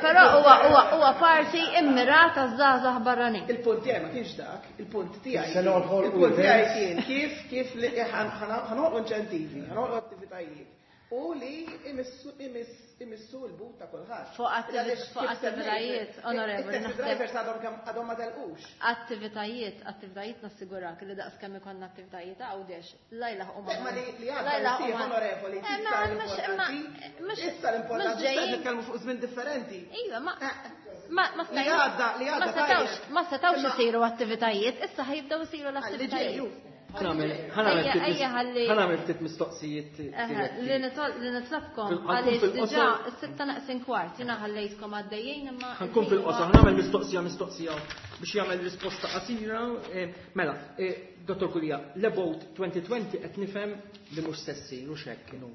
però huwa parti immirata żgħażagħ barranin. Il-punt tiegħi ma kienx dak, il-punt tiegħi. Se noħolqu Il-punt tiegħi events. kien kif li ħanoħolqu inċentivi, ħanoħolqu attivitajiet u li imissu l-but ta' kulħadd. Fuq Għaliex kif semmejt, attivitajiet, onorevoli, it-taxi naħseb drivers għadhom kemm għadhom ma telqux. Attivitajiet nassigurak li daqs kemm ikollna attivitajiet Għawdex, la jlaħqu ma' Ma li għadha la jlaħqu ssir, ma' onorevoli, Eh, issa ma mhux imma l-importanti, mhux issa l-importanti, mhux issa ġejjin. nitkellmu fuq żmien differenti. Iva, ma ma ma Li stajniex għadda, li ma għadda setawx, tajjeb. ma setawx Imma isiru attivitajiet, issa ħajibdew isiru Għalli l-attivitajiet. ġejju. Ejja, ejja, ħalli- Ħa nagħmel ftit mistoqsijiet diretti. Li nitlobkom Ħankun għaliex fil-qosor. diġà 5:45 jiena ħallejtkom għaddejjin imma Ħankun fil-qosor, ħa nagħmel mistoqsija biex jagħmel risposta qasira. Mela, Dottor Gulia, l-Abode 2020 qed nifhem li mhux se ssir u x'hekk kienu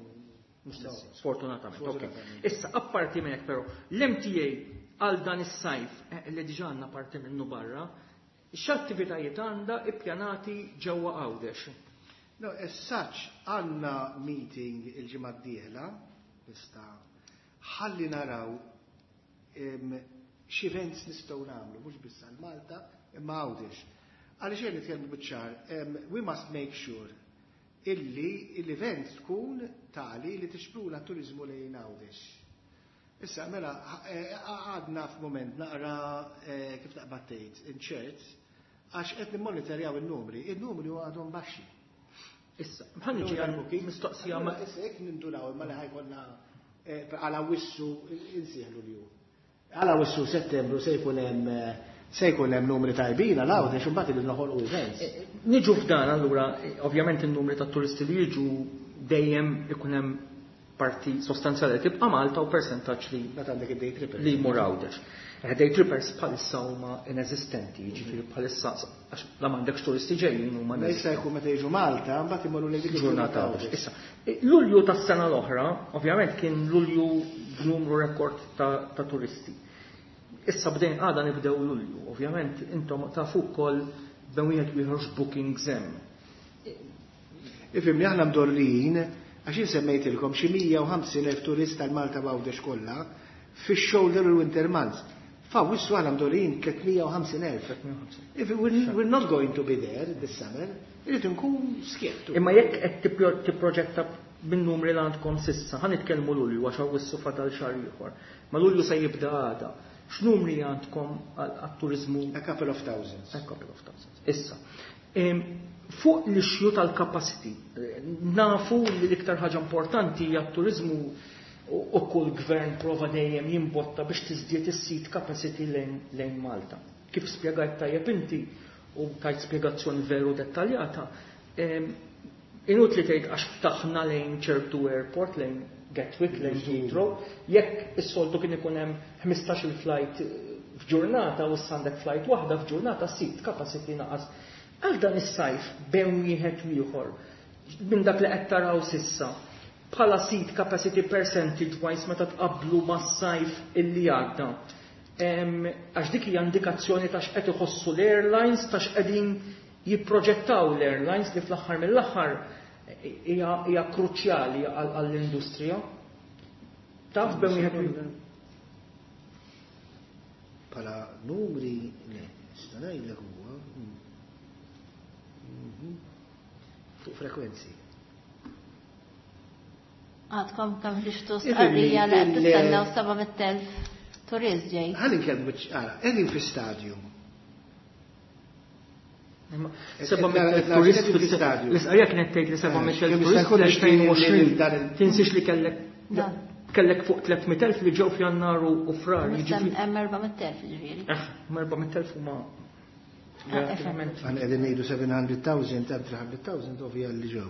mhux se ssir, sfortunatament. Ok. Issa, apparti minn hekk però, l-MTA għal dan is-sajf li diġà għandna parti minnu barra, x'attivitajiet għandha ippjanati ġewwa Għawdex? No, as such, għandna meeting il-ġimgħa d-dieħla, nista' ħalli naraw x'events nistgħu nagħmlu, mhux biss għal Malta, Imma Għawdex. Għaliex jien nitkellmu biċ-ċar, we must make sure illi l-event tkun tali li tixpruna t-turizmu lejn Għawdex. Issa, mela, għadna f'moment naqra kif taqbad tgħid, inċert, għax qed nimmonitorjaw in-numri, in-numri għadhom baxxi. Issa, ħa niġi għal mistoqsija ma. Issa jekk nindunaw imma li ħa jkollna għal Awwissu insieħ Lulju. Għal Awwissu Settembru se jkun hemm numri tajbin għal Għawdex, imbagħad irid noħolqu events. Niġu f'dan allura, ovvjament in-numri ta' turisti li jiġu dejjem ikun hemm parti sostanzjali tibqa' Malta u persentaġġ li Meta għandek id-day trippers. li jmur Għawdex. Day trippers bħalissa huma inesistenti, jiġifieri bħalissa għax la m'għandekx turisti ġejjin huma Ma jista' jkun meta jiġu Malta, mbagħad imorru lejn dik il-ġurnata Għawdex. Issa, Lulju tas-sena l-oħra, ovvjament kien Lulju b'numru rekord ta' turisti. Issa bdejn għada nibdew Lulju, ovvjament intom tafu wkoll bejn wieħed u ieħor bookings hemm. Ifhimni, aħna mdorrijin, għax jien semmejtilkom xi 150,000 turist tal-Malta Għawdex kollha fix-shoulder u winter months. F'Awwissu aħna mdorrijin 350,000. If we're not going to be there this summer, irrid nkun skjettu. Imma jekk qed tipproġetta bin numri li għandkom s'issa, ħa nitkellmu Lulju għax Awwissu fadal xahar ieħor. Ma Lulju se jibda għada. X'numri għandkom għat-turizmu? A couple of thousands. A couple of thousands. Issa, fuq l-issue tal-capacity, nafu li l-iktar ħaġa importanti hija t-turizmu u kull gvern prova dejjem jimbotta biex tiżdied is-seat capacity lejn Malta. Kif spjegajt tajjeb inti u tajt spjegazzjoni veru dettaljata, inutli tgħid għax ftaħna lejn ċertu airport, lejn Gatwick, lejn Heathrow, jekk is-soltu kien ikun hemm 15 il-flight f'ġurnata u għandek flight waħda f'ġurnata, seat capacity naqas. Għal dan is-sajf bejn wieħed u ieħor, minn dak li qed taraw s'issa, bħala seat capacity percentage wise meta tqablu mas-sajf illi għadda. Għax dik hija indikazzjoni ta' x'qed iħossu l-airlines, ta' x'qegħdin jipproġettaw l-airlines li fl-aħħar mill-aħħar hija kruċjali għall-industrija. Taf bejn wieħed u ieħor. Bħala numri, le, nista' ngħidlek huwa fuq frekwenzi. Għadkom kemm ħriġtu stqarrija li qed tistennew 700,000 turist ġej. Ħalli nkellmu biċ ara, qegħdin fi stadju. 700,000 turist fil-stadju. L-istqarrija kienet tgħid li 700,000 Kemm turist jista' jkun fl-2020. dan Tinsiex li kellek fuq 300,000 li ġew f'Jannar u Frar. Jiġifieri Hemm 400,000 ġifieri. 400,000 huma relattivament. Għan qegħdin ngħidu 700,000, ta' 300,000 ovvja li ġew.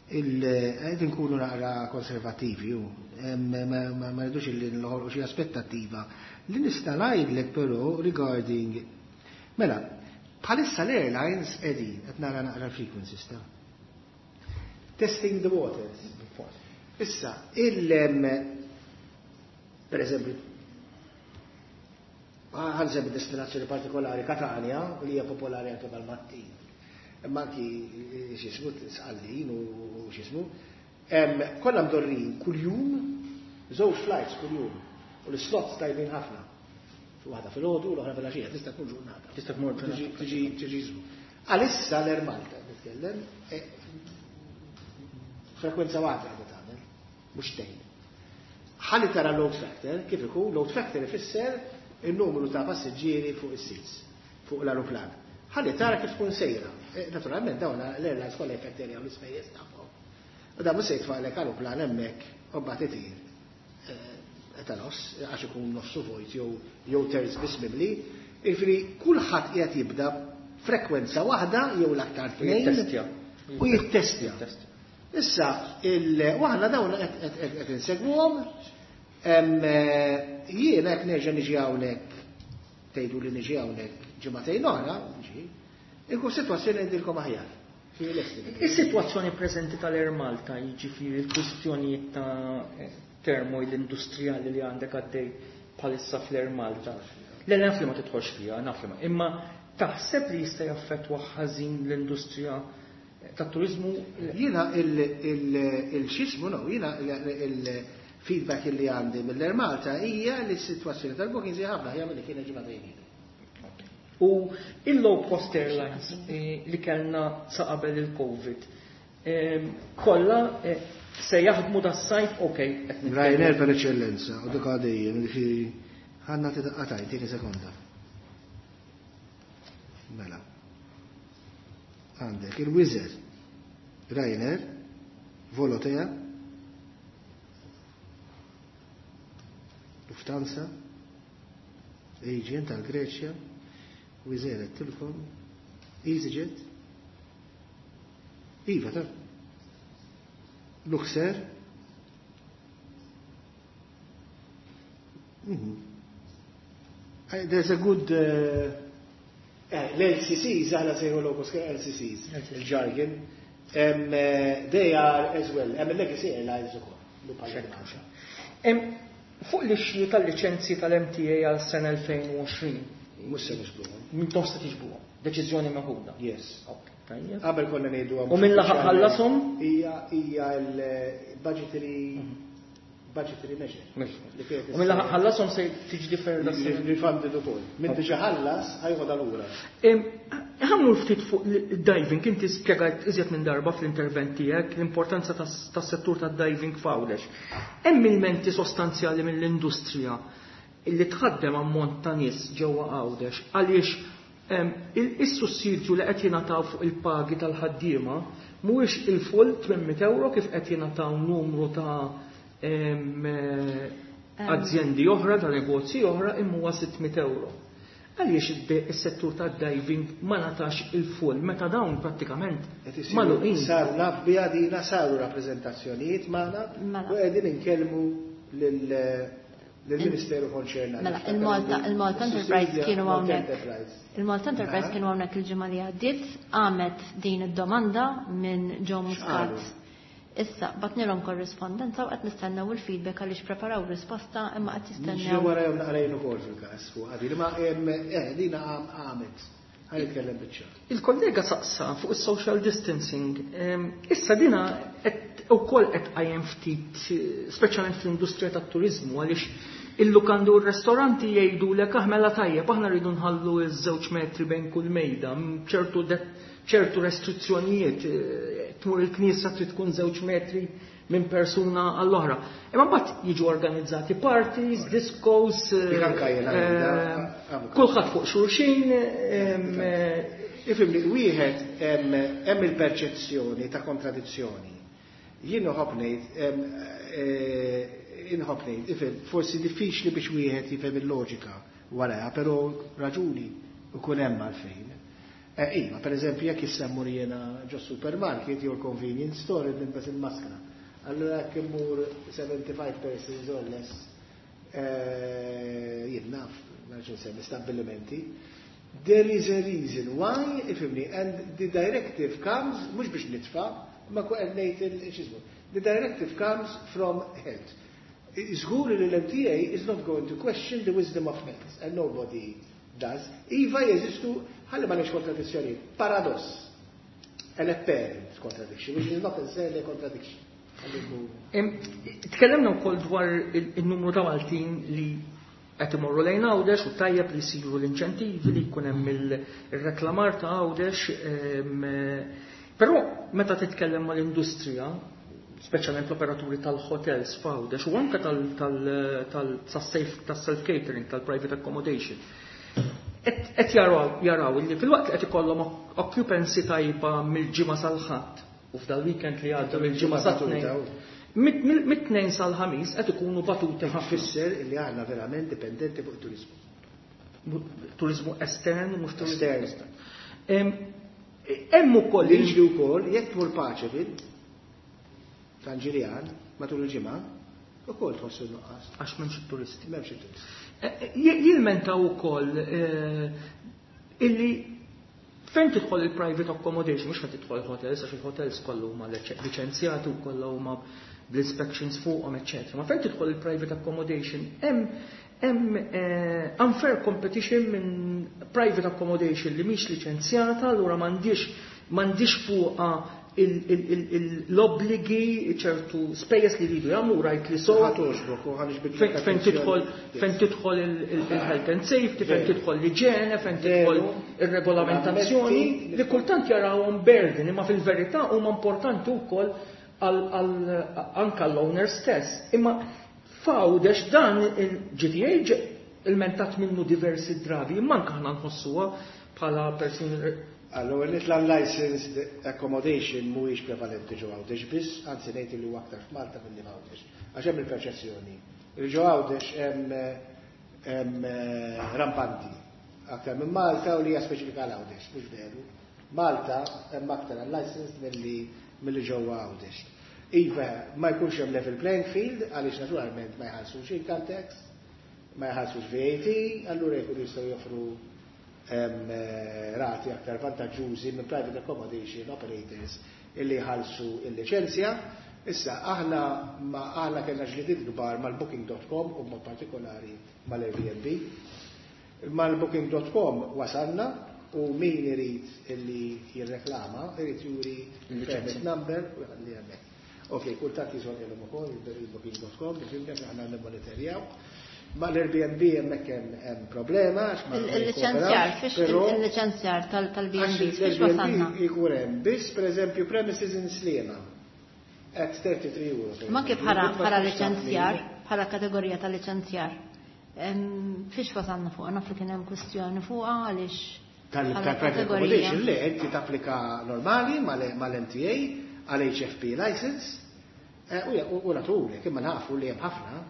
Qegħdin nkunu naqra konservativi u ma rridux illi nħolqu xi aspettattiva. Li nista' ngħidlek però regarding mela, bħalissa l-airlines qegħdin qed nara naqra frequencies ta' testing the waters. Issa, per eżempju, ħa nsemmi destinazzjoni partikolari, Catania, li hija popolari anke mal-Maltin. Imma anki x'ismu Sqallin u x'ismu. Kollha mdorrin kuljum, żewġ flights kuljum, u l-slots tajbin ħafna. Waħda fil-għodu u l-oħra fil-għaxija, tista' tkun ġurnata. Tista' tkun ġurnata. Tiġi ismu. Għalissa l-Air Malta, nitkellem, frekwenza waħda għadha tagħmel, mhux tnejn. Ħalli tara load factor, kif ikun, load factor ifisser il-numru ta' passiġġieri fuq is-seats, fuq l-aeroplan. Ħalli tara kif tkun sejra. Naturalment dawn l-airlines kollha jfetterjaw l-ispejjeż tagħhom. U dan mhux se jitfalek aeroplan hemmhekk u mbagħad itir ta' nofs, għax ikun nofsu vojt jew terz biss mimli. Jiġifieri kulħadd qiegħed jibda frekwenza waħda jew l-aktar tnejn. Jittestja. U jittestja. Jittestja. Issa, waħna dawn qed insegwhom, jiena hekk nerġa' niġi hawnhekk, tgħidu li niġi hawnhekk ġimagħtejn oħra, niġi, inkun sitwazzjoni ngħidilkom aħjar. Is-sitwazzjoni preżenti tal-Air Malta, jiġifieri l-kwistjonijiet ta' turmoil industrijali li għandek għaddej bħalissa fl-Air Malta. Le, naf li ma tidħolx fiha, naf li ma. Imma taħseb li jista' jaffettwa ħażin l-industrija tat-turizmu? Jiena il-xismu, no, jiena il-feedback li għandi mill-Air Malta hija li s-sitwazzjoni tal-bookings hija ħafna aħjar milli kienet ġimagħtejn ilu. U il-low cost airlines li kellna sa qabel il-Covid, kollha se jaħdmu das-sajf, ok. Ryanair per eċċellenza, u dik għadejjem, ġifieri ħanna titqataj, tieni sekonda. Mela. Għandek il-Wizz Air, Ryanair, Volotea, Lufthansa, Aegean tal-Greċja, Wizz Air għedtilkom, EasyJet, Iva ta' Luxair, There's a good l-LCCs, aħna sejħu low cost LCCs, il-jargon, they are as well, hemm il-legacy airlines ukoll. Fuq l-issue tal-liċenzji tal-MTA għal sena 2020. Mhux se nixbruhom. Mintom se tiġbuhom. Deċiżjoni meħuda. Yes. Ok, tajjeb. Qabel konna ngħidu U min laħaq ħallasom? Hija l-budgetary budgetary measure. Li kienet U min laħaq ħallasom se tiġi deferred s-sena. Refunded ukoll. Min diġà ħallas ħa jeħodha lura. Ħa mmur ftit fuq il-diving, inti spjegajt iżjed minn darba fl-intervent tiegħek l-importanza tas-settur tad-diving f'Għawdex. Hemm ilmenti sostanzjali mill-industrija illi tħaddem ammont ta' nies ġewwa Għawdex għaliex is-sussidju li qed jingħataw fuq il-pagi tal-ħaddiema mhuwiex il-full 800 euro kif qed jingħataw numru ta' azjendi oħra, ta' negozji oħra, imma huwa 600 euro. Għaliex is-settur tad-diving ma ngħatax il-full meta dawn prattikament Qed isiru- magħluqin? Sar naf biha dina, saru rappreżentazzjonijiet magħna u qegħdin inkellmu lill-Ministeru konċernat. Mela, il-Malta Enterprise kienu Malta hawnhekk. Enterprise. Il-Malta Enterprise kienu hawnhekk il-ġimgħa li għaddiet, għamet din id-domanda minn Joe Muscat. X'qalu? Issa, bgħatnielhom korrispondenza u qed nistennew il-feedback għaliex preparaw risposta imma qed Ġew jistennew. wara jom naqrajn ukoll fil-każ fuq għadi, ma dina għamet. Ħa nitkellem biċ-ċar. Il-kollega saqsa fuq is-social distancing. Issa dina qed ukoll qed qajjem ftit, speċjalment fl-industrija tat-turiżmu, għaliex il-lukandi u r-restoranti jgħidulek aħmela tajjeb, aħna rridu nħallu ż-żewġ metri bejn kull mejda, ċertu restrizzjonijiet, tmur il-knisja trid tkun żewġ metri minn persuna għall-oħra. Imma mbagħad jiġu organizzati parties, discos, Dik anka jiena ngħidha, avukat. kulħadd fuq xulxin, Ifhimni, wieħed hemm il-perċezzjoni ta' kontradizzjoni. Jien inħobb ngħid, inħobb ngħid, ifhem, forsi diffiċli biex wieħed jifhem il-loġika warajha, però raġuni ikun hemm għalfejn. Iva, per eżempju, jekk issa mmur jiena ġo supermarket jew convenience store nilbes il-maskra. Allura jekk immur 75 persons or less, jien naf, ma nafx insemmi stabbilimenti, there is a reason why, ifhimni, and the directive comes, mhux biex nitfa, ma ku qed ngħid il-xismu. The directive comes from health. Żgur li l-MTA is not going to question the wisdom of health, and nobody does. Iva jeżistu, ħalli ma nix kontradizzjoni, paradoss, an apparent contradiction, which is not necessarily a contradiction. Tkellimna wkoll dwar il-numru ta' Maltin li qed imorru lejn Għawdex u tajjeb li jsiru l-inċentivi li jkun hemm il-reklamar ta' Għawdex, però meta titkellem mal-industrija, speċjalment l-operaturi tal-hotels f'Għawdex u anke tas-self catering, tal-private accommodation, qed jaraw li filwaqt li qed ikollhom occupancy tajba mill-ġimgħa sal-Ħadd u f'dal-weekend li għadda mill-ġimgħa sat-Tnejn, mit-Tnejn sal-Ħamis qed ikunu batuti ħafna. Fisser li aħna verament dipendenti fuq it-turizmu. Turizmu estern u mhux turizmu Estern. estern. Hemm ukoll Li jiġri wkoll jekk tmur Paceville, San Ġiljan, matul il-ġimgħa, ukoll tħossu nuqqas. Għax m'hemmx it-turisti. M'hemmx it-turisti. Jilmentaw ukoll illi fejn tidħol il-private accommodation, mhux fejn tidħol hotels, għax il-hotels kollu huma liċenzjati u kollha huma bl-inspections fuqhom, eċċetera. Ma fejn tidħol il-private accommodation, hemm unfair competition minn private accommodation li mhix liċenzjata, allura m'għandix fuqha l-obbligi, ċertu spejjeż li jridu jagħmlu, rajt li so. Fejn tidħol fejn tidħol il-health and safety, fejn tidħol l-iġene, fejn tidħol ir-regolamentazzjoni, li kultant jarawhom burden, imma fil-verità huma importanti wkoll anke l-owner stess. Imma f'Għawdex dan il-GTA ilmentat minnu diversi drabi, imma anke aħna nħossuha bħala persuni. Allora, l-unlicensed accommodation mhuwiex prevalenti ġo Għawdex biss, anzi ngħid li huwa aktar f'Malta milli f'Għawdex. Għax hemm il-perċezzjoni li ġo Għawdex hemm rampanti aktar minn Malta u li hija speċifika għal Għawdex, mhux veru. Malta hemm aktar unlicensed milli ġewwa Għawdex. Iva, ma jkunx hemm level playing field għaliex naturalment ma jħallsux income tax, ma jħallsux VAT, allura jkunu jistgħu joffru rati aktar vantaġġużi minn private accommodation operators illi jħallsu il-liċenzja. Issa, aħna ma aħna kellna ġlidiet kbar mal-Booking.com u mod partikolari mal-Airbnb. Mal-Booking.com wasalna u min irid illi jirreklama, irid juri permit number u jħalli hemmhekk. Ok, kultant jiżolilhom ukoll il-Booking.com, biex aħna nimmonitorjaw. Ma l-Airbnb hemmhekk hemm problema għax ma Il-licenzjar, fiex il-licenzjar tal-B&B, fiex wasalna? Ikun hemm biss pereżempju premises in Sliema at 33 euro. Ma kif bħala licenzjar, bħala kategorija ta' licenzjar. Fiex wasalna fuq, naf li kien hemm kwistjoni fuqha għaliex Tal-private accommodation, le, inti tapplika normali mal-MTA għal HFP license u naturi, imma nafu li hemm ħafna.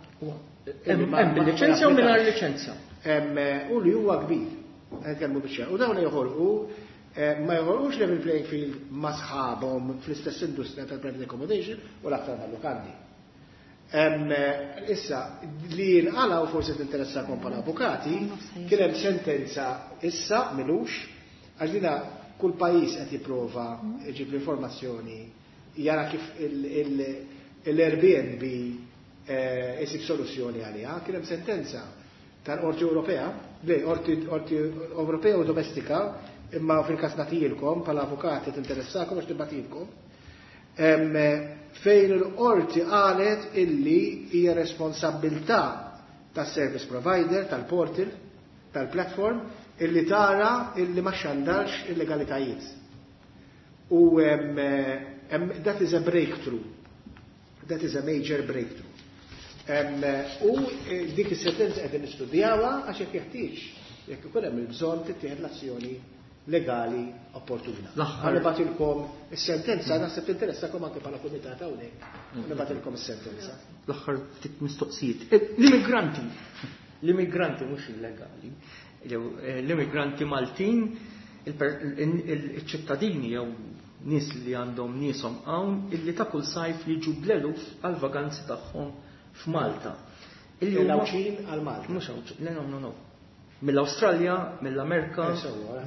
Hemm bil-liċenzja u mingħajr liċenzja. U li huwa kbir. Nkellmu biċċa. U dawn joħolqu ma joħolqux level playing field ma' sħabhom fl-istess industrija tal-private accommodation u l-aktar mal-lukandi. Issa, li jinqala u forsi tinteressakom bħala avukati, kien hemm sentenza issa milux, għax dina kull pajjiż qed jipprova jġib l-informazzjoni jara kif l-Airbnb isib soluzzjoni għaliha. Kien hemm sentenza tal-Qorti Ewropea, le, Qorti Ewropea u domestika, imma fil-każ nagħtilkom bħala avukati tinteressakom għax nibgħatilkom. Fejn il-qorti qalet illi hija responsabilità tas-service provider, tal-portal, tal-platform, illi tara illi ma xandarx illegalitajiet. U that is a breakthrough. That is a major breakthrough. U dik is-sentenza qegħdin nistudjawha għax jekk jeħtieġ, jekk ikun hemm il-bżonn tittieħed l-azzjoni legali opportuna. L-aħħar. Nibgħatilkom is-sentenza, naħseb tinteressakom anke bħala kumitat hawnhekk. Nibgħatilkom is-sentenza. L-aħħar ftit mistoqsijiet. L-immigranti, l-immigranti mhux illegali, l-immigranti Maltin, il-ċittadini jew nies li għandhom nieshom hawn illi ta' kull sajf jiġu bl-eluf għal-vaganzi tagħhom f'Malta. Illi huma L-Għawdxin għal Malta. Mhux Għawdxin, le, no, no, no. Mill-Awstralja, mill-Amerika,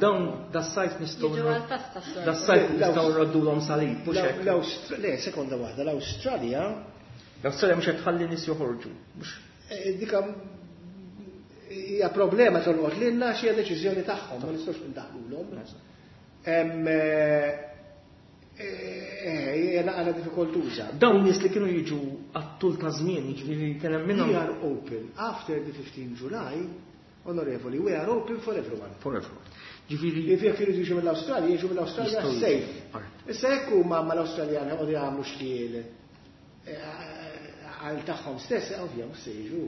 dawn das-sajf nistgħu Jiġu għal-festa s-soltu. Das-sajf nistgħu nroddulhom salib, mhux hekk. Le, sekonda waħda, l-Awstralja L-Awstralja mhux qed tħalli nies joħorġu. Mhux Dika hija problema tolqot lilna xi deċiżjoni tagħhom, ma nistgħux indaħlulhom. Hija naqra diffikultuża. Dawn nies li kienu jiġu għat-tul ta' żmien, jiġifieri kien hemm minnhom. We are open after the 15 July, onorevoli, we are open for everyone. For everyone. Ġifieri Jekk iridu jiġu mill-Awstralja, jiġu mill-Awstralja Jistgħu safe. jiġu. Alright. Issa jekk huma mal-Awstraljani qogħdu jagħmlu xkiel għal tagħhom stess, ovvja mhux se jiġu.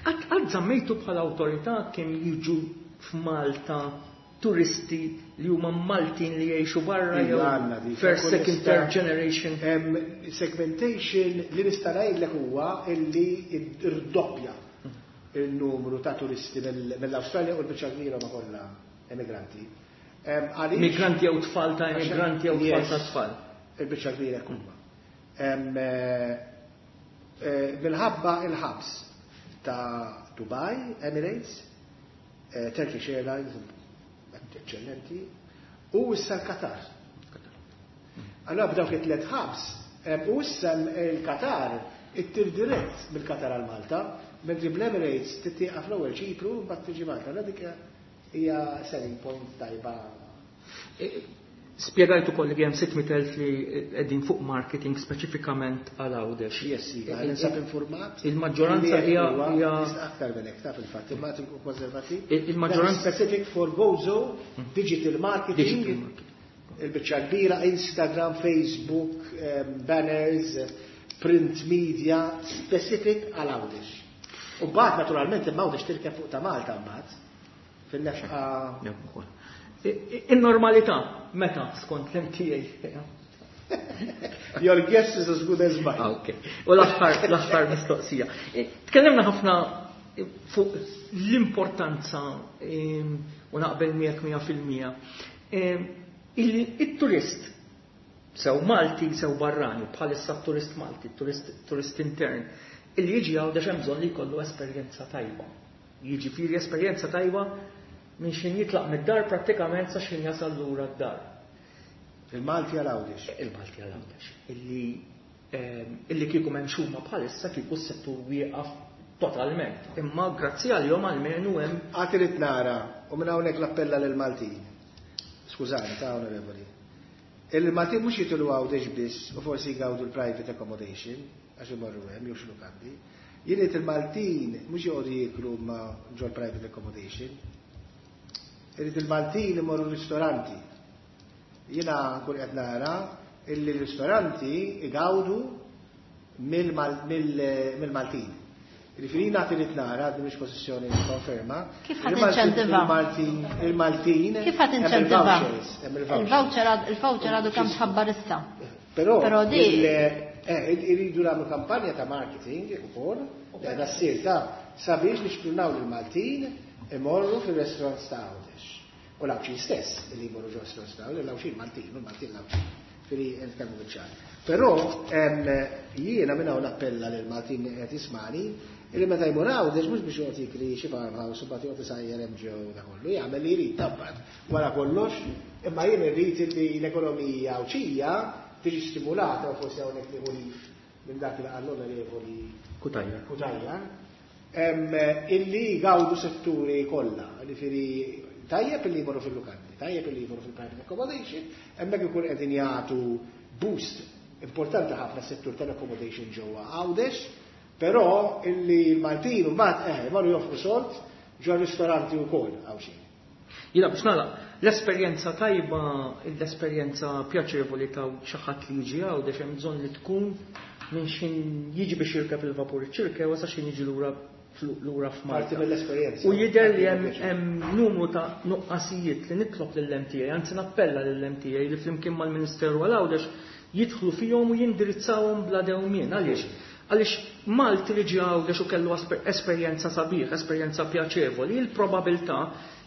Qatt żammejtu bħala awtorità kemm jiġu f'Malta turisti li huma Maltin li jgħixu barra jew Iva, għandna dik. first, Kull second, nista' third generation. Segmentation li nista' ngħidlek huwa illi irdoppja il-numru ta' turisti mill-Awstralja u l-biċċa kbira ma kollha emigranti. Għaliex Migranti jew tfal ta' emigranti jew tfal ta' tfal. Il-biċċa kbira huma. Minħabba il-ħabs ta' Dubai, Emirates, Turkish Airlines, eccellenti, u issa l-Qatar. Allora b'dawk it-tliet ħabs, u issa l-Qatar ittir dirett mill-Qatar għal Malta, mentri bl-Emirates tittieqa fl-ewwel Ċipru mbagħad tiġi Malta. Allora dik hija selling point tajba. Spjegajt ukoll li hemm 600,000 li qegħdin fuq marketing speċifikament għal Għawdex. Yes, iva, ninsab informat. Il-maġġoranza hija aktar minn hekk ta' fil-fatt, imma nkun konservattiv. Il-maġġoranza specific for Gozo, digital marketing. Il-biċċa kbira Instagram, Facebook, banners, print media, specific għal Għawdex. U mbagħad naturalment imma Għawdex tirkeb fuq ta' Malta mbagħad fil-nefqa. In-normalità meta skont l-MTA. Your guess is as good as mine. Okay. U l-aħħar mistoqsija. Tkellimna ħafna fuq l-importanza u naqbel miegħek 100%. Il-turist sew Malti sew barrani, bħalissa turist Malti, turist intern, illi jiġi Għawdex hemm bżonn li jkollu esperjenza tajba. Jiġifieri esperjenza tajba minn xin jitlaq mid-dar prattikament sa xin jasal lura d-dar. Il-Malti għal Għawdex. Il-Malti għal Għawdex. Illi kieku m'hemmx huma bħalissa kieku s-settur wieqaf totalment. Imma grazzi għalihom almenu hemm. Għad irid nara, u minn hawnhekk l-appella lill-Maltin. Skużani, ta' onorevoli. Il-Maltin mhux jitilgħu Għawdex biss u forsi jgawdu l-private accommodation, għax imorru hemm jew xi lukandi. Jien irid il-Maltin mhux joqogħdu jieklu ma ġol private accommodation. Irid il-Maltin imorru ristoranti. Jiena nkun qed nara illi l-ristoranti igawdu mill-Maltin. Jiġifieri jiena irid nara, din mhix pożizzjoni nikkonferma. Kif ħadd inċentiva? Il-Maltin. Kif ħadd inċentiva? Il-voucher għadu kemm tħabbar issa. Però di iridu nagħmlu kampanja ta' marketing ukoll, qiegħda ssir ta' sabiex nixprunaw lill-Maltin imorru fir-restaurants ta' Għawdex. U l-Għawdxin stess li jmorru ġo restaurants ta' Għawdex, l-Għawdxin Maltin, u l-Maltin l-Għawdxin. Ġifieri nitkellmu biċ-ċar. Però jiena minn hawn nappella lill-Maltin li qed jismani illi meta jmur Għawdex mhux biex joqgħod jikri xi farmhouse u mbagħad joqgħod isajjar hemm ġew da kollu, jagħmel li jrid tabbat wara kollox, imma jien irrid illi l-ekonomija Għawdxija tiġi stimulata u forsi hawnhekk nieħu lif minn dak li qal l-Onorevoli Cutajar. Cutajar, illi jgawdu setturi kollha, jiġifieri tajjeb illi jmorru fil-lukandi, tajjeb illi jmorru fil-private accommodation, hemmhekk ikun qegħdin jagħtu boost importanti ħafna settur tal-accommodation ġewwa Għawdex, però illi l-Maltin mbagħad imorru jonfqu sold ġo ristoranti wkoll Għawdxin. Jiena biex nagħlaq, l-esperjenza tajba, l-esperjenza pjaċevoli ta' xi ħadd li jiġi Għawdex hemm bżonn li tkun minn xin jiġi biex jirkeb il-vapur iċ-Ċirkewwa sa xin jiġi lura lura f'Malta. Parti mill-esperjenza. U jidher li hemm numru ta' nuqqasijiet li nitlob lill-MTA, anzi nappella lill-MTA li flimkien mal-Ministeru għal Għawdex jidħlu fihom u jindirizzawhom bla dewmien. Għaliex? Għaliex Malti li ġie Għawdex u kellu esperjenza sabiħ, esperjenza pjaċevoli, il-probabilità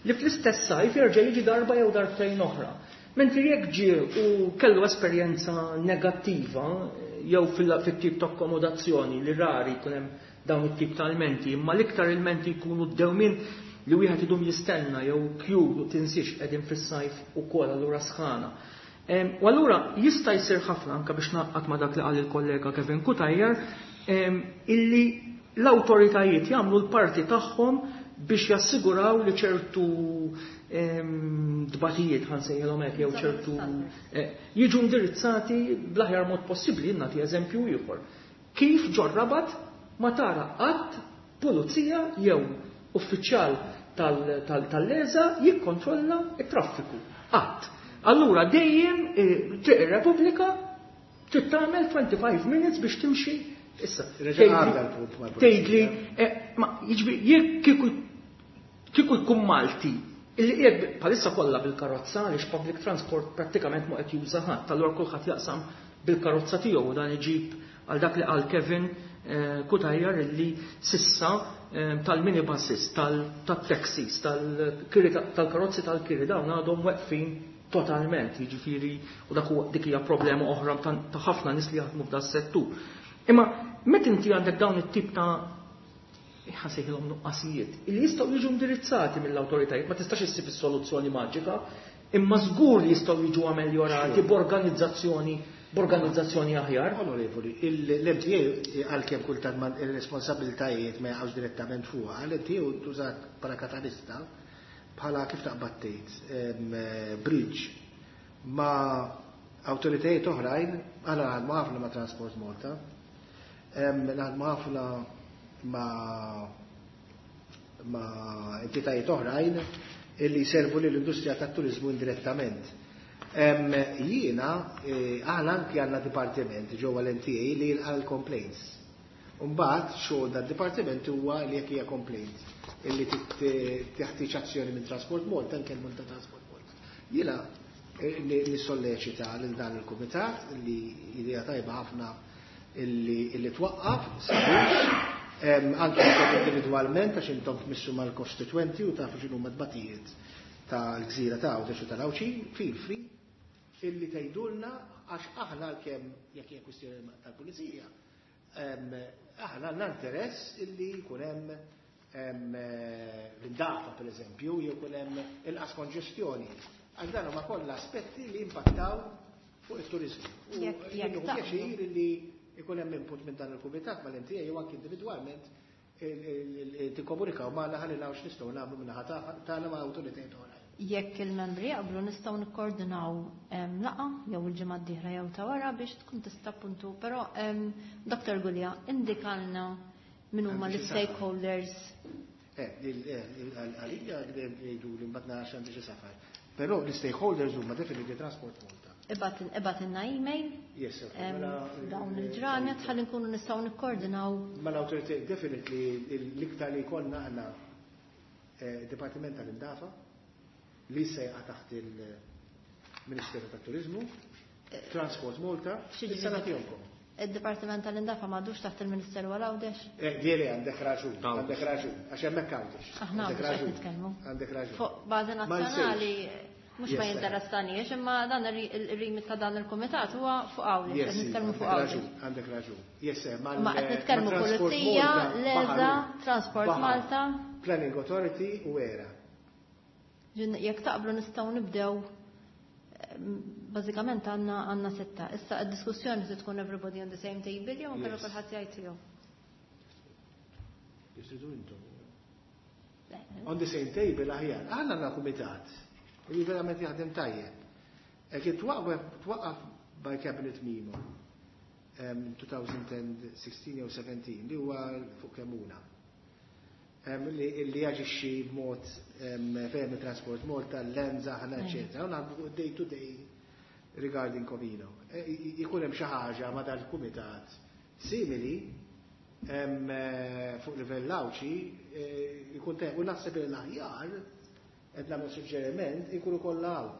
li fl-istess sajf jerġa' jiġi darba jew darbtejn oħra. Mentri jekk ġie u kellu esperjenza negattiva jew fit-tip ta' akkomodazzjoni li rari jkun hemm dawn it-tip ta' ilmenti, imma l-iktar ilmenti jkunu d-dewmien li wieħed idum jistenna jew kju u tinsiex qegħdin fis-sajf ukoll allura sħana. U allura jista' jsir ħafna anke biex naqqat ma' dak li qal il-kollega Kevin Cutajar, illi l-awtoritajiet jagħmlu l-parti tagħhom biex jassiguraw li ċertu dbatijiet ħansejħilhom hekk jew ċertu jiġu indirizzati bl-aħjar mod possibbli. Jien nagħti eżempju ieħor. Kif ġor Rabat ma tara qatt pulizija jew uffiċjal tal-leza jikkontrolla t-traffiku. Qatt. Allura dejjem Triq ir-Repubblika trid tagħmel 25 minutes biex timxi. Issa, tgħidli, ma jiġri jekk kieku jkun Malti illi qiegħed bħalissa kollha bil-karozza għaliex public transport prattikament ma qed juża ħadd, allura kulħadd jaqsam bil-karozza tiegħu u dan iġib għal dak li qal Kevin Cutajar illi sissa tal-minibuses, tal-taxis, tal-karozzi tal-kiri dawn għadhom weqfin totalment, jiġifieri u dak huwa dik hija problema oħra ta' ħafna nies li jaħdmu f'dan settur. Imma meta inti għandek dawn it-tip ta' ħasejħilhom nuqqasijiet illi jistgħu jiġu indirizzati mill-awtoritajiet, ma tistax issib is-soluzzjoni maġika, imma żgur li jistgħu jiġu ameljorati b'organizzazzjoni aħjar. Onorevoli, l-MTA għalkemm kultant ma il-responsabbiltajiet ma jaqgħux direttament fuqha, l-MTA tużat bħala katalista, bħala kif taqbad tgħid, bridge ma' awtoritajiet oħrajn, aħna naħdmu ħafna ma' Transport Malta, naħdmu ħafna ma' entitajiet oħrajn illi jservu lill-industrija tat-turiżmu indirettament. Jiena, aħna anki għandna dipartiment ġewwa l-MTA li jilqa' l-complaints. Umbagħad xogħol dad-dipartiment huwa li jekk hija complaint illi teħtieġ azzjoni minn Transport Malta, nkellmu ta' Transport Malta. Jiena nissolleċita lil dan il-kumitat li idea tajba ħafna illi twaqqaf sabiex anke individwalment għax intom tmissu mal-kostituenti u tafu x'inhuma tbatijiet tal-gżira ta' Għawdex u tal-Għawdxin, feel free illi tgħidulna għax aħna għalkemm jekk hija kwistjoni tal-pulizija, aħna għandna interess illi jkun hemm l-indafa pereżempju, jew jkun hemm inqas konġestjoni. Għax dan huma kollha aspetti li impattaw fuq it-turiżmu. U Jekk jien taqblu. pjaċir illi jkun hemm input minn dan il-kumitat mal-MTA jew anke individwalment tikkomunikaw magħna ħalli naraw x'nistgħu nagħmlu min-naħa tagħna ma' awtoritajiet oħrajn. Jekk il-membri jaqblu nistgħu nikkoordinaw laqgħa jew il-ġimgħa d-dieħla jew ta' wara biex tkun tista' appuntu, però Dr. Gulia indikalna min huma Għandi xi safar. l-stakeholders. Għalija jgħidu li mbagħad nara x'għandi xi safar. Però l-stakeholders huma definitely Transport Malta. Ibatinna email. Yes, sir. Mela, Dawn il-ġranet ħalli nkunu nistgħu nikkoordinaw. Ma l-awtorità definitely l-iktar li jkollna aħna Dipartiment tal-Indafa li se jaqa' taħt il-Ministeru tat-Turiżmu, Transport Malta, Xi issa ġifieri? nagħtihomkom. Id-Dipartiment tal-Indafa m'għadux taħt il-Ministeru għal Għawdex? Dieri għandek raġun, Għawdex. għandek raġun, għax hemmhekk Għawdex. Aħna Għandek Għawdex qed raġun. nitkellmu. Għandek raġun. Fuq bażi Ma nazzjonali nsejx. mhux Yes, ma sir. jinteressanix, imma dan ir-remit ta' dan il-kumitat huwa fuq Għawdex, Yes, qed nitkellmu għandek fuq Għawdex. raġun, għandek raġun. Yes, sir, Ma qed nitkellmu ma' Transport Pulizija, Malta, l-ESA, Baħar, Transport Baħar, Malta. Planning Authority u ERA. Ġin, jekk taqblu nistgħu nibdew, bażikament għandna sitta. Issa d-diskussjoni se tkun everybody on the same table jew inkella Yes. kulħadd jgħid tiegħu. Jisidu intom. On the same table aħjar. Aħna għandna kumitat li verament jaħdem tajjeb. Hekk twaqqaf by Cabinet Memo 2016 jew 17 li huwa fuq Kemmuna. Li jaġixxi b'mod fejn Transport Malta, l-Lenza, ħana, eċetera. U naħdmu day to day regarding Comino. Ikun hemm xi ħaġa ma' dal-kumitat simili fuq livell Għawdxi, ikun u naħseb li l-aħjar qed nagħmel suġġeriment ikunu kollha hawn.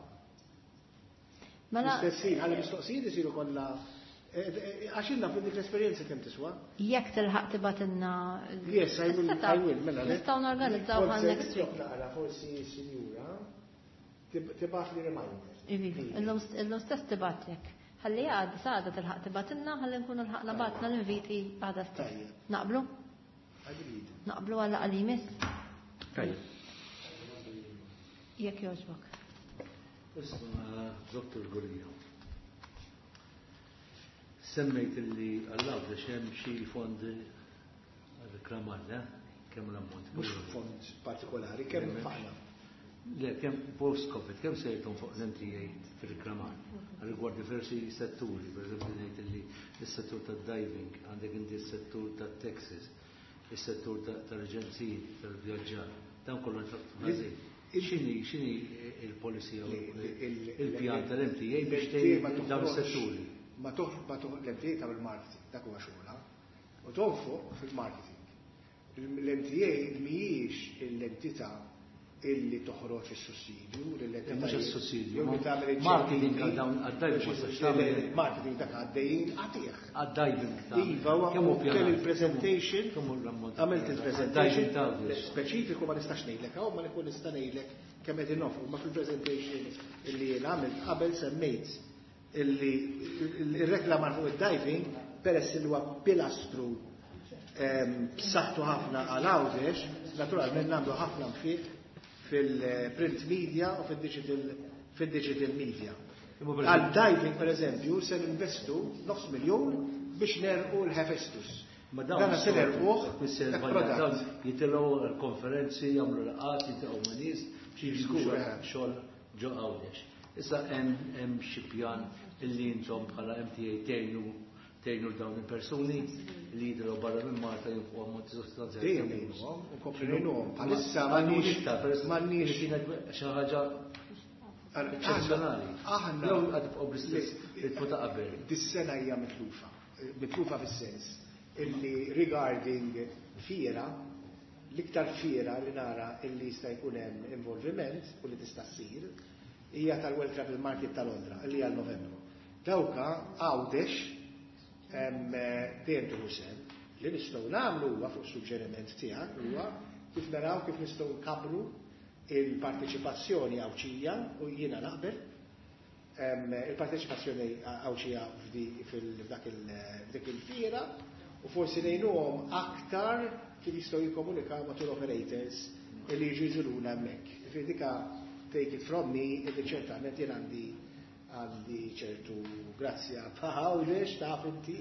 Mela L-istessin, ħalli mistoqsijiet isiru kollha għax ilna fuq dik l-esperjenza kemm tiswa. Jekk tilħaq tibatilna Yes, I will, is-setup, I will, mela, le. Nistgħu norganizzaw Forsi għal next week. Naqra, forsi sinjura tibgħat li reminder. Ivi, illum stess tibatlek. Ħalli għad, saħda tilħaq tibatilna, ħalli nkunu lħaqna batna l-inviti għada stess. Tajjeb. Naqblu? Agreed. Naqblu għalla għalimis? Tajjeb. Jekk jogħġbok. Isma' Dottor Gulia. Semmejt illi għall-Għawdex hemm xi fondi reklamar, le? Kemm l-ammont? Mhux fond partikolari, kemm faqna. Le, kemm post-Covid, kemm se jgħidhom fuq l-MTA fil-reklamar? Rigward diversi setturi, per eżempju ngħid illi s-settur tad-diving, għandek inti s-settur tat-taxis, is-settur tal-aġenziji, tal-vjaġġar, dan kollu nfaqtu ħażin. X'inhi il-policy jew il-pjan tal-MTA biex tgħin dawn is-setturi? Ma toħ, ma toħ, l-MTA tagħmel marketing, dak huwa xogħolha. U tonfoq fil-marketing. L-MTA mhijiex l-entità illi toħroġ is-sussidju, l-entità Mhux is-sussidju, jew li tagħmel il-ġenni. marketing għal dawn għad-diving ma tistax tagħmel. Marketing dak għaddejjin għatih. Għad-diving ta' Iva, u kemm hu kelli pjanat? il-presentation, Kemm hu l-ammont? għamilt il-presentation Għad-diving ta' Għawdex. speċifiku ma nistax ngħidlek hawn, ma nikun nista' ngħidlek kemm qed innofru, ma fil-presentation illi jien għamilt qabel semmejt illi il-reklamar fuq id-diving peress li huwa pilastru b'saħħtu ħafna għal Għawdex, naturalment nagħmlu ħafna nfiq fil-print media u fil-digital media. Imma per Għal diving, per eżempju, se ninvestu nofs miljon biex nerqu l-Hephaestus. Ma dawn Dana se nerquh Misser hekk Balja, product. dawn jitilgħu l-konferenzi, jagħmlu laqgħat, jitilgħu ma' nies biex jiġu Żgur, xogħol eh. xogħol ġo Għawdex. Issa hemm xi pjan illi intom bħala MTA tgħinu dawn il-persuni li jidhru barra minn Malta jinfqu ammonti sostanzjali. Dejjem ngħinuhom, u nkomplu ngħinuhom. Bħalissa m'għandniex iktar, m'għandniex kienet xi ħaġa eċċezzjonali. Aħna Jew qed tibqgħu bl-istess ritmu ta' qabel. Dis-sena hija mitlufa. Mitlufa fis-sens illi regarding fiera, l-iktar fiera li nara illi jista' jkun hemm involviment u li tista' ssir hija tal-World Travel Market ta' Londra, illi hija Novembru. Dawka Għawdex dejjem tieħu sehem. Li nistgħu nagħmlu huwa fuq suġġeriment tiegħek huwa kif naraw kif nistgħu nkabbru il-parteċipazzjoni Għawdxija, u jiena naqbel il-parteċipazzjoni Għawdxija f'dik il-fiera, u forsi ngħinuhom aktar kif jistgħu jikkomunikaw ma' tour operators li jiġu jżuruna hemmhekk. Ġifieri dika take it from me illi ċertament jien għandi ċertu grazzja Għawdex, taf inti.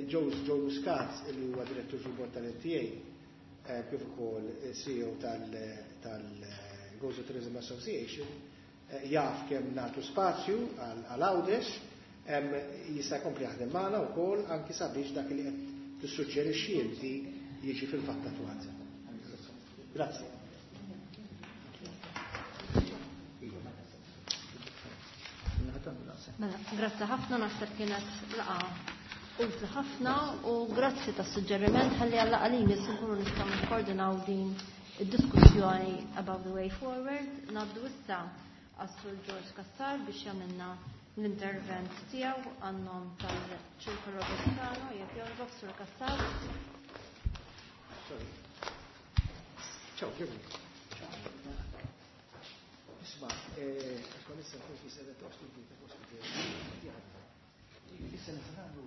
Joe Muscat, li huwa direttur fil-bord tal-MTA, kif ukoll CEO tal-Gozo Tourism Association, jaf kemm nagħtu spazju għal Għawdex, jista' jkompli jaħdem magħna wkoll anki sabiex dak li qed tissuġġerixxi inti jiġi fil-fatt attwat. Grazzi. Mela, grazzi ħafna, naħseb kienet laqgħa utli ħafna u grazzi tas-suġġeriment ħalli għal laqgħa li jmiss nkunu nistgħu nikkoordinaw din id-diskussjoni about the way forward. Ngħaddu issa għas-Sur George Cassar biex jagħmilna l-intervent tiegħu għan-nom tal-Ċirkolo Gozzitano. Jekk jogħġbok, Sur Cassar. Sorry. Ciao, Giovanni. Ciao. Isma, kon issa nkun fi sede ta' osti bita, osti bita. Issa nagħmlu.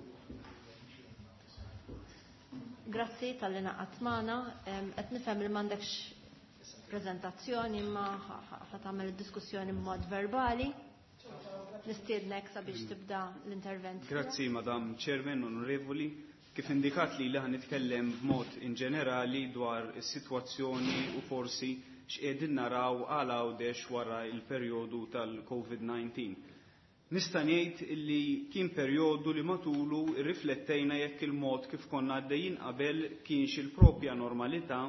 Grazzi tal-li naqgħat magħna. Qed nifhem li m'għandekx prezentazzjoni imma ħa tagħmel id-diskussjoni b'mod verbali. Nistiednek sabiex tibda l-intervent. Grazzi, Madam Chairman, onorevoli. Kif indikat li ħa nitkellem b'mod in ġenerali dwar is-sitwazzjoni u forsi x'qegħdin naraw għal Għawdex wara il-perjodu tal-COVID-19. Nista' ngħid illi kien perjodu li matulu rriflettejna jekk il-mod kif konna għaddejjin qabel kienx il-propja normalità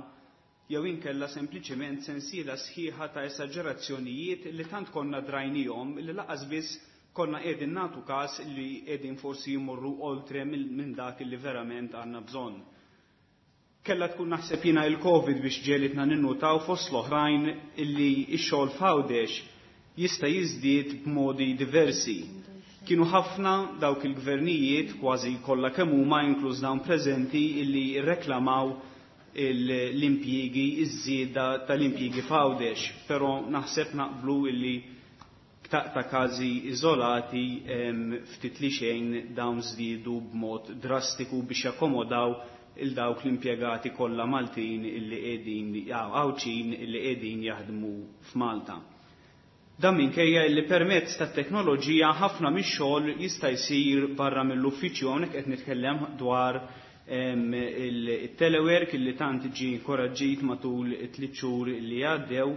jew inkella sempliċiment sensiela sħiħa ta' esaġerazzjonijiet li tant konna drajnihom li laqas biss konna qegħdin nagħtu każ li qegħdin forsi jmorru oltre minn dak li verament għandna bżonn. Kella tkun naħseb jiena il-Covid biex ġelitna ninnutaw fost l-oħrajn illi x-xogħol f'Għawdex jista' jiżdied b'modi diversi. Kienu ħafna dawk il-gvernijiet kważi kollha kemm huma inkluż dawn preżenti illi rreklamaw l-impjiegi, iż-żieda tal-impjiegi f'Għawdex, però naħseb naqblu illi ta' każi iżolati ftit li xejn dawn żdiedu b'mod drastiku biex jakkomodaw il dawk l-impjegati kollha Maltin illi qegħdin Għawdxin illi qegħdin jaħdmu f'Malta. Dan minkejja illi permezz tat-teknoloġija ħafna mix-xogħol jista' jsir barra mill-uffiċċju. Hawnhekk qed nitkellem dwar il-telework illi tant ġie inkoraġġit matul it-tliet xhur li għaddew,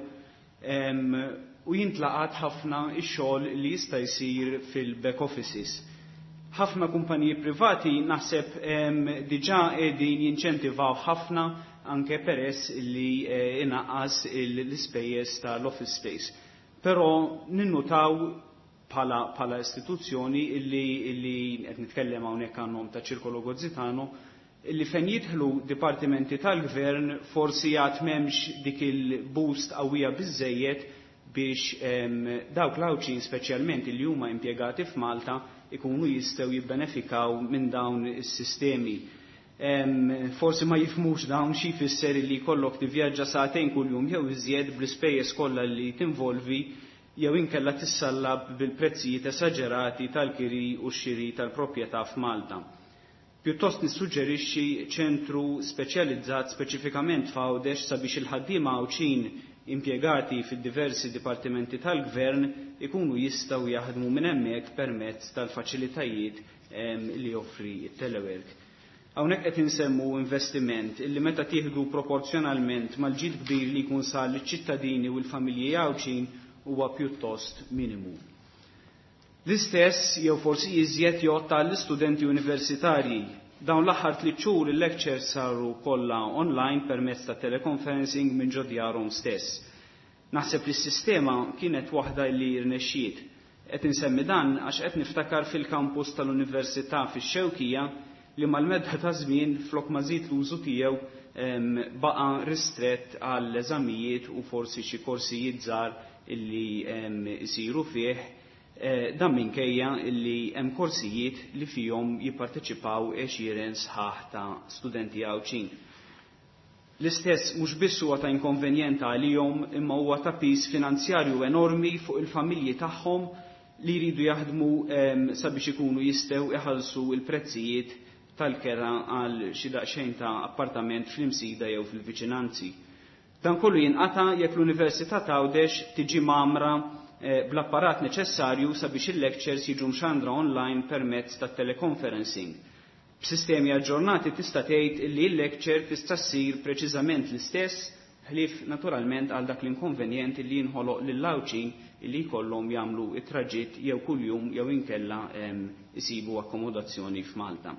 u jintlaqat ħafna x-xogħol li jista' jsir fil-back offices. Ħafna kumpaniji privati naħseb diġà qegħdin jinċentivaw ħafna anke peress li inaqqas l-ispejjeż tal-office space. Però ninnutaw bħala istituzzjoni illi qed nitkellem hawnhekk għan-nom ta' Ċirkolo Gozzitano, illi fejn jidħlu dipartimenti tal-gvern forsi għad m'hemmx dik il-boost qawwija biżejjed biex dawk l-Għawdxin speċjalment li huma impjegati f'Malta ikunu jistgħu jibbenefikaw minn dawn is-sistemi. Forsi ma jifhmux dawn xi jfisser li jkollok tivvjaġġa sagħtejn kuljum jew iżjed bl-ispejjeż kollha li tinvolvi jew inkella tissallab bil-prezzijiet esaġerati tal-kiri u x-xiri tal-proprjetà f'Malta. Pjuttost nissuġġerixxi ċentru speċjalizzat speċifikament f'Għawdex sabiex il-ħaddiema Għawdxin impjegati fid-diversi dipartimenti tal-gvern ikunu jistgħu jaħdmu minn hemmhekk permezz tal-faċilitajiet li joffri t-telework. Hawnhekk qed insemmu investiment illi meta tieħdu proporzjonalment mal-ġid kbir li jkun sar liċ-ċittadini u l-familji Għawdxin huwa pjuttost minimu. L-istess jew forsi iżjed jgħodd għall-istudenti universitarji. Dawn l-aħħar 3 xhur il-lectures saru kollha online permezz ta' teleconferencing minn ġo djarhom stess. Naħseb li s-sistema kienet waħda li rnexxiet. Qed insemmi dan għax qed niftakar fil-kampus tal-Università fix-Xewkija li mal-medda ta' żmien flok ma żied l-użu tiegħu baqa' ristrett għall eżamijiet u forsi xi korsijiet żgħar illi isiru fih. Dan minkejja illi hemm korsijiet li fihom jipparteċipaw għexieren sħaħ ta' studenti Għawdxin. L-istess mhux biss huwa ta' inkonvenjent għalihom imma huwa ta' piż finanzjarju enormi fuq il-familji tagħhom li jridu jaħdmu sabiex ikunu jistgħu iħallsu l-prezzijiet tal-kera għal xi daqsxejn ta' appartament fl-Imsida jew fil-viċinanzi. Dan kollu jinqata' jekk l-Università t'Għawdex tiġi mgħammra bl-apparat neċessarju sabiex il-lectures jiġu mxandra online permezz ta' teleconferencing. B'sistemi aġġornati tista' tgħid li l-lecture tista' ssir preċiżament l-istess, ħlief naturalment għal dak l-inkonvenjent li jinħoloq lill-Għawdxin li jkollhom jagħmlu it-traġitt jew kuljum jew inkella isibu akkomodazzjoni f'Malta.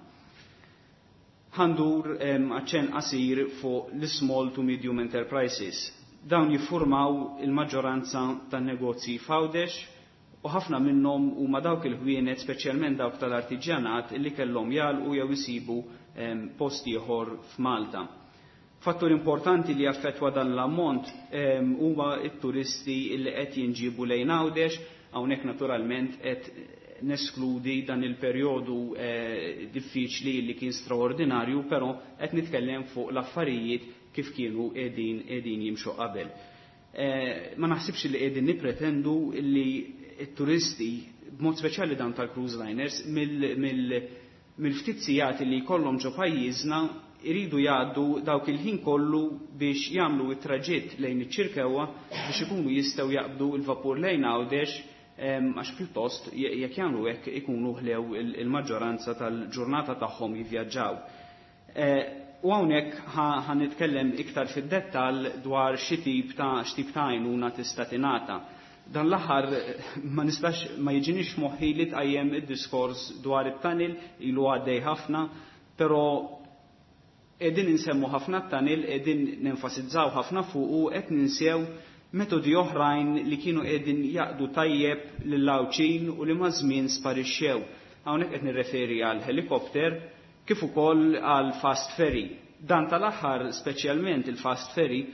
Ħa ndur aċċenn qasir fuq l-small to medium enterprises. Dawn jiffurmaw il-maġġoranza tan-negozji f'Għawdex u ħafna minnhom huma dawk il-ħwienet, speċjalment dawk tal-artiġjanat, li kellhom jagħlqu jew isibu post ieħor f'Malta. Fattur importanti li jaffettwa dan l-ammont huma t-turisti li qed jinġibu lejn Għawdex, hawnhekk naturalment qed neskludi dan il-perjodu diffiċli li kien straordinarju, però qed nitkellem fuq l-affarijiet kif kienu qegħdin jimxu qabel. Ma naħsibx li qegħdin nippretendu li t-turisti, b'mod speċjali dawn tal-cruise liners, mill-ftit sigħat li jkollhom ġo pajjiżna iridu jgħaddu dawk il-ħin kollu biex jagħmlu t-traġitt lejn iċ-Ċirkewwa biex ikunu jistgħu jaqbdu l-vapur lejn Għawdex, għax pjuttost jekk jagħmlu hekk ikunu ħlew il-maġġoranza tal-ġurnata tagħhom jivvjaġġaw. U hawnhekk ħa nitkellem iktar fid-dettall dwar xi tip ta' x'tip ta' għajnuna tista' tingħata. Dan l-aħħar ma nistax ma jiġinix moħħi li tqajjem id-diskors dwar it-tunnel, ilu għaddej ħafna, però qegħdin insemmu ħafna t-tunnel, qegħdin nenfasizzaw ħafna fuq u qed ninsew metodi oħrajn li kienu qegħdin jaqdu tajjeb lill-Għawdxin u li maż-żmien sparixxew. Hawnhekk qed nirreferi għal helikopter kif ukoll għal fast ferry. Dan tal-aħħar, speċjalment il-fast ferry,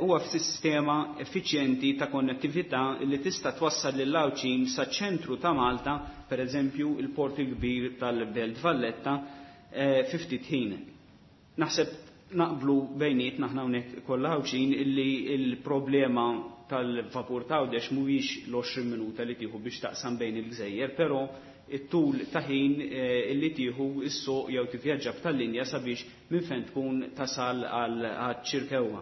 huwa f'sistema effiċjenti ta' konnettività li tista' twassal lill-Għawdxin saċ-ċentru ta' Malta, per eżempju il-port il-kbir tal-Belt Valletta, fi ftit ħin. Naħseb naqblu bejnietna aħna hawnhekk kollha Għawdxin illi l-problema tal-vapur ta' Għawdex mhuwiex l-20 minuta li tieħu biex taqsam bejn il-gżejjer, però it-tul ta' ħin illi tieħu s-suq jew tivvjaġġa b'tal-linja sabiex minn fejn tkun tasal għal Ċirkewwa.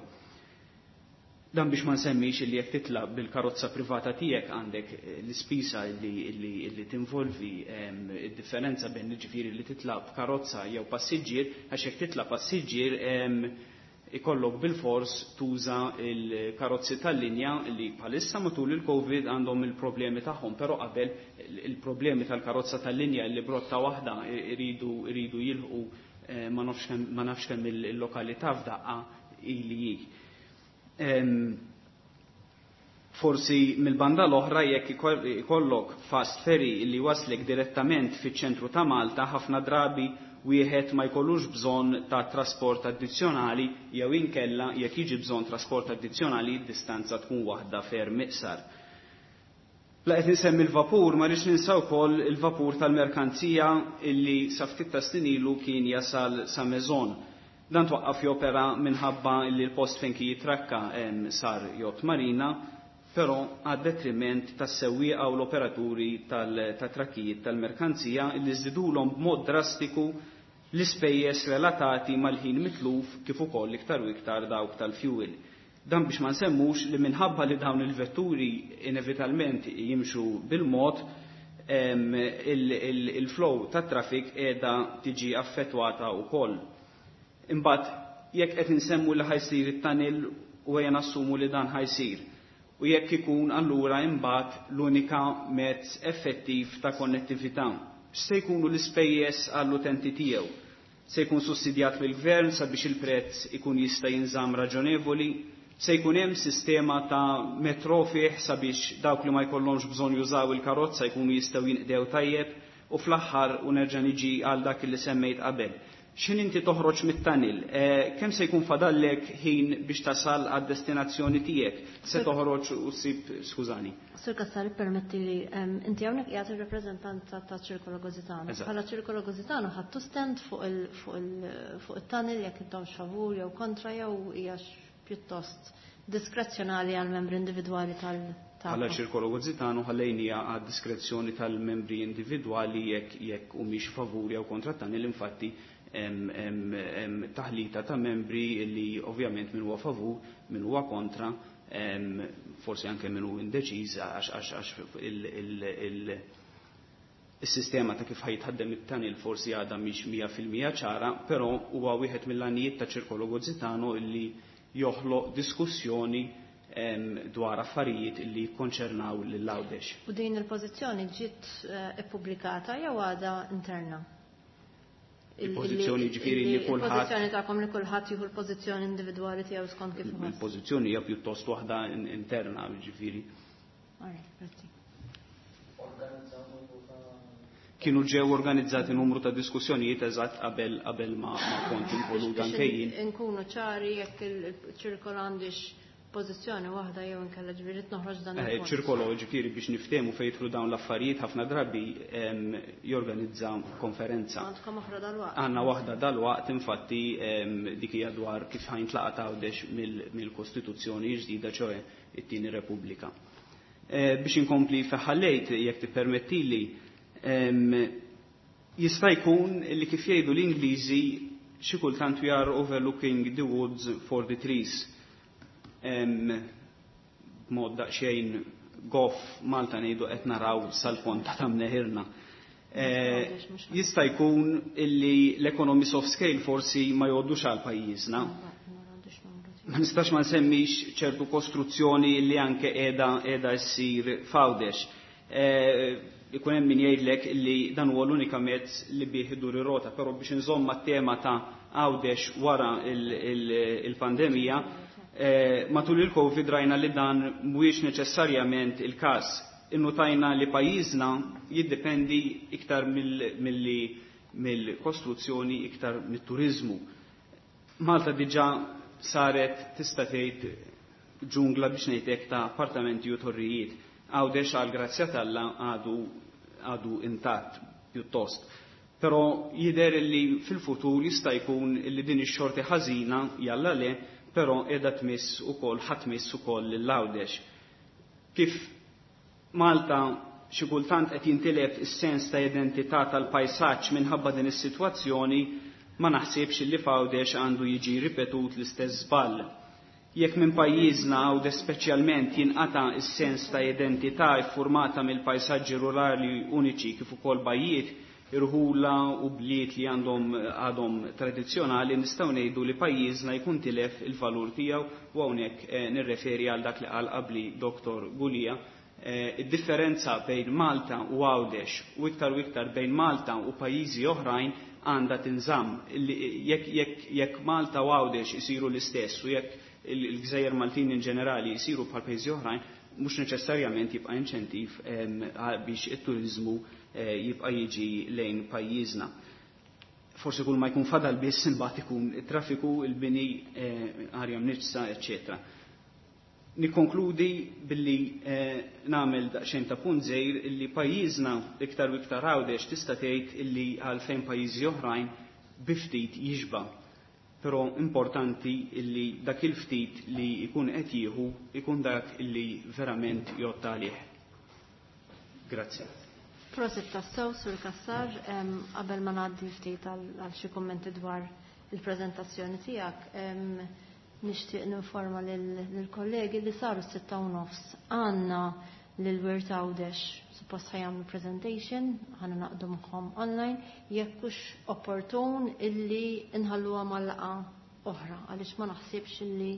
Dan biex ma nsemmix illi jekk titlaq bil-karozza privata tiegħek għandek l-ispisa illi tinvolvi id-differenza bejn jiġifieri li titlaq b'karozza jew passiġġier, għax jekk titlaq passiġġier ikollok bil-fors tuża il-karozzi tal-linja li bħalissa matul il-Covid għandhom il-problemi tagħhom, però qabel il-problemi tal-karozza tal-linja li brotta waħda iridu jilħqu ma nafx kemm il-lokalità f'daqqa ili hi. Forsi mill-banda l-oħra jekk ikollok fast ferry li waslek direttament fiċ-ċentru ta' Malta, ħafna drabi wieħed ma jkollux bżonn ta' trasport addizzjonali jew inkella jekk jiġi bżonn trasport addizzjonali d-distanza tkun waħda ferm iqsar. La qed insemmi l-vapur, ma rridx ninsa wkoll il-vapur tal-merkanzija illi sa ftit ta' snin ilu kien jasal sa Maison. Dan twaqqaf jopera minħabba li l-post fejn kien jitrakka sar yacht marina, però għad detriment tas-sewwieqa u l-operaturi tat-trakkijiet tal-merkanzija li żdidulhom b'mod drastiku l-ispejjeż relatati mal-ħin mitluf kif ukoll iktar u iktar dawk tal-fuel. Dan biex ma nsemmux li minħabba li dawn il-vetturi inevitalment jimxu bil-mod, il-flow tat-traffic qiegħda tiġi affettwata wkoll. Imbagħad jekk qed insemmu li ħajsir it-tunnel u ejja nassumu li dan ħajsir. U jekk ikun allura imbagħad l-unika mezz effettiv ta' konnettività. X'se jkunu l-ispejjeż għall-utenti tiegħu? Se jkun sussidjat mill-gvern sabiex il-prezz ikun jista' jinżamm raġonevoli? Se jkun hemm sistema ta' metro fih sabiex dawk li ma jkollhomx bżonn jużaw il-karozza jkunu jistgħu jinqdew tajjeb? U fl-aħħar, u nerġa' niġi għal dak li semmejt qabel. X'ħin inti toħroġ mit-tunnel, kemm se jkun fadallek ħin biex tasal għad-destinazzjoni tiegħek? Se toħroġ u ssib, skużani. Sur Cassar, permetti li, inti hawnhekk qiegħed ir-rappreżentanza ta' Ċirkolo Gozitano. Bħala Ċirkolo Gozitano ħadtu stand fuq it-tunnel, jekk intomx favur jew kontra, jew hija pjuttost diskrezzjonali għal membri individwali tal Bħala Ċirkolo Gozitano ħallejnija għad diskrezzjoni tal-membri individwali jekk humiex favur jew kontra tunnel. Infatti hemm taħlita ta' membri li ovvjament min huwa favur, min huwa kontra, forsi anke min hu indeċiż, għax il-sistema ta' kif ħa jitħaddem it-tunnel forsi għadha mhix 100% ċara, però huwa wieħed mill-għanijiet ta' Ċirkolo Gozitano illi joħloq diskussjoni dwar affarijiet illi jikkonċernaw lil Għawdex. U din il-pożizzjoni ġiet ippubblikata jew għadha interna? Il-pożizzjoni, ġifieri li kulħadd Il-pożizzjoni tagħkom li kulħadd jieħu l-pożizzjoni individwali tiegħu skont kif iħoss. Il-pożizzjoni hija pjuttost waħda interna, ġifieri. Alright, grazzi. Kienu ġew organizzati numru ta' diskussjonijiet eżatt qabel ma kont involut Biex anke jien. inkunu ċari jekk il-ċirkol għandix pożizzjoni waħda jew inkella, ġifieri noħroġ dan il-punt. Ċirkolo, ġifieri biex niftehmu fejn jidħlu dawn l-affarijiet, ħafna drabi jorganizza konferenza. Għandkom oħra dal-waqt. Għandna waħda dal-waqt, infatti dik hija dwar kif ħa jintlaqat Għawdex mill-Kostituzzjoni ġdida, ċoe it-tieni Repubblika. Biex inkompli feħallejt, jekk tippermettili, jista' jkun li kif jgħidu l-Ingliżi, xi kultant we are overlooking the woods for the trees. B'mod daqsxejn goff Malta ngħidu qed naraw sal-ponta ta' mneħirna. Jista' jkun illi l-economies of scale forsi ma jgħoddux għal pajjiżna. Ma nistax ma nsemmix ċertu kostruzzjoni li anke qiegħda ssir f'Għawdex. Ikun hemm min jgħidlek li dan huwa l-unika mezz li bih idur ir-rota, però biex inżomm mat-tema ta' Għawdex wara il-pandemija, matul il-Covid rajna li dan mhuwiex neċessarjament il-każ. Innutajna li pajjiżna jiddependi iktar mill-kostruzzjoni, iktar mit-turizmu. Malta diġà saret, tista' tgħid, ġungla, biex ngħidlek, ta' appartamenti u torrijiet. Għawdex, għal grazzja t'Alla, għadu intatt pjuttost. Però jidher li fil-futur jista' jkun li din ix-xorti ħażina, jalla le, però qiegħda tmiss ukoll, ħa tmiss ukoll lil Għawdex. Kif Malta xi kultant qed jintilef is-sens ta' identità tal-pajsaġġ minħabba din is-sitwazzjoni, ma naħsibx li f'Għawdex għandu jiġi ripetut l-istess żball. Jekk minn pajjiżna, Għawdex speċjalment, jinqata' is-sens ta' identità iffurmata mill-pajsaġġi rurali uniċi kif ukoll bajjiet, irħula u bliet li għandhom għadhom tradizzjonali, nistgħu ngħidu li pajjiżna jkun tilef il-valur tiegħu, u hawnhekk nirreferi għal dak li qal qabli Dr. Gulia. Id-differenza bejn Malta u Għawdex, u iktar u iktar bejn Malta u pajjiżi oħrajn, għandha tinżamm. Jekk Malta u Għawdex isiru l-istess u jekk il-gżejjer Maltin in ġenerali jisiru bħal pajjiżi oħrajn, mhux neċessarjament jibqa' inċentiv biex it-turizmu jibqa' jiġi lejn pajjiżna. Forsi kull ma jkun fadal biss imbagħad ikun it-traffiku, il-bini, arja mniġġsa, eċċetera. Nikkonkludi billi nagħmel daqsxejn ta' punt żgħir illi pajjiżna, iktar u iktar Għawdex, tista' tgħid illi għalfejn pajjiżi oħrajn bi ftit jixba'. Però importanti illi dak il-ftit li jkun qed jieħu ikun dak illi verament jgħodd għalih. Grazzi. Prosit tassew, Sur Cassar, qabel ma ngħaddi ftit għal xi kummenti dwar il-preżentazzjoni tiegħek, nixtieq ninforma lill-kollegi li saru 6:30. Għandna lil Wirt Għawdex suppost ħa jagħmlu presentation, ħa ningħaqdu magħhom online, jekk hux opportun illi nħalluha mal-laqgħa oħra, għaliex ma naħsibx illi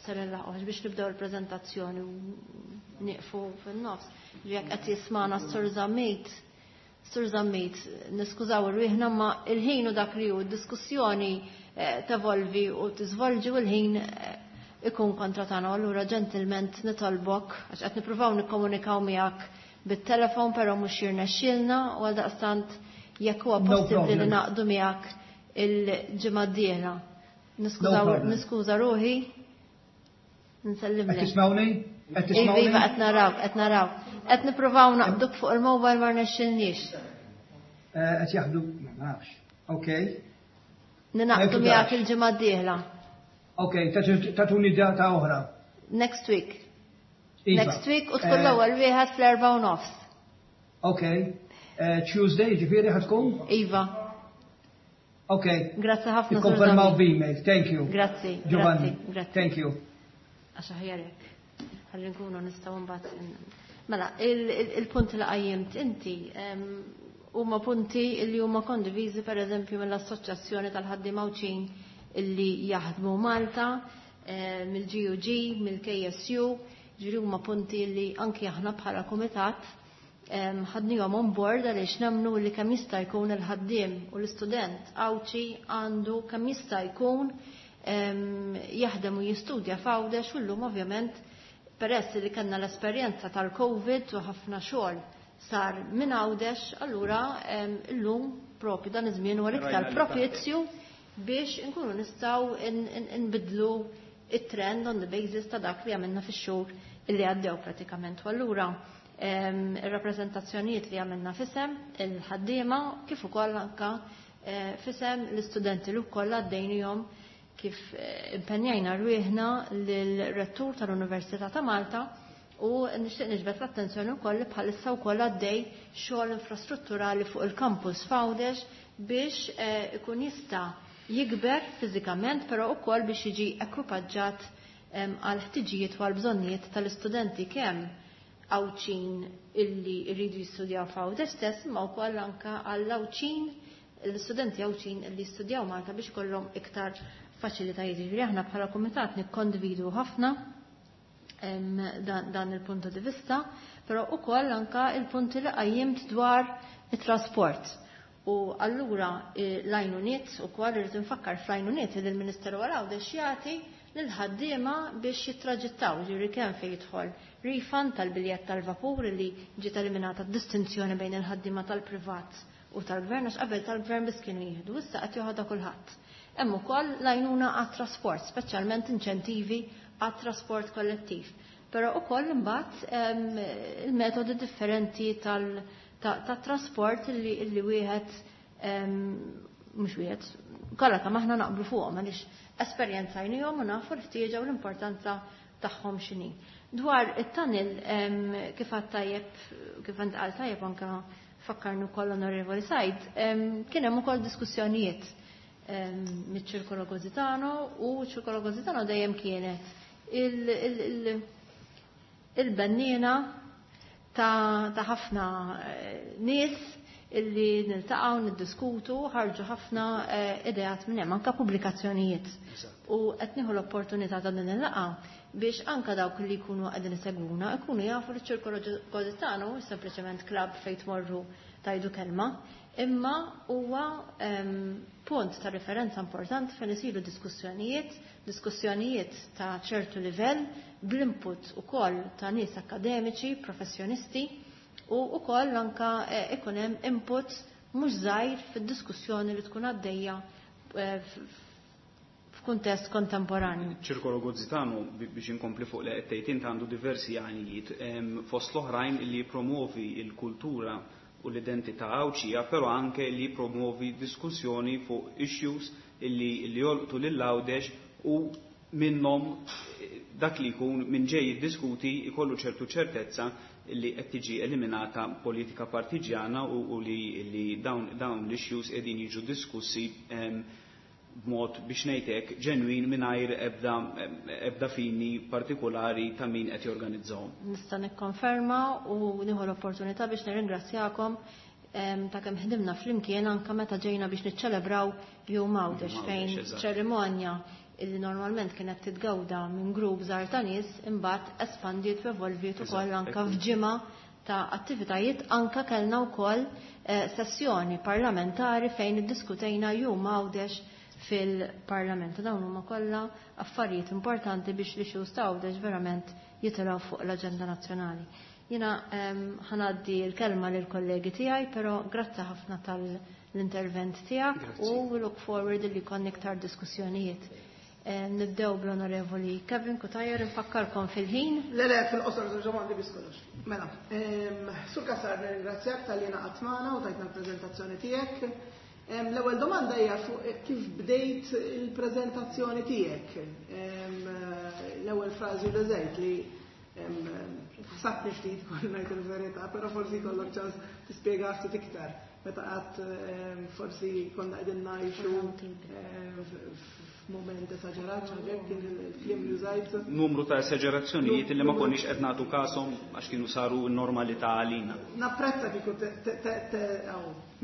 ser nilħqu biex nibdew il-preżentazzjoni u nieqfu fin-nofs. Jekk qed jismana s-Sur Zammit, Sur Zammit, niskużaw irwieħna ma il-ħin u dak li hu d-diskussjoni tevolvi u tiżvolġi u l-ħin ikun kontra tagħna. Allura ġentilment nitolbok għax qed nippruvaw nikkomunikaw miegħek bit-telefon però mhux jirnexxielna u għaldaqstant jekk huwa possibbli li naqdu miegħek il-ġimgħa d-dieħla. Niskuża ruħi. Nsellimlek. Qed tismawni? Qed tismawni? Iva, qed naraw, qed naraw. Qed nippruvaw naqbduk fuq il-mobile ma rnexxilniex. Qed jaħdu, ma nafx. Okej. Ninaqdu miegħek il-ġimgħa d-dieħla. Okej, tatuni data oħra. Next week. Iva. Next week u tkun l-ewwel wieħed fl-4:30. Okej. Tuesday, ġifieri ħa tkun? Iva. Ok. Grazzi ħafna. Ikkonfermaw b'email. Thank you. Grazzi. Giovanni. Grazzi. Thank you. Għax aħjar hekk. Ħalli nkunu nistgħu mbagħad. Mela, il-punt li qajjimt inti huma punti li huma kondiviżi pereżempju mill-Assoċjazzjoni tal-Ħaddiema Għawdxin illi jaħdmu Malta, mill-GUG, mill-KSU, ġifieri huma punti li anki aħna bħala kumitat ħadnihom on board għaliex nemmnu li kemm jista' jkun il-ħaddiem u l-istudent Għawdxi għandu kemm jista' jkun jaħdem u jistudja f'Għawdex u llum ovvjament peress li kellna l-esperjenza tal-Covid u ħafna xogħol sar minn Għawdex, allura llum propju dan iż-żmien huwa l-iktar propizju biex inkunu nistgħu nbidlu it-trend on the basis ta' dak li għamilna fix-xhur illi għaddew pratikament. U allura ir-rappreżentazzjonijiet li għamilna fisem il-ħaddiema kif ukoll anka fisem l-istudenti li wkoll għaddejnihom kif impenjajna rwieħna lill-rettur tal-Università ta' Malta u nixtieq niġbed l-attenzjoni wkoll li bħalissa wkoll għaddej xogħol infrastrutturali fuq il-campus f'Għawdex biex ikun jista' jikber fiżikament, però wkoll biex jiġi ekwipaġġat għal ħtiġijiet u għal bżonnijiet tal-istudenti kemm Għawdxin illi jridu jistudjaw f'Għawdex stess, imma wkoll anke għall Għawdxin, l-istudenti Għawdxin illi jistudjaw Malta biex ikollhom iktar faċilitajiet. Ġifieri aħna bħala kumitat nikkondividu ħafna dan il-punt di vista, però wkoll anke il-punti li qajjimt dwar it-trasport. U allura l-għajnuniet ukoll irrid infakkar fl-għajnuniet li l-Ministeru għal Għawdex jagħti lill-ħaddiema biex jittraġittaw, ġifieri kemm fejn jidħol refund tal-biljett tal-vapur li ġiet eliminata d-distinzjoni bejn il-ħaddiema tal-privat u tal-gvern, għax qabel tal-gvern biss kienu jieħdu, issa qed joħodha kulħadd. Hemm ukoll l-għajnuna għat-trasport, speċjalment inċentivi għat-trasport kollettiv. Però ukoll imbagħad il-metodi differenti tat-trasport illi wieħed mhux wieħed kollha kemm aħna naqblu fuqhom għaliex esperjenzajnihom u nafu l-ħtieġa u l-importanza tagħhom x'inhi. Dwar it-tunnel kif għad tajjeb, kif għand tajjeb anke fakkarnu wkoll Onorevoli Said, kien hemm ukoll diskussjonijiet miċ-Ċirkolo Gozitano u ċ-Ċirkolo Gozitano dejjem kienet il-bennina ta' ħafna nies illi niltaqgħu niddiskutu, ħarġu ħafna ideat minn hemm anke pubblikazzjonijiet. U qed nieħu l-opportunità ta' din il-laqgħa biex anke dawk li jkunu qegħdin isegwuna jkunu jafu li ċ-Ċirkolo Gozitano mhux sempliċement klabb fejn tmorru tajdu kelma, imma huwa punt ta' referenza importanti fejn isiru diskussjonijiet, diskussjonijiet ta' ċertu livell, bl-input ukoll ta' nies akademiċi, professjonisti, u wkoll anke ikun hemm input mhux żgħir fid-diskussjoni li tkun għaddejja f'kuntest kontemporanju. Ċirkolo Gozitano, biex inkompli fuq li qed tgħid int, għandu diversi għanijiet, fost l-oħrajn li jippromovi l-kultura u l-identità Għawdxija, però anke li jippromovi diskussjoni fuq issues li jolqtu lil Għawdex u minnhom dak li jkun minn ġej jiddiskuti jkollu ċertu ċertezza li qed tiġi eliminata politika partiġjana u li dawn l-issues qegħdin jiġu diskussi b'mod biex ngħidlek ġenwin mingħajr ebda fini partikolari ta' min qed jorganizzahom. Nista' nikkonferma u nieħu l-opportunità biex nirringrazzjakom ta' kemm ħdimna flimkien anke meta ġejna biex niċċelebraw Jum Għawdex fejn ċerimonja illi normalment kienet titgawda minn grupp żgħar ta' nies, imbagħad espandiet u evolviet ukoll anke f'ġimgħa ta' attivitajiet. Anka kellna wkoll sessjoni parlamentari fejn iddiskutejna Jum Għawdex fil-Parlament. Dawn huma kollha affarijiet importanti biex l-issues ta' Għawdex verament jitilgħu fuq l-aġenda nazzjonali. Jiena ħa ngħaddi l-kelma lill-kollegi tiegħi, però grazzi ħafna tal-intervent tiegħek u we look forward li jkollna iktar diskussjonijiet. Nibdew bl-Onorevoli Kevin Cutajar, infakkarkom fil-ħin. Le, le, fil-qosor, żewġ domandi biss kollox. Mela, Sur Cassar, nirringrazzjak talli ngħaqadt magħna u tajtna l-preżentazzjoni tiegħek. L-ewwel domanda hija fuq kif bdejt il-preżentazzjoni tiegħek. L-ewwel frażi li użajt li ħsabni ftit kol ngħid il-verità, però forsi jkollok ċans tispjega ftit iktar. Meta qatt forsi konna qegħdin ngħixu f'mument esaġerat, ħaġa kien il-kliem li użajt. Numru ta' esagerazzjonijiet li ma konniex qed nagħtu kashom għax kienu saru n-normalità għalina. Napprezza kieku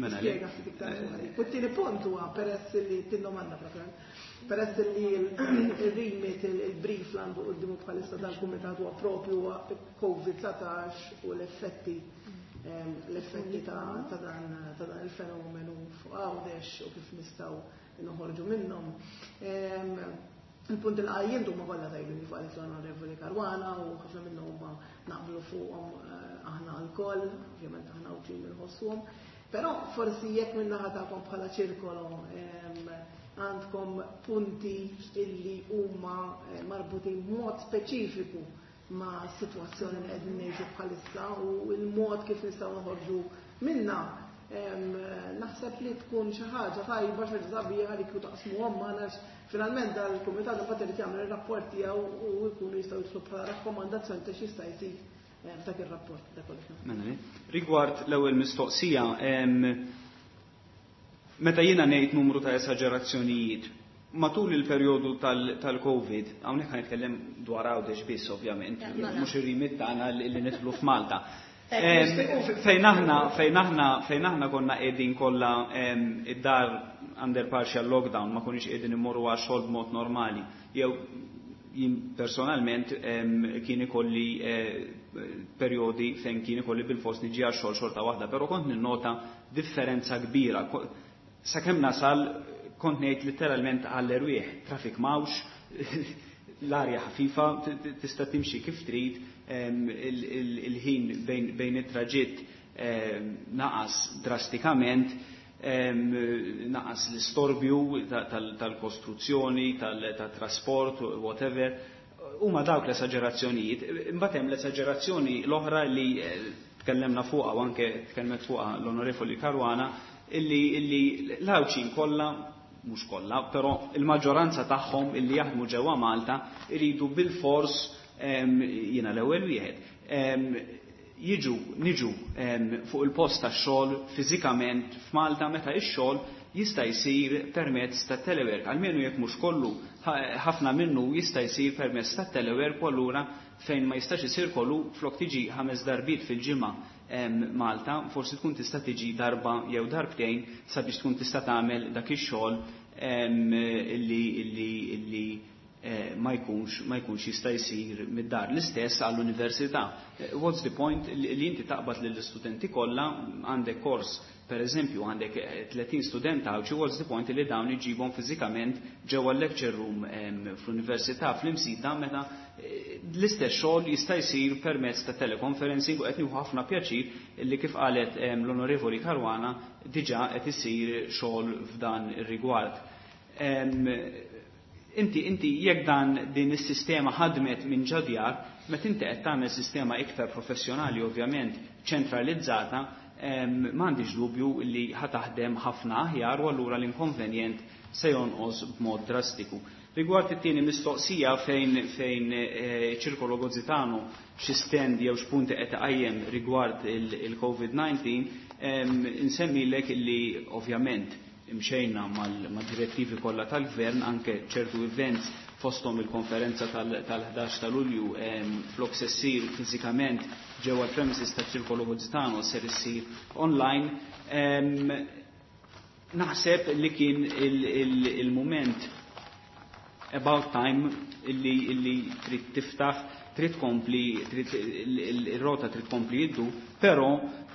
Mela, le. tispjega ftit iktar fuq dik. U t-tieni punt huwa peress li tin-domanda propjament. Peress li il-remit, il-brief li għandu quddiemu bħalissa dal-kumitat huwa propju COVID-19 u l-effetti ta' dan il-fenomenu fuq Għawdex u kif nistgħu noħorġu minnhom. Il-punt il qajjim huma kollha tajbin kif qalet l-Onorevoli Caruana u ħafna minnhom huma naqblu fuqhom aħna lkoll, ovvjament aħna u nħossuhom. Però forsi jekk min-naħa tagħkom bħala ċirkolo għandkom punti illi huma marbutin b'mod speċifiku ma' situazzjoni li qegħdin ngħixu bħalissa u l-mod kif nistgħu noħorġu minna, naħseb li tkun xi ħaġa tajba, xi ħaġa sabiħa li kieku taqsmuhom magħna għax finalment dal-kumitat imbagħad irid jagħmel ir-rapport tiegħu u jkunu jistgħu jidħlu bħala rakkomandazzjoni ta' x'jista' jsir f'dak ir-rapport, dak kollox. Mela, le. Rigward l-ewwel mistoqsija, meta jiena ngħid numru ta' esagerazzjonijiet, matul il-perjodu tal-Covid, hawnhekk ħa nitkellem dwar Għawdex biss ovvjament, mhux ir-remit tagħna li nidħlu f'Malta. Fejn aħna konna qegħdin kollha id-dar under partial lockdown, ma konniex qegħdin immorru għax xogħol b'mod normali. Jew jien personalment kien ikolli perjodi fejn kien ikolli bil-fors niġi għax xogħol xorta waħda, però kont ninnota differenza kbira. Sakemm nasal kont ngħid letteralment għall-erwieħ, traffic m'hawnx, l-arja ħafifa, tista' timxi kif trid, il-ħin bejn it-traġitt naqas drastikament, naqas l-istorbju tal-kostruzzjoni, tal-trasport, whatever. Huma dawk l-esagerazzjonijiet. Imbagħad hemm l-esagerazzjoni l-oħra li tkellemna fuqha u anke tkellmet fuqha l-Onorevoli Caruana illi l-Għawdxin kollha, mhux kollha, però il-maġġoranza tagħhom illi jaħdmu ġewwa Malta iridu bil-fors, jiena l-ewwel wieħed, jiġu niġu fuq il-post tax-xogħol fiżikament f'Malta meta x-xogħol jista' jsir permezz ta' telework. Almenu jekk mhux kollu, ħafna minnu jista' jsir permezz ta' telework u allura fejn ma jistax isir kollu, flok tiġi 5 darbiet fil-ġimgħa Malta, forsi tkun tista' tiġi darba jew darbtejn sabiex tkun tista' tagħmel dak ix-xogħol illi ma jkunx jista' jsir mid-dar. L-istess għall-università. What's the point li inti taqbad lill-istudenti kollha, għandek kors, per eżempju, għandek 30 student Għawdxi, what's the point li dawn iġibhom fiżikament ġewwa lecture room fl-università fl-Imsida meta l-istess xogħol jista' jsir permezz ta' teleconferencing u qed nieħu ħafna pjaċir li kif qalet l-Onorevoli Caruana diġà qed isir xogħol f'dan ir-rigward. Inti jekk dan din is-sistema ħadmet minn ġod-djar, meta inti qed tagħmel sistema iktar professjonali, ovvjament ċentralizzata, m'għandix dubju li ħa taħdem ħafna aħjar u allura l-inkonvenjent se jonqos b'mod drastiku. Rigward it-tieni mistoqsija fejn Ċirkolo Gozzitano xi stand jew x'punti qed iqajjem rigward il-COVID-19, insemmilek li ovvjament imxejna mal-direttivi kollha tal-gvern, anke ċertu events fosthom il-konferenza tal-11 ta' Lulju, flok se ssir fiżikament ġewwa l-premises ta' Ċirkolo Gozzitano ser issir online. Naħseb li kien il-moment. About time illi trid tiftaħ, trid tkompli, trid ir-rota trid tkompli jiddu, però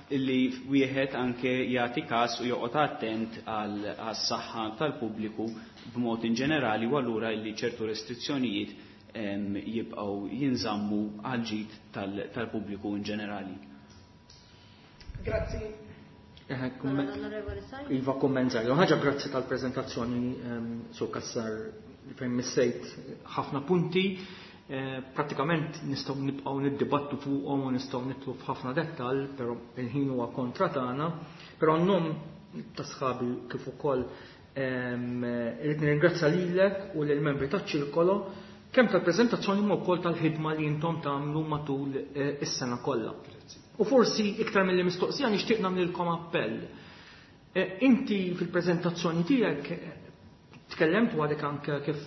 illi wieħed anke jagħti każ u joqgħod attent għas-saħħa tal-pubbliku b'mod in ġenerali, u allura illi ċertu restrizzjonijiet jibqgħu jinżammu għal ġid tal-pubbliku in ġenerali. Grazzi. Iva, kumment żgħir. Ħaġa, grazzi tal-preżentazzjoni, Sur Cassar, fejn missejt ħafna punti. Pratikament nistgħu nibqgħu niddibattu fuqhom u nistgħu nidħlu f'ħafna dettall, però il-ħin huwa kontra tagħna. Però n-nom ta' sħabi kif ukoll irrid nirringrazzja lilek u lill-membri taċ-ċirkolo kemm tal-preżentazzjoni ma wkoll tal-ħidma li intom tagħmlu matul is-sena kollha. U forsi iktar mill mistoqsija nixtieq nagħmlilkom appell. Inti fil-preżentazzjoni tiegħek tkellemt u għadek anke kif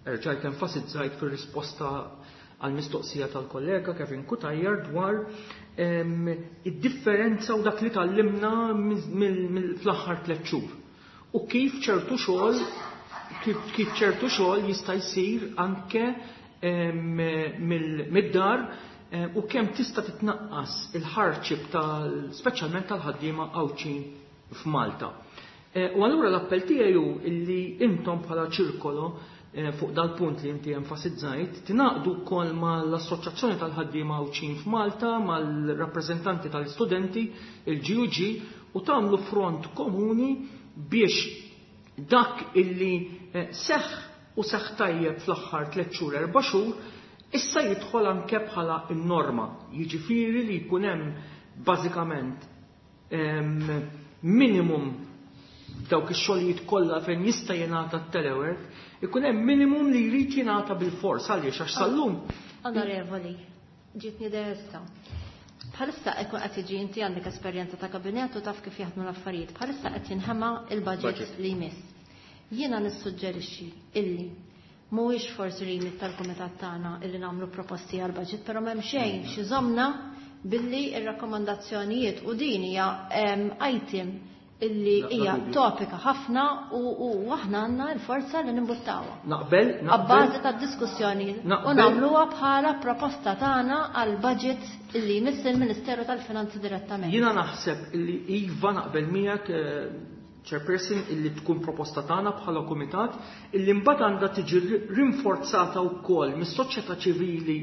erġajt enfasizzajt fir-risposta għal mistoqsija tal-kollega Kevin Cutajar dwar id-differenza u dak li tgħallimna fl-aħħar 3 xhur. U kif ċertu xogħol jista' jsir anke mid-dar u kemm tista' titnaqqas il-hardship tal speċjalment tal-ħaddiema Għawdxin f'Malta. U allura l-appell tiegħi hu illi intom bħala ċirkolo, fuq dal-punt li inti enfasizzajt, tingħaqdu wkoll mal-Assoċjazzjoni tal-Ħaddiema Għawdxin f'Malta, mal-rappreżentanti tal-istudenti, il-GUG, u tagħmlu front komuni biex dak illi seħ u seħ tajjeb fl-aħħar 3 xhur, 4 xhur, issa jidħol anke bħala n-norma. Jiġifieri li jkun hemm bażikament minimum dawk ix-xogħlijiet kollha fejn jista' jingħata t-telework, ikun hemm minimum li jrid jingħata bil-fors. Għaliex? Għax sal-lum Onorevoli, ġietni idea issa. Bħalissa ekku qed jiġi, inti għandek esperjenza ta' kabinet u taf kif jaħdmu l-affarijiet. Bħalissa qed jinħema il-budget Budget. li jmiss. Jiena nissuġġerixxi illi mhuwiex forsi remit tal-kumitat tagħna illi nagħmlu proposti għal budget, però m'hemm xejn xi żommna billi ir-rakkomandazzjonijiet u din hija item illi hija dubju. topika ħafna u aħna għandna l-forza li nimbuttawha. Naqbel, naqbel. Abbażi ta' diskussjoni u nagħmluha bħala proposta tagħna għal budget illi jmiss il-Ministeru tal-Finanzi direttament. Jiena naħseb illi iva, naqbel miegħek, Chairperson, illi tkun proposta tagħna bħala kumitat illi mbagħad għandha tiġi rinforzata wkoll mis-soċjetà ċivili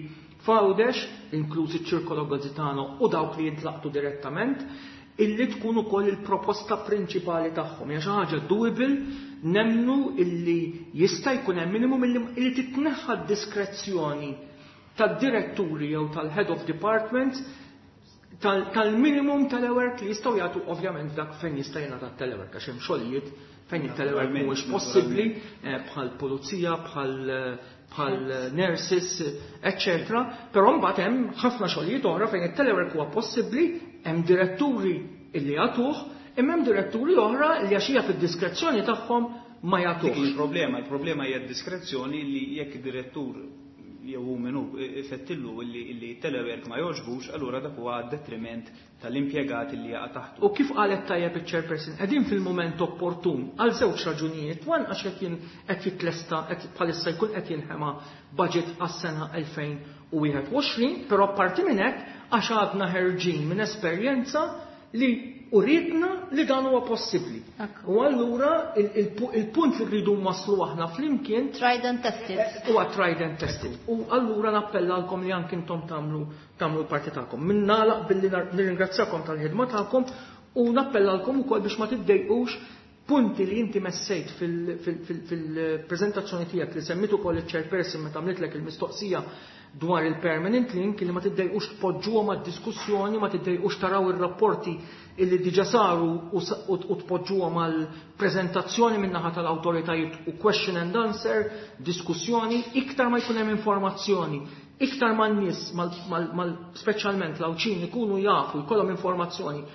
f'Għawdex, inkluż iċ-Ċirkolo Gazitano u dawk li jintlaqtu direttament, illi tkun ukoll il-proposta prinċipali tagħhom. Hija xi ħaġa doable, nemnu illi jista' jkun hemm minimum illi titneħħa d-diskrezzjoni tad-diretturi jew tal-head of departments tal-minimum telework li jistgħu jagħtu, ovvjament dak fejn jista' jingħata telework, għax hemm xogħlijiet fejn il-telework mhuwiex possibbli, bħal pulizija, bħal nurses, eccetera. Però mbagħad hemm ħafna xogħlijiet oħra fejn it-telework huwa possibbli, hemm diretturi illi jagħtuh, imma hemm diretturi oħra li għax hija fid-diskrezzjoni tagħhom ma Dik jagħtuhx. Il-problema hija d-diskrezzjoni li jekk id-direttur jew hu minnu ifettillu illi telework ma jogħġbux, allura dak huwa detriment tal-impjegati li jaqa' taħtu. U kif qalet tajjeb il-chairperson, qegħdin fil-moment opportun għal żewġ raġunijiet. One, għax qed jitlesta, qed bħalissa jkun qed jinħema budget għas-sena 2021, però apparti minn hekk għax għadna ħerġin minn esperjenza li urietna li dan huwa possibbli. U allura il-punt li rridu waslu aħna flimkien Tried and tested. Huwa tried and tested. U allura nappellalkom li anki intom tagħmlu l-parti tagħkom. Min nagħlaq billi nirringrazzjakom tal-ħidma tagħkom u nappellalkom ukoll biex ma tiddejqux punti li inti messejt fil-preżentazzjoni tiegħek li semmit ukoll il-chairperson meta għamlitlek il-mistoqsija dwar il-permanent link, li ma tiddejqux tpoġġuhom għad-diskussjoni, ma tiddejqux taraw ir-rapporti illi diġa saru u tpoġġuhom għal preżentazzjoni min-naħa tal-awtoritajiet u question and answer, diskussjoni, iktar ma jkun hemm informazzjoni, iktar ma n-nies, speċjalment l-Għawdxin, ikunu jafu, jkollhom informazzjoni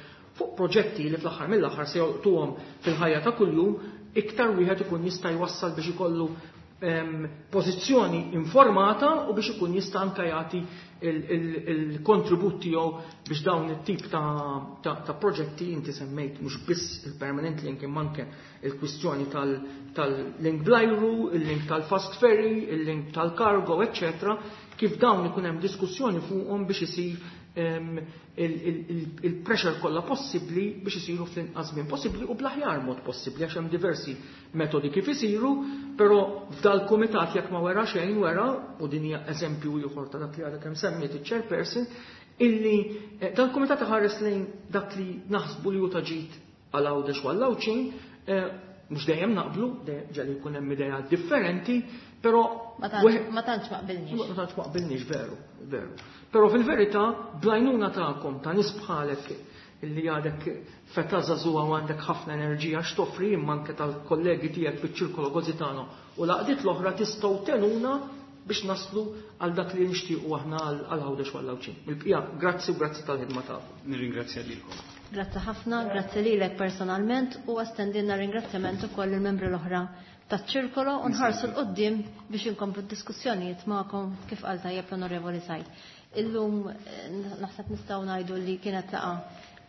fuq proġetti li fl-aħħar mill-aħħar se jolqtuhom fil-ħajja ta' kuljum, iktar wieħed ikun jista' jwassal biex ikollu Pożizzjoni informata u biex ikun jista' anke jagħti il-kontribut tiegħu biex dawn it-tip ta' proġetti, inti semmejt mhux biss il-permanent link imma anke il-kwistjoni tal-link bl-ajru, il-link tal-fast ferry, il-link tal-cargo, eccetera, kif dawn ikun hemm diskussjoni fuqhom biex isir il-pressure kollha possibbli biex isiru fl-inqas żmien possibbli u bl-aħjar mod possibbli, għax hemm diversi metodi kif isiru, però f'dal-kumitat jekk ma wera xejn wera, u din hija eżempju ieħor ta' dak li għadha kemm semmiet iċ-chairperson, illi dal-kumitat iħares lejn dak li naħsbu li hu ta' ġid għal Għawdex u għall-Għawdxin, mhux dejjem naqblu, ġieli jkun hemm idea differenti, però Ma tantx ma qbilniex. Ma tantx ma qbilniex, veru, veru. Però fil-verità, bl-għajnuna tagħkom ta' nies bħalek illi għadek feta żagħżugħa u għandek ħafna enerġija x'toffri, imma anke tal-kollegi tiegħek fiċ-Ċirkolo Gozitano u l-għaqdiet l-oħra, tistgħu tgħinuna biex naslu għal dak li nixtiequ aħna għal Għawdex u għall-Għawdxin. Il-bqija, grazzi u grazzi tal-ħidma tagħkom. Nirringrazzja lilkom. Grazzi ħafna, grazzi lilek personalment u estendilna ringrazzjament ukoll il-membri l-oħra taċ-ċirkolo u nħarsu 'l quddiem biex inkomplu d-diskussjonijiet magħkom kif qal tajjeb l-Onorevoli Said. Illum naħseb nistgħu ngħidu li kienet laqgħa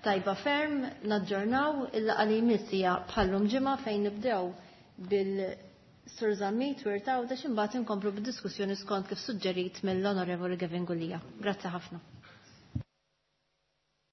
tajba ferm, naġġornaw il-laqgħa li jmiss hija bħallum ġimgħa fejn nibdew bil-Sur Zammit Wirt Għawdex, imbagħad inkomplu bid-diskussjoni skont kif suġġerit mill-Onorevoli Gavin Gulia. Grazzi ħafna.